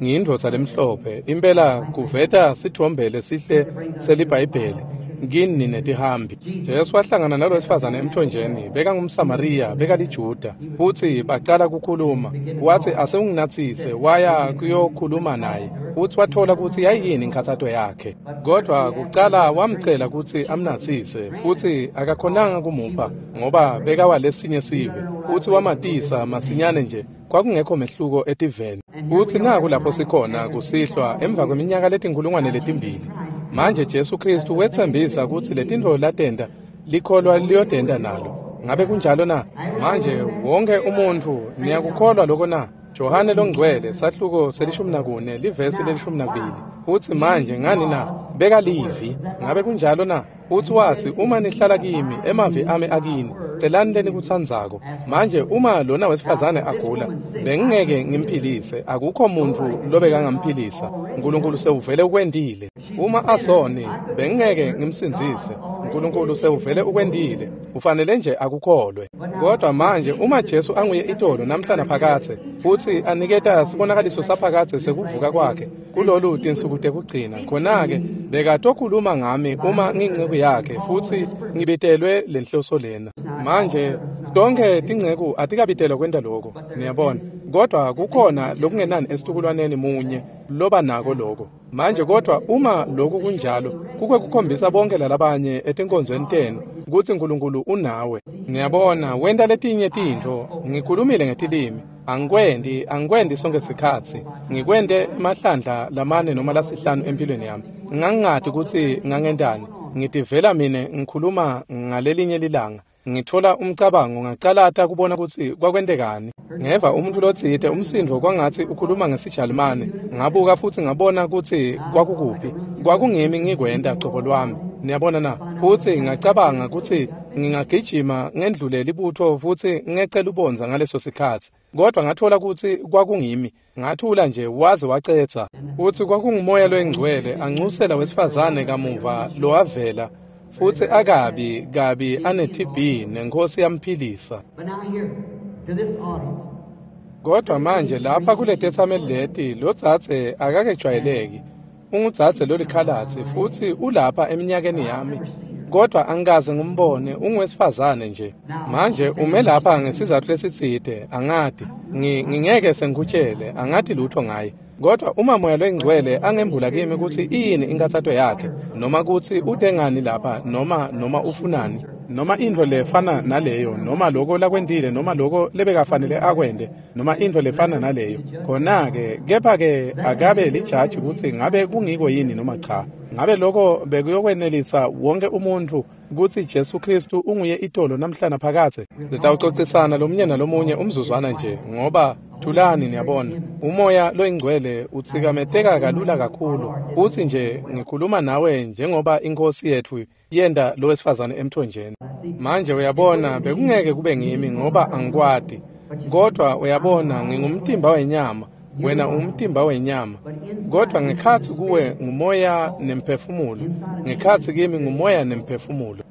Ngiyindvodza lemhlophe. Impela kuveta sithombe lesihle seliBhayibheli. Kini netihambi. Jesu wahlangana nalo wesifazane emthonjeni, bekangumSamariya, bekaliJuda. Futsi bacala kukhuluma. Watsi asewunginatsise, waya kuyokhuluma naye. Futsi watfola kutsi yayiyini inkhatsato yakhe. Kodwa kucala wamcela kutsi amnatsise, futsi akakhonanga kumupha ngoba bekawalesinye sive. Futsi wamatisa masinyane nje, kwakungekho mehluko etiveni. Futsi naku lapho sikhona kusihlwa emva kweminyaka letinkhulungwane letimbili. Manje Jesu Kristu wetsembisa kutsi letintfo latenta likholwa liyotenta nalo. Ngabe kunjalo na? Manje wonke umuntfu niyakukholwa lokho na? Johane longcwele sahluko selishumi nakune livesi lelishumi nakubili. Futsi manje ngani na? Beka livi. Ngabe kunjalo na? Futsi watsi, uma nihlala kimi, emavi ami akini, celani lenikutsandzako. Manje uma lona wesifazane agula, bengingeke ngimphilise, akukho muntfu lobekangamphilisa. Nkulunkulu sewuvele ukwentile. Uma asoni, bengingeke ngimsindzise. Nkulunkulu sewuvele ukwentile. Ufanele nje akukholwe. Kodwa manje uma Jesu anguye itolo namhla naphakadze, futsi aniketa sibonakaliso saphakadze sekuvuka kwakhe kulolu tinsuku tekugcina, khona-ke bekatokhuluma ngami uma ngiyinceku yakhe futsi ngibitelwe lenhloso lena. Manje tonkhe tinceku atikabitelwa kwenta loko, niyabona, kodwa kukhona lokungenani esitukulwaneni munye loba nako loko. Manje kodwa uma loku kunjalo, kuke kukhombisa bonke lalabanye etinkonzweni tenu kutsi Nkulunkulu unawe. Niyabona, wenta letinye tintfo. Ngikhulumile ngetilimi, angikwendi angikwendi sonke sikhatsi, ngikwente emahlandla lamane noma lasihlanu empilweni yami. Ngangingati kutsi ngangentani, ngitivela mine ngikhuluma ngalelinye lilanga. Ngitfola umcabango, ngacalata kubona kutsi kwakwentekani. Ngeva umuntu lotsite umsindvo kwangatsi ukhuluma ngesiJalimane. Ngabuka futsi ngabona kutsi kwakukuphi. Kwakungimi ngikwenta cobo lwami. Niyabona na? Futsi ngacabanga kutsi ngingagijima ngendlule libutfo futsi ngece lubondza ngaleso sikhatsi. Kodwa ngatfola kutsi kwakungimi. Ngathula nje waze wacetsa. Futsi kwakungumoya loyingcwele ancusela wesifazane kamuva lowavela. Futsi akabi kabi ane T B nenkosi yamphilisa. Kodwa manje lapha kule tetsameli leti lodzadze akakejwayeleki. Ungudzadze lolikhalatsi futsi ulapha eminyakeni yami. Kodwa angikaze ngimbone, unguwesifazane nje. Manje ume lapha ngesizatfu lesitsite, angati. Ngingeke sengikutshele, angati lutho ngaye. Kodwa uma moya loyingcwele angembula kimi kutsi iyini inkathato yakhe, noma kutsi utengani lapha, noma noma ufunani, noma intfo lefana naleyo, noma loko lakwentile, noma loko lebekafanele akwente, noma intfo lefana naleyo, khona-ke kepha-ke akabe lijaji kutsi ngabe kungiko yini noma cha. Ngabe loko bekuyokwenelisa wonke umuntfu kutsi Jesu Kristu unguye itolo namhla naphakadze. Sitawucocisana lomunye nalomunye umzuzwana nje, ngoba thulani, niyabona, umoya loyingcwele utsikameteka kalula kakhulu. Utsi nje ngikhuluma nawe njengoba inkosi yetfu yenta lowesifazane emthonjeni. Manje uyabona, bekungeke kube ngimi ngoba angikwati. Kodwa uyabona, ngingumtimba wenyama, wena ungumtimba wenyama. Kodwa ngekhatsi kuwe ngumoya nemphefumulo, ngekhatsi kimi ngumoya nemphefumulo.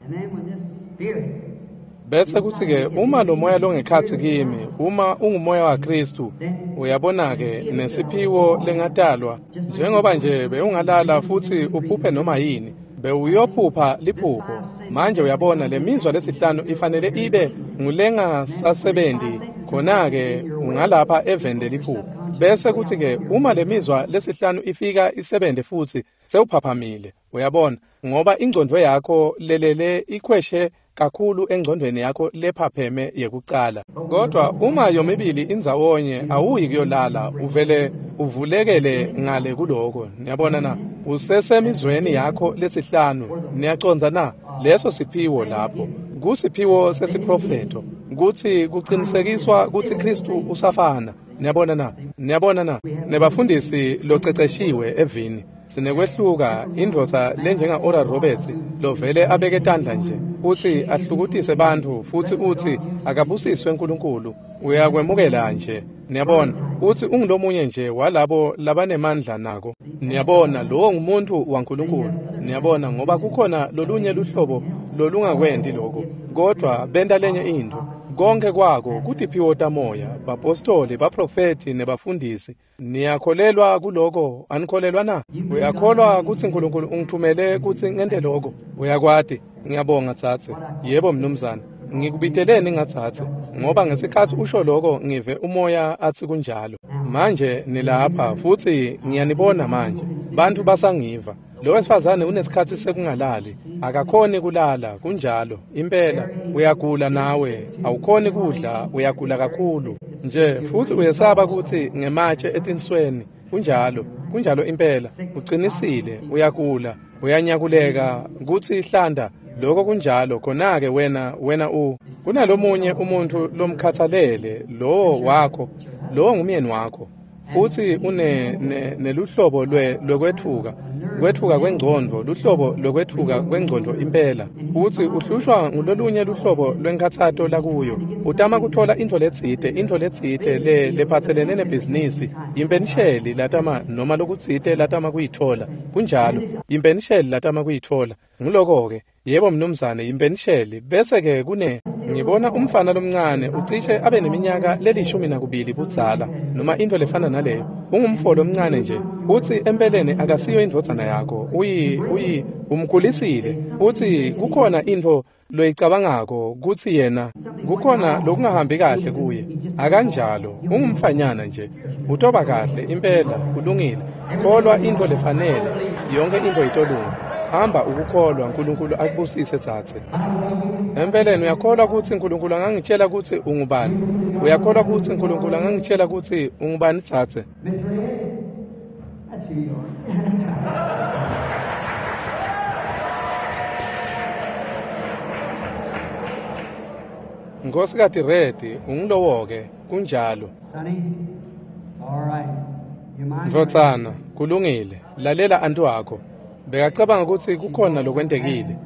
Bese kutsi-ke uma lo moya longekhatsi kimi, uma ungumoya waKristu, uyabona-ke nesiphiwo lengatalwa, njengoba nje bewungalala futsi uphuphe noma yini, bewuyophupha liphupho. Manje uyabona lemizwa lesihlanu ifanele ibe ngulengasasebenzi, khona-ke ungalapha eveni leliphupho. Bese kutsi-ke uma lemizwa lesihlanu ifika isebente futsi, sewuphaphamile, uyabona, ngoba ingcondvo yakho lelele ikhweshe kakhulu engcondweni yakho lephapheme yekucala. Kodwa uma yomibili indzawonye awuyi kuyolala, uvele uvulekele ngale kuloko. Niyabona na? Usesemizweni yakho lesihlanu. Niyacondza na? Leso siphiwo lapho kusiphiwo sesiprofetho, kutsi kucinisekiswa kutsi Kristu usafana. Niyabona na? Niyabona na? Nebafundisi loceceshiwe evini sinekwehluka. Indvodza lenjenga Oral Roberts lovele abeke tandla nje utsi ahlukutise bantfu futsi utsi akabusiswe uNkulunkulu, uyakwemukela nje. Niyabona, utsi ungulomunye nje walabo labanemandla nako. Niyabona, lowo ngumuntu waNkulunkulu. Niyabona, ngoba kukhona lolunye luhlobo lolungakwenti lokho, kodwa benta lenye intfo. Konke kwako kutiphiwo tamoya, bapostoli, baprofeti nebafundisi. Niyakholelwa kuloko, anikholelwa na? Uyakholwa kutsi uNkulunkulu ungithumele kutsi ngente lokho? Uyakwati. Ngiyabonga tsatse. Yebo mnumzane. Ngikubiteleni ngatsatse, ngoba ngesikhatsi usho lokho ngive umoya atsi kunjalo. Manje nilapha futsi ngiyanibona manje. Bantfu basangiva. Lo wesifazane unesikhatsi sekungalali, akakhoni kulala, kunjalo impela. Uyagula nawe, awukhoni kudla, uyagula kakhulu nje futsi uyesaba kutsi ngematshe etinsweni. Kunjalo, kunjalo impela. Ucinisile, uyagula, uyanyakuleka kutsi ihlanda. Lokho kunjalo. Khona-ke wena wena u kunalomunye umuntu lomkhathalele, lowo wakho, lowo ngumyeni wakho. Futsi une neluhlobo lwe lwekwetfuka, Kwetfuka kwengcondvo, luhlobo lokwetfuka kwengcondvo impela. Utsi uhlushwa ngulolunye luhlobo lwenkhatsato lakuyo. Utama kutfola intfo letsite, intfo letsite le lephatselene nebhizinisi, impenisheli latama noma lokutsite latama kuyitfola. Kunjalo, impenisheli latama kuyitfola. Nguloko-ke, yebo mnumzane, impenisheli. Bese-ke kune ngibona umfana lomncane ucishe abe neminyaka lelishumi nakubili budzala noma intfo lefana naleyo. Ungumfo lomncane nje. Utsi empeleni akasiyo indvodzana yakho. Uyi uyi umkhulisile. Utsi kukhona intfo loyicabangako kutsi yena kukhona lokungahambi kahle kuye. Akanjalo, ungumfanyana nje. Utoba kahle impela, kulungile. Kholwa intfo lefanele, yonke intfo itolunga. Hamba ukukholwa, uNkulunkulu akubusise tsatse. Empeleni uyakholwa kutsi uNkulunkulu angangitshela kutsi ungubani? Uyakholwa kutsi uNkulunkulu angangitshela kutsi ungubani tsatse? That's who you are. Nkhosikati Redi, ungulowo-ke, kunjalo. Sonny, it's all right. You mind? Ndvodzana, kulungile. Lalela anti wakho. Bekacabanga kutsi kukhona lokwentekile,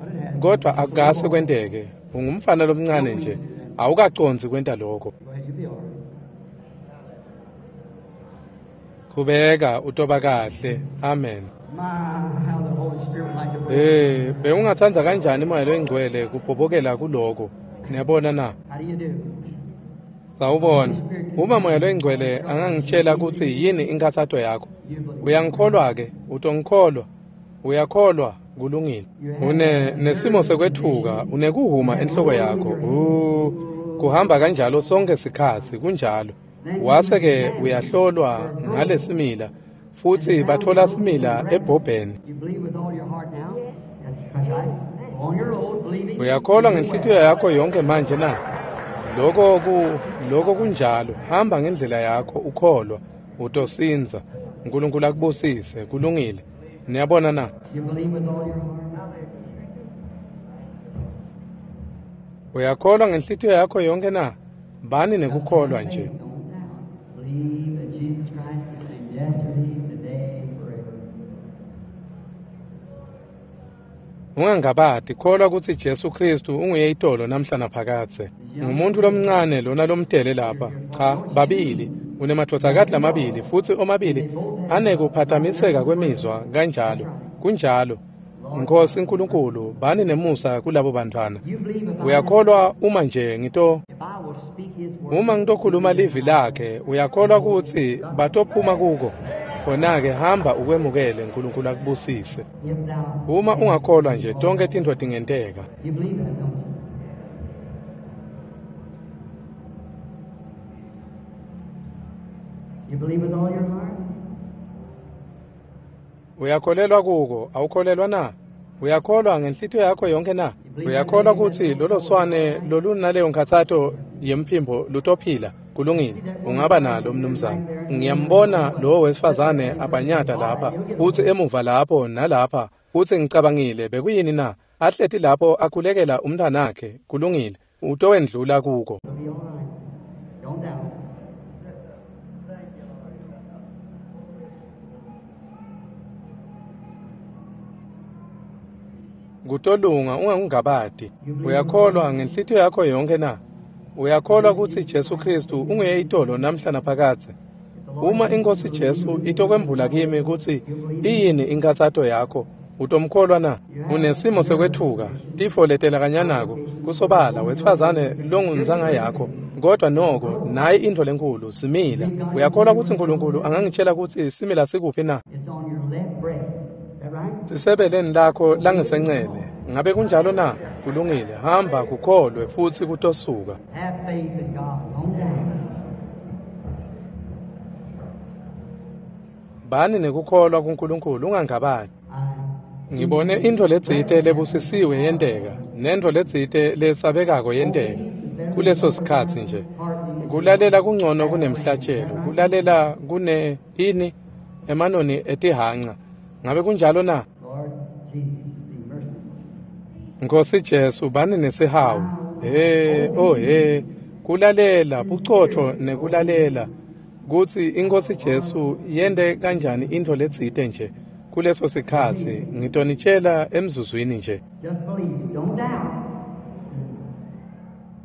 kodvwa akukase kwenteke. Ungumfana lomncane nje, awukacondzi kwenta lokho. Go ahead, you'll be all right. Qhubeka utoba kahle. Amen. My, how the Holy Spirit would like to break. Eh, bewungatsandza kanjani moya loyingcwele kubhobokela kuloko? Niyabona na? How do you do? Sawubona. Uma moya loyingcwele angangitshela kutsi yini inkhatsato yakho. You believe. Uyangikholwa ke? Utongikholwa? Uyakholwa? Kulungile. Une nesimo sekwetfuka, unekuhuma enhloko yakho. U kuhamba kanjalo sonke sikhatsi kunjalo. Wase ke uyahlolwa ngalesimila futsi bathola simila ebhobheni. You believe with all your heart now? That's right. Go on your road, believing. Uyakholwa ngenhlitiyo yakho yonke manje na? Lokho ku lokho kunjalo. Hamba ngendlela yakho ukholwa, utosinza. uNkulunkulu akubusise, kulungile. Niyabona na? You believe with all your heart. Uyakholwa ngenhlitiyo yakho yonke na? Bani nekukholwa nje. Don't doubt. Believe that Jesus Christ is the same yesterday, today, and forever. Ungangabati, kholwa kutsi Jesu Kristu unguye itolo namhla naphakadze. Ngumuntu lomncane lona lomtele lapha. Cha, babili. Unemadvodzakati lamabili futsi omabili anekuphatamiseka kwemizwa kanjalo. Kunjalo. Nkosi uNkulunkulu, bani nemusa kulabo bantwana. You believe if I, Uyakholwa uma nje ngito if I will speak his word, uma ngitokhuluma livi lakhe, uyakholwa kutsi batophuma kuko. Khona-ke hamba ukwemukele, uNkulunkulu akubusise. if thou Uma ungakholwa nje tonke tintfo tingenteka. you believe that, don't you? You believe with all your heart? Uyakholelwa kuko, awukholelwa na? Uyakholwa ngenhlitiyo yakho yonke na? Uyakholwa kutsi lolo swane lolunaleyo nkhatsato yemphimbo lutophila? Kulungile, ungaba nalo mnumzane. Ngiyambona lowo wesifazane abhanyata lapha, utsi emuva lapho nalapha, utsi ngicabangile bekuyini na? Ahleti lapho akhulekela umntwanakhe, kulungile, utowendlula kuko. It'll be all right. Don't doubt. Kutolunga ungangabati. Uyakholwa ngenhlitiyo yakho yonke na? Uyakholwa kutsi Jesu Kristu unguye itolo namhla naphakadze? Uma iNkosi Jesu itokwembula kimi kutsi iyini inkhatsato yakho, utomkholwa na? Unesimo sekwetfuka, tifo letelakanyanako, kusobala wesifazane longunzanga yakho, kodwa noko nayi intfo lenkhulu, simila. Uyakholwa kutsi uNkulunkulu angangitshela kutsi simila sikuphi na? It's on your left breast. Is that right? Sisebeleni lakho langesencele. Ngabe kunjalo na? Kulungile, hamba kukholwe futsi kutosuka. Have faith in God. Don't doubt. Bani nekukholwa kuNkulunkulu ungangabati. I Ngibone intfo letsite lebusisiwe yenteka, nentfo letsite lesabekako yenteka. Kuleso sikhatsi nje. Kulalela kungcono kunemhlatshelo, kulalela kune ini emanoni etihanca. Ngabe kunjalo na? Lord Jesus, be merciful. Nkosi Jesu, bani nesihawu. He, oh he, kulalela, bucotfo nekulalela kutsi iNkosi Jesu yente kanjani intfo letsite nje. Kuleso sikhatsi ngitonitshela emzuzwini nje. Just believe, don't doubt.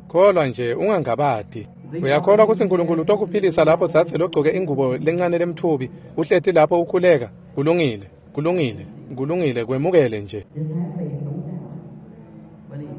Kholwa nje ungangabati. Uyakholwa kutsi Nkulunkulu utokuphilisa lapho dzadze logcoke ingubo lencane lemtfubi uhleti lapho ukhuleka? Kulungile, kulungile, kulungile, kwemukele nje. Just have faith, don't doubt. Believe.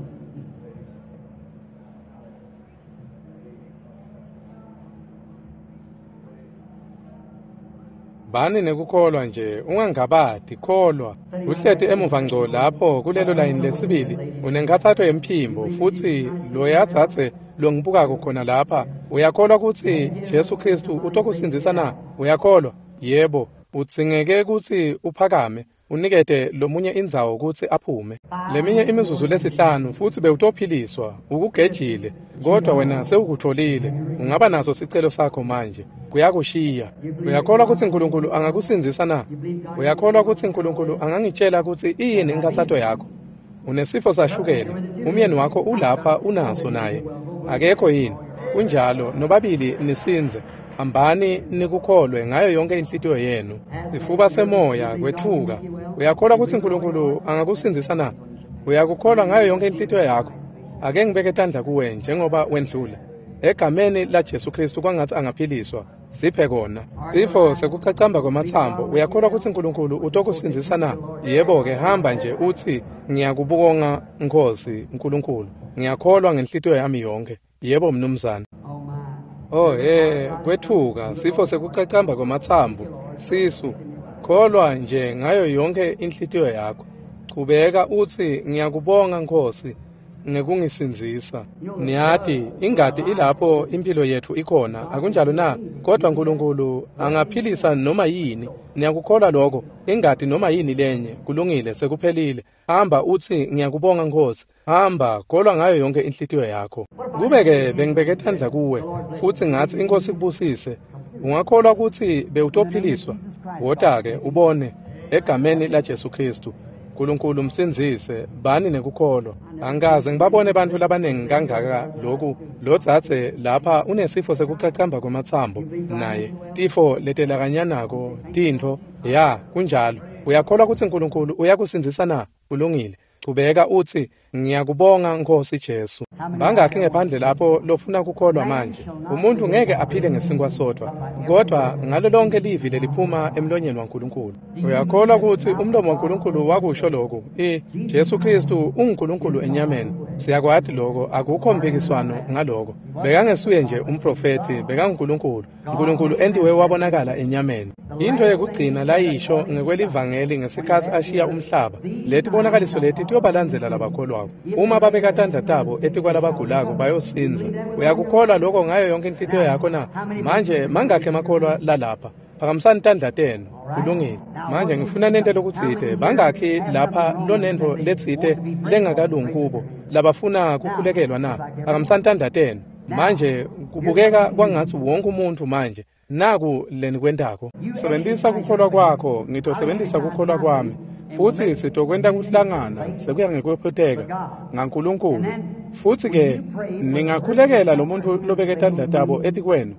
Bani nekukholwa nje, ungangabati, kholwa. Uhleti emuva ngco lapho kulelo layini lesibili, unenkhatsato yemphimbo, futsi loya dzadze longibukako khona lapha, uyakholwa kutsi Jesu Khristu utokusindzisa na? Uyakholwa? Yebo. Udzingeke kutsi uphakame, unikete lomunye indzawo kutsi aphume. Leminye imizuzu lesihlanu futsi bewutophiliswa, ukugejile, kodwa wena sewukutfolile. Ungaba naso sicelo sakho manje. Kuyakushiya. Uyakholwa kutsi Nkulunkulu angakusindzisa na? Uyakholwa kutsi Nkulunkulu angangitshela kutsi iyini inkhatsato yakho? Unesifo sashukela. Umyeni wakho ulapha unaso naye. Akekho yini? Kunjalo, nobabili nisindze. Hambani nikukholwe ngayo yonke inhlitiyo yenu. Sifuba semoya kwetfuka. Uyakholwa kutsi Nkulunkulu angakusindzisa na? Uyakukholwa ngayo yonke inhlitiyo yakho? Ake ngibeke tandla kuwe njengoba wendlula. Egameni la Jesu Khristu kwangatsi angaphiliswa. Siphe kona. Sifo sekuchachamba kwematsambo. Uyakholwa kutsi Nkulunkulu utokusindzisa na? Yebo-ke, hamba nje utsi ngiyakubonga Nkhosi Nkulunkulu. Ngiyakholwa ngenhlitiyo yami yonke. Yebo mnumzane. Oh my. Oh he, kwetfuka, sifo sekuchachamba kwematsambo, sisu. Kholwa nje ngayo yonke inhlitiyo yakho. Chubeka utsi ngiyakubonga Nkhosi ngekungisindzisa. Niyati, ingati ilapho impilo yetfu ikhona, akunjalo na? Kodwa Nkulunkulu angaphilisa noma yini. Niyakukholwa lokho? Ingati noma yini lenye, kulungile, sekuphelile. Hamba utsi ngiyakubonga Nkhosi. Hamba, kholwa ngayo yonke inhlitiyo yakho. Kube-ke bengibeke tandla kuwe futsi ngatsi iNkhosi ikubusise, ungakholwa kutsi bewutophiliswa? Wota-ke ubone egameni la Jesu Khristu. Nkulunkulu msindzise, bani nekukholwa. Angikaze ngibabone bantfu labanengi kangaka loku. Lo dzadze lapha unesifo sekuchachamba kwematsambo naye, tifo letelakanyanako, tintfo. Ya, kunjalo. Uyakholwa kutsi Nkulunkulu uyakusindzisa na? Kulungile. Chubeka utsi ngiyakubonga Nkhosi Jesu. Bangakhi ngephandle lapho lofuna kukholwa manje? Umuntu ngeke aphile ngesinkwa sodvwa, kodwa ngalo lonke livi leliphuma emlonyeni waNkulunkulu. Uyakholwa kutsi umlomo waNkulunkulu wakusho lokhu? I Jesu Khristu unguNkulunkulu enyameni. Siyakwati lokho, akukho mpikiswano ngaloko. Bekangesuye nje umprofethi, bekanguNkulunkulu. Nkulunkulu entiwe wabonakala enyameni. Into yekugcina layisho ngekwelivangeli ngesikhatsi ashiya umhlaba. Leti bonakaliso leti tiyobalandzela labakholwako. Uma babeka tandla tabo etikwalabagulako bayosindza. Uyakukholwa lokho ngayo yonke inhlitiyo yakho na? Manje mangakhi emakholwa lalapha? Phakamisani tandla tenu. Kulungile. Manje ngifuna nente lokutsite. Bangakhi lapha lonentfo letsite lengakalungi kubo labafuna kukhulekelwa na? Phakamisani tandla tenu. Manje kubukeka kwangatsi wonke umuntfu manje naku lenikwentako. Sebentisa kukholwa kwakho, ngitosebentisa kukholwa kwami. Futsi sitokwenta kuhlangana sekuya ngekwephuteka ngaNkulunkulu. Futsi-ke ningakhulekela lo muntu lobeke tandla tabo etikwenu,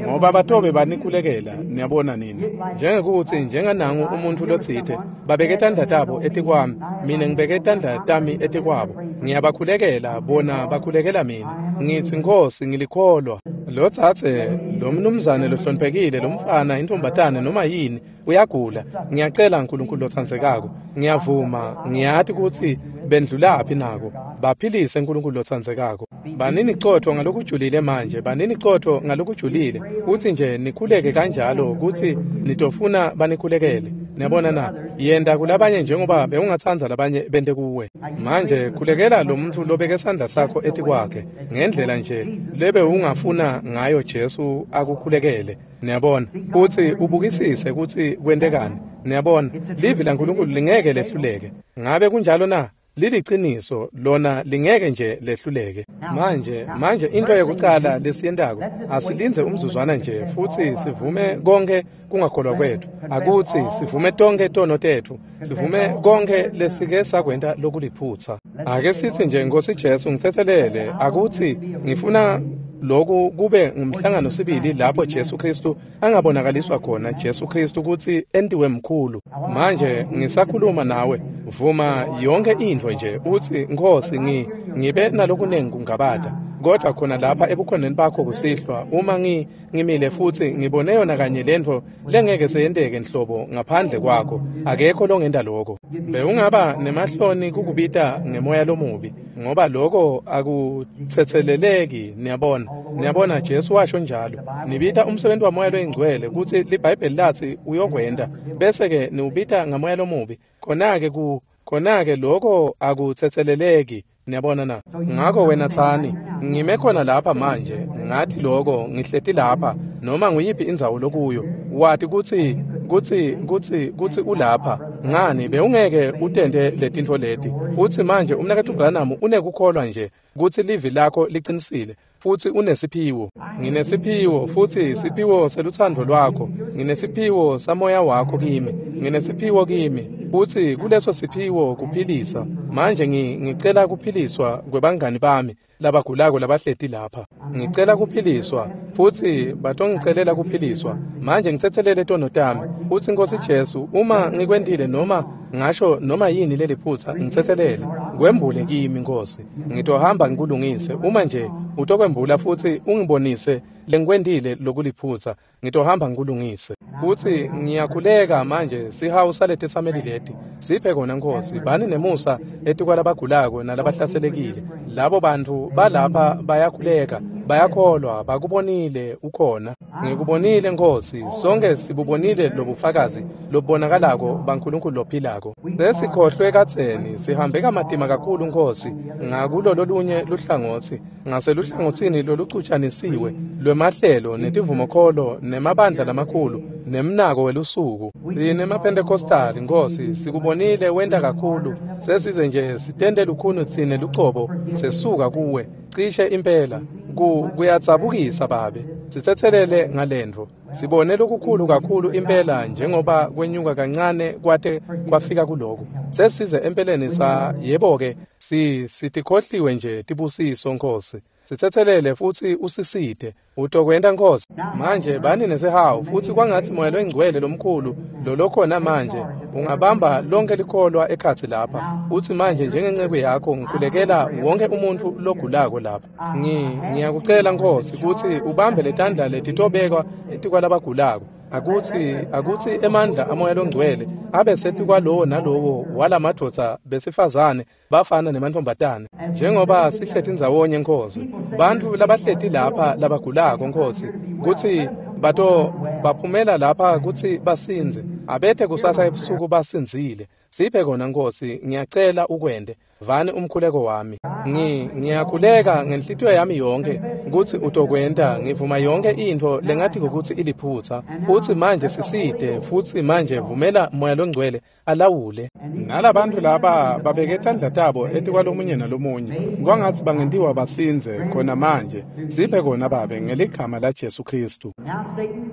ngoba batobe banikhulekela, niyabona nini. Njengekutsi njenganangu umuntu lotsite babeke tandla tabo etikwami, mina ngibeke tandla tami etikwabo. Ngiyabakhulekela, bona bakhulekela mina. Ngitsi Nkhosi ngilikholwa. Lo dzadze, lo mnumzane lohloniphekile, lo mfana, intombatane noma yini, uyagula. Ngiyacela Nkulunkulu lotsandzekako, ngiyavuma, ngiyati kutsi bendlulaphi nako. Baphilise Nkulunkulu lotsandzekako. Banini cotfo ngalokujulile manje, banini cotfo ngalokujulile, kutsi nje nikhuleke kanjalo kutsi nitofuna banikhulekele. Niyabona na? Yenta kulabanye njengoba bewungatsandza labanye bente kuwe. Manje khulekela lo muntu lobeke sandla sakho etikwakhe ngendlela nje lebe ungafuna ngayo Jesu akukhulekele. Niyabona? Kutsi ubukisise kutsi kwentekani. Niyabona? Livi laNkulunkulu lingeke lehluleke. Ngabe kunjalo na? Liliciniso lona lingeke nje lehluleke. Manje manje into yekucala lesiyentako asilindze umzuzwana nje futsi sivume konke kungakholwa kwethu. Akutsi sivume tonke tono tetfu, sivume konke lesike sakwenta lokuliphutsa. Ake sithi nje Nkosi Jesu ngitsetselele, akutsi ngifuna Loku kube ngumhlangano sibili lapho Jesu Kristu angabonakaliswa khona, Jesu Kristu kutsi entiwe mkhulu. Manje ngisakhuluma nawe, vuma yonke intfo nje utsi, Nkhosi, ngi ngibe nalokunengi kungabata, kodwa khona lapha ebukhoneni bakho kusihlwa, uma ngi ngimile futsi ngibone yona kanye lentfo lengeke seyenteke nhlobo ngaphandle kwakho, akekho longenta lokho. Bewungaba nemahloni kukubita ngemoya lomubi, ngoba lokho akutsetseleleki. Niyabona, niyabona Jesu washo njalo, nibita umsebenzi wamoya loyingcwele kutsi liBhayibheli latsi uyokwenta, bese-ke niwubita ngamoya lomubi, khona-ke ku khona-ke lokho akutsetseleleki. Niyabona na? Ngakho wena tsani, ngime khona lapha manje, ngathi lokho, ngihleti lapha, noma nguyiphi indzawo lokuyo, wati kutsi kutsi kutsi kutsi ulapha. Ngani bewungeke utente letintfo leti? Utsi manje umnaketfu Branham unekukholwa nje kutsi livi lakho liqinisile, futsi unesiphiwo. Nginesiphiwo, futsi siphiwo selutsandvo lwakho. Nginesiphiwo samoya wakho kimi. Nginesiphiwo kimi, futsi kuleso siphiwo kuphilisa. Manje ngicela kuphiliswa kwebangani bami labagulako labahleti lapha. Ngicela kuphiliswa, futsi batongicelela kuphiliswa. Manje ngitsetselele tono tami. Futsi Nkosi Jesu, uma ngikwentile noma ngasho noma yini leliphutsa, ngitsetselele. Kwembule kimi, Nkosi. Ngitohamba ngikulungise. Uma nje utokwembula futsi ungibonise lengikwentile lokuliphutsa, ngitohamba ngikulungise. Futsi ngiyakhuleka manje sihawu saletetsameli leti. Siphe kona, Nkosi, bani nemusa etikwalabagulako nalabahlaselekile. Labo bantfu balapha bayakhuleka, bayakholwa, bakubonile ukhona. Ngikubonile, Nkosi, sonke sibubonile lobufakazi lobubonakalako baNkulunkulu lophilako. Sesikhohlwe kadzeni, sihambe kamatima kakhulu, Nkosi, ngakulo lolunye luhlangotsi, ngaseluhlangotsini lolucutshanisiwe lwemahlelo netivumokholo nemabandla lamakhulu nemnako welusuku. SinemaPentecostal, Nkosi, sikubonile wenta kakhulu, sesize nje sitente lukhuni tsine lucobo, sesuka kuwe cishe impela. Ku kuyadzabukisa Babe, sitsetselele ngalentfo. Sibone lokukhulu kakhulu impela njengoba kwenyuka kancane kwate kwafika kuloko. Sesize empeleni sa yebo-ke si sitikhohliwe nje tibusiso, Nkosi. Sitsetselele futsi usisite. Utokwenta, Nkosi. Manje bani nesihawu, futsi kwangatsi Moya loyingcwele lomkhulu lolokhona manje ungabamba lonke likholwa ekhatsi lapha. Utsi manje njengenceku yakho ngikhulekela wonke umuntfu logulako lapha. Ngi ngiyakucela, Nkosi, kutsi ubambe letandla letitobekwa etikwalabagulako. Akutsi akutsi emandla amoya longcwele abe setikwalowo nalowo walamadvodza besifazane, bafana nemantfombatane, njengoba sihleti ndzawonye, Nkosi. Bantfu labahleti lapha labagulako, Nkosi, kutsi bato baphumela lapha kutsi basindze, abethe kusasa ebusuku basindzile. Siphe kona, Nkosi, ngiyacela ukwente. Vani umkhuleko wami. Ngi ngiyakhuleka ngenhlitiyo yami yonke kutsi utokwenta. Ngivuma yonke intfo lengathi kutsi iliphutsa. Utsi manje sisite, futsi manje vumela Moya loNgcwele alawule. Nalabantu laba babeke tandla tabo etikwalomunye nalomunye, kwangatsi bangentiwa basindze khona manje. Siphe kona, Babe, ngeligama la Jesu Kristu. Now, Satan,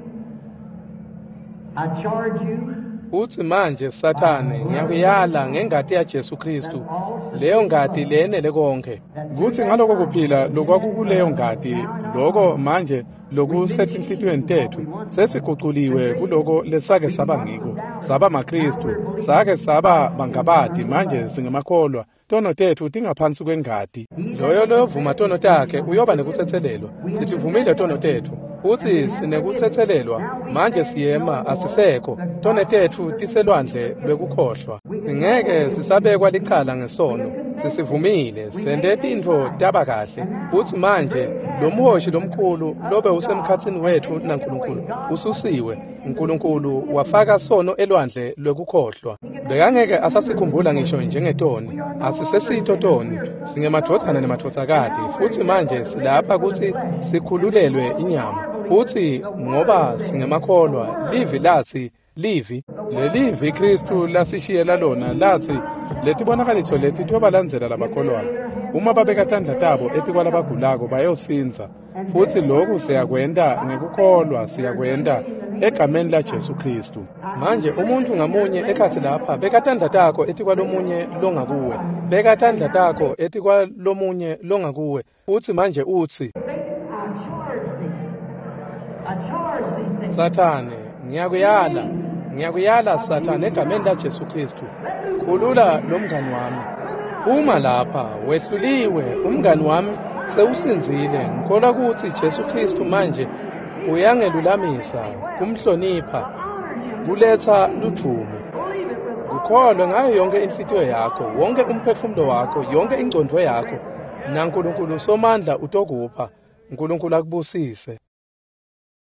I charge you Utsi manje Sathane, ngiyakuyala ngengati yaJesu Kristu, leyo ngati lenele konke. Kutsi ngaloko kuphila lokwakukuleyo ngati, loko manje lokusetinhlitiyweni tetfu, sesiguculiwe kuloko lesake saba ngiko, saba maKristu, sake saba bangabati, manje singemakholwa. Tono tetfu tingaphansi kwengati. Loyo loyovuma tono takhe uyoba nekutsetselelwa. Sitivumile tono tetfu, futsi sinekutsetselelwa. Manje siyema, asisekho. Tono tetfu tiselwandle lwekukhohlwa. Singeke sisabekwa licala ngesono. Sisivumile, sente tintfo taba kahle. Futsi manje lo mhoshi lomkhulu lobe usemkhatsini wetfu naNkulunkulu ususiwe. Nkulunkulu wafaka sono elwandle lwekukhohlwa. Bekangeke asasikhumbula ngisho njengetoni. Asisesito toni, singemadvodzana nemadvodzakati, futsi manje silapha kutsi sikhululelwe inyama. Futsi ngoba singemakholwa, livi latsi, livi, lelivi Kristu lasishiyela lona latsi, letibonakaliso leti tiyobalandzela labakholwako. Uma babeka tandla tabo etikwalabagulako bayosindza. Futsi lokhu siyakwenta ngekukholwa, siyakwenta egameni la Jesu Kristu. Manje umuntfu ngamunye ekhatsi lapha, beka tandla takho etikwalomunye longakuwe. Beka tandla takho etikwalomunye longakuwe. Utsi manje utsi, Satan, I I charge thee, Satan. Sathane, ngiyakuyala, ngiyakuyala Sathane egameni laJesu Kristu. Khulula lo mngani wami. Uma lapha wehluliwe umngani wami sewusinzile. Ngikholwa ukuthi Jesu Kristu manje uyangelulamisa, kumhlonipha, Honor him. kuletha ludvumo. Believe it with all Ukholwe ngayo yonke inhlitiyo yakho, wonke umphefumulo wakho, yonke ingcondvo yakho. NaNkulunkulu Somandla utokupha. uNkulunkulu akubusise.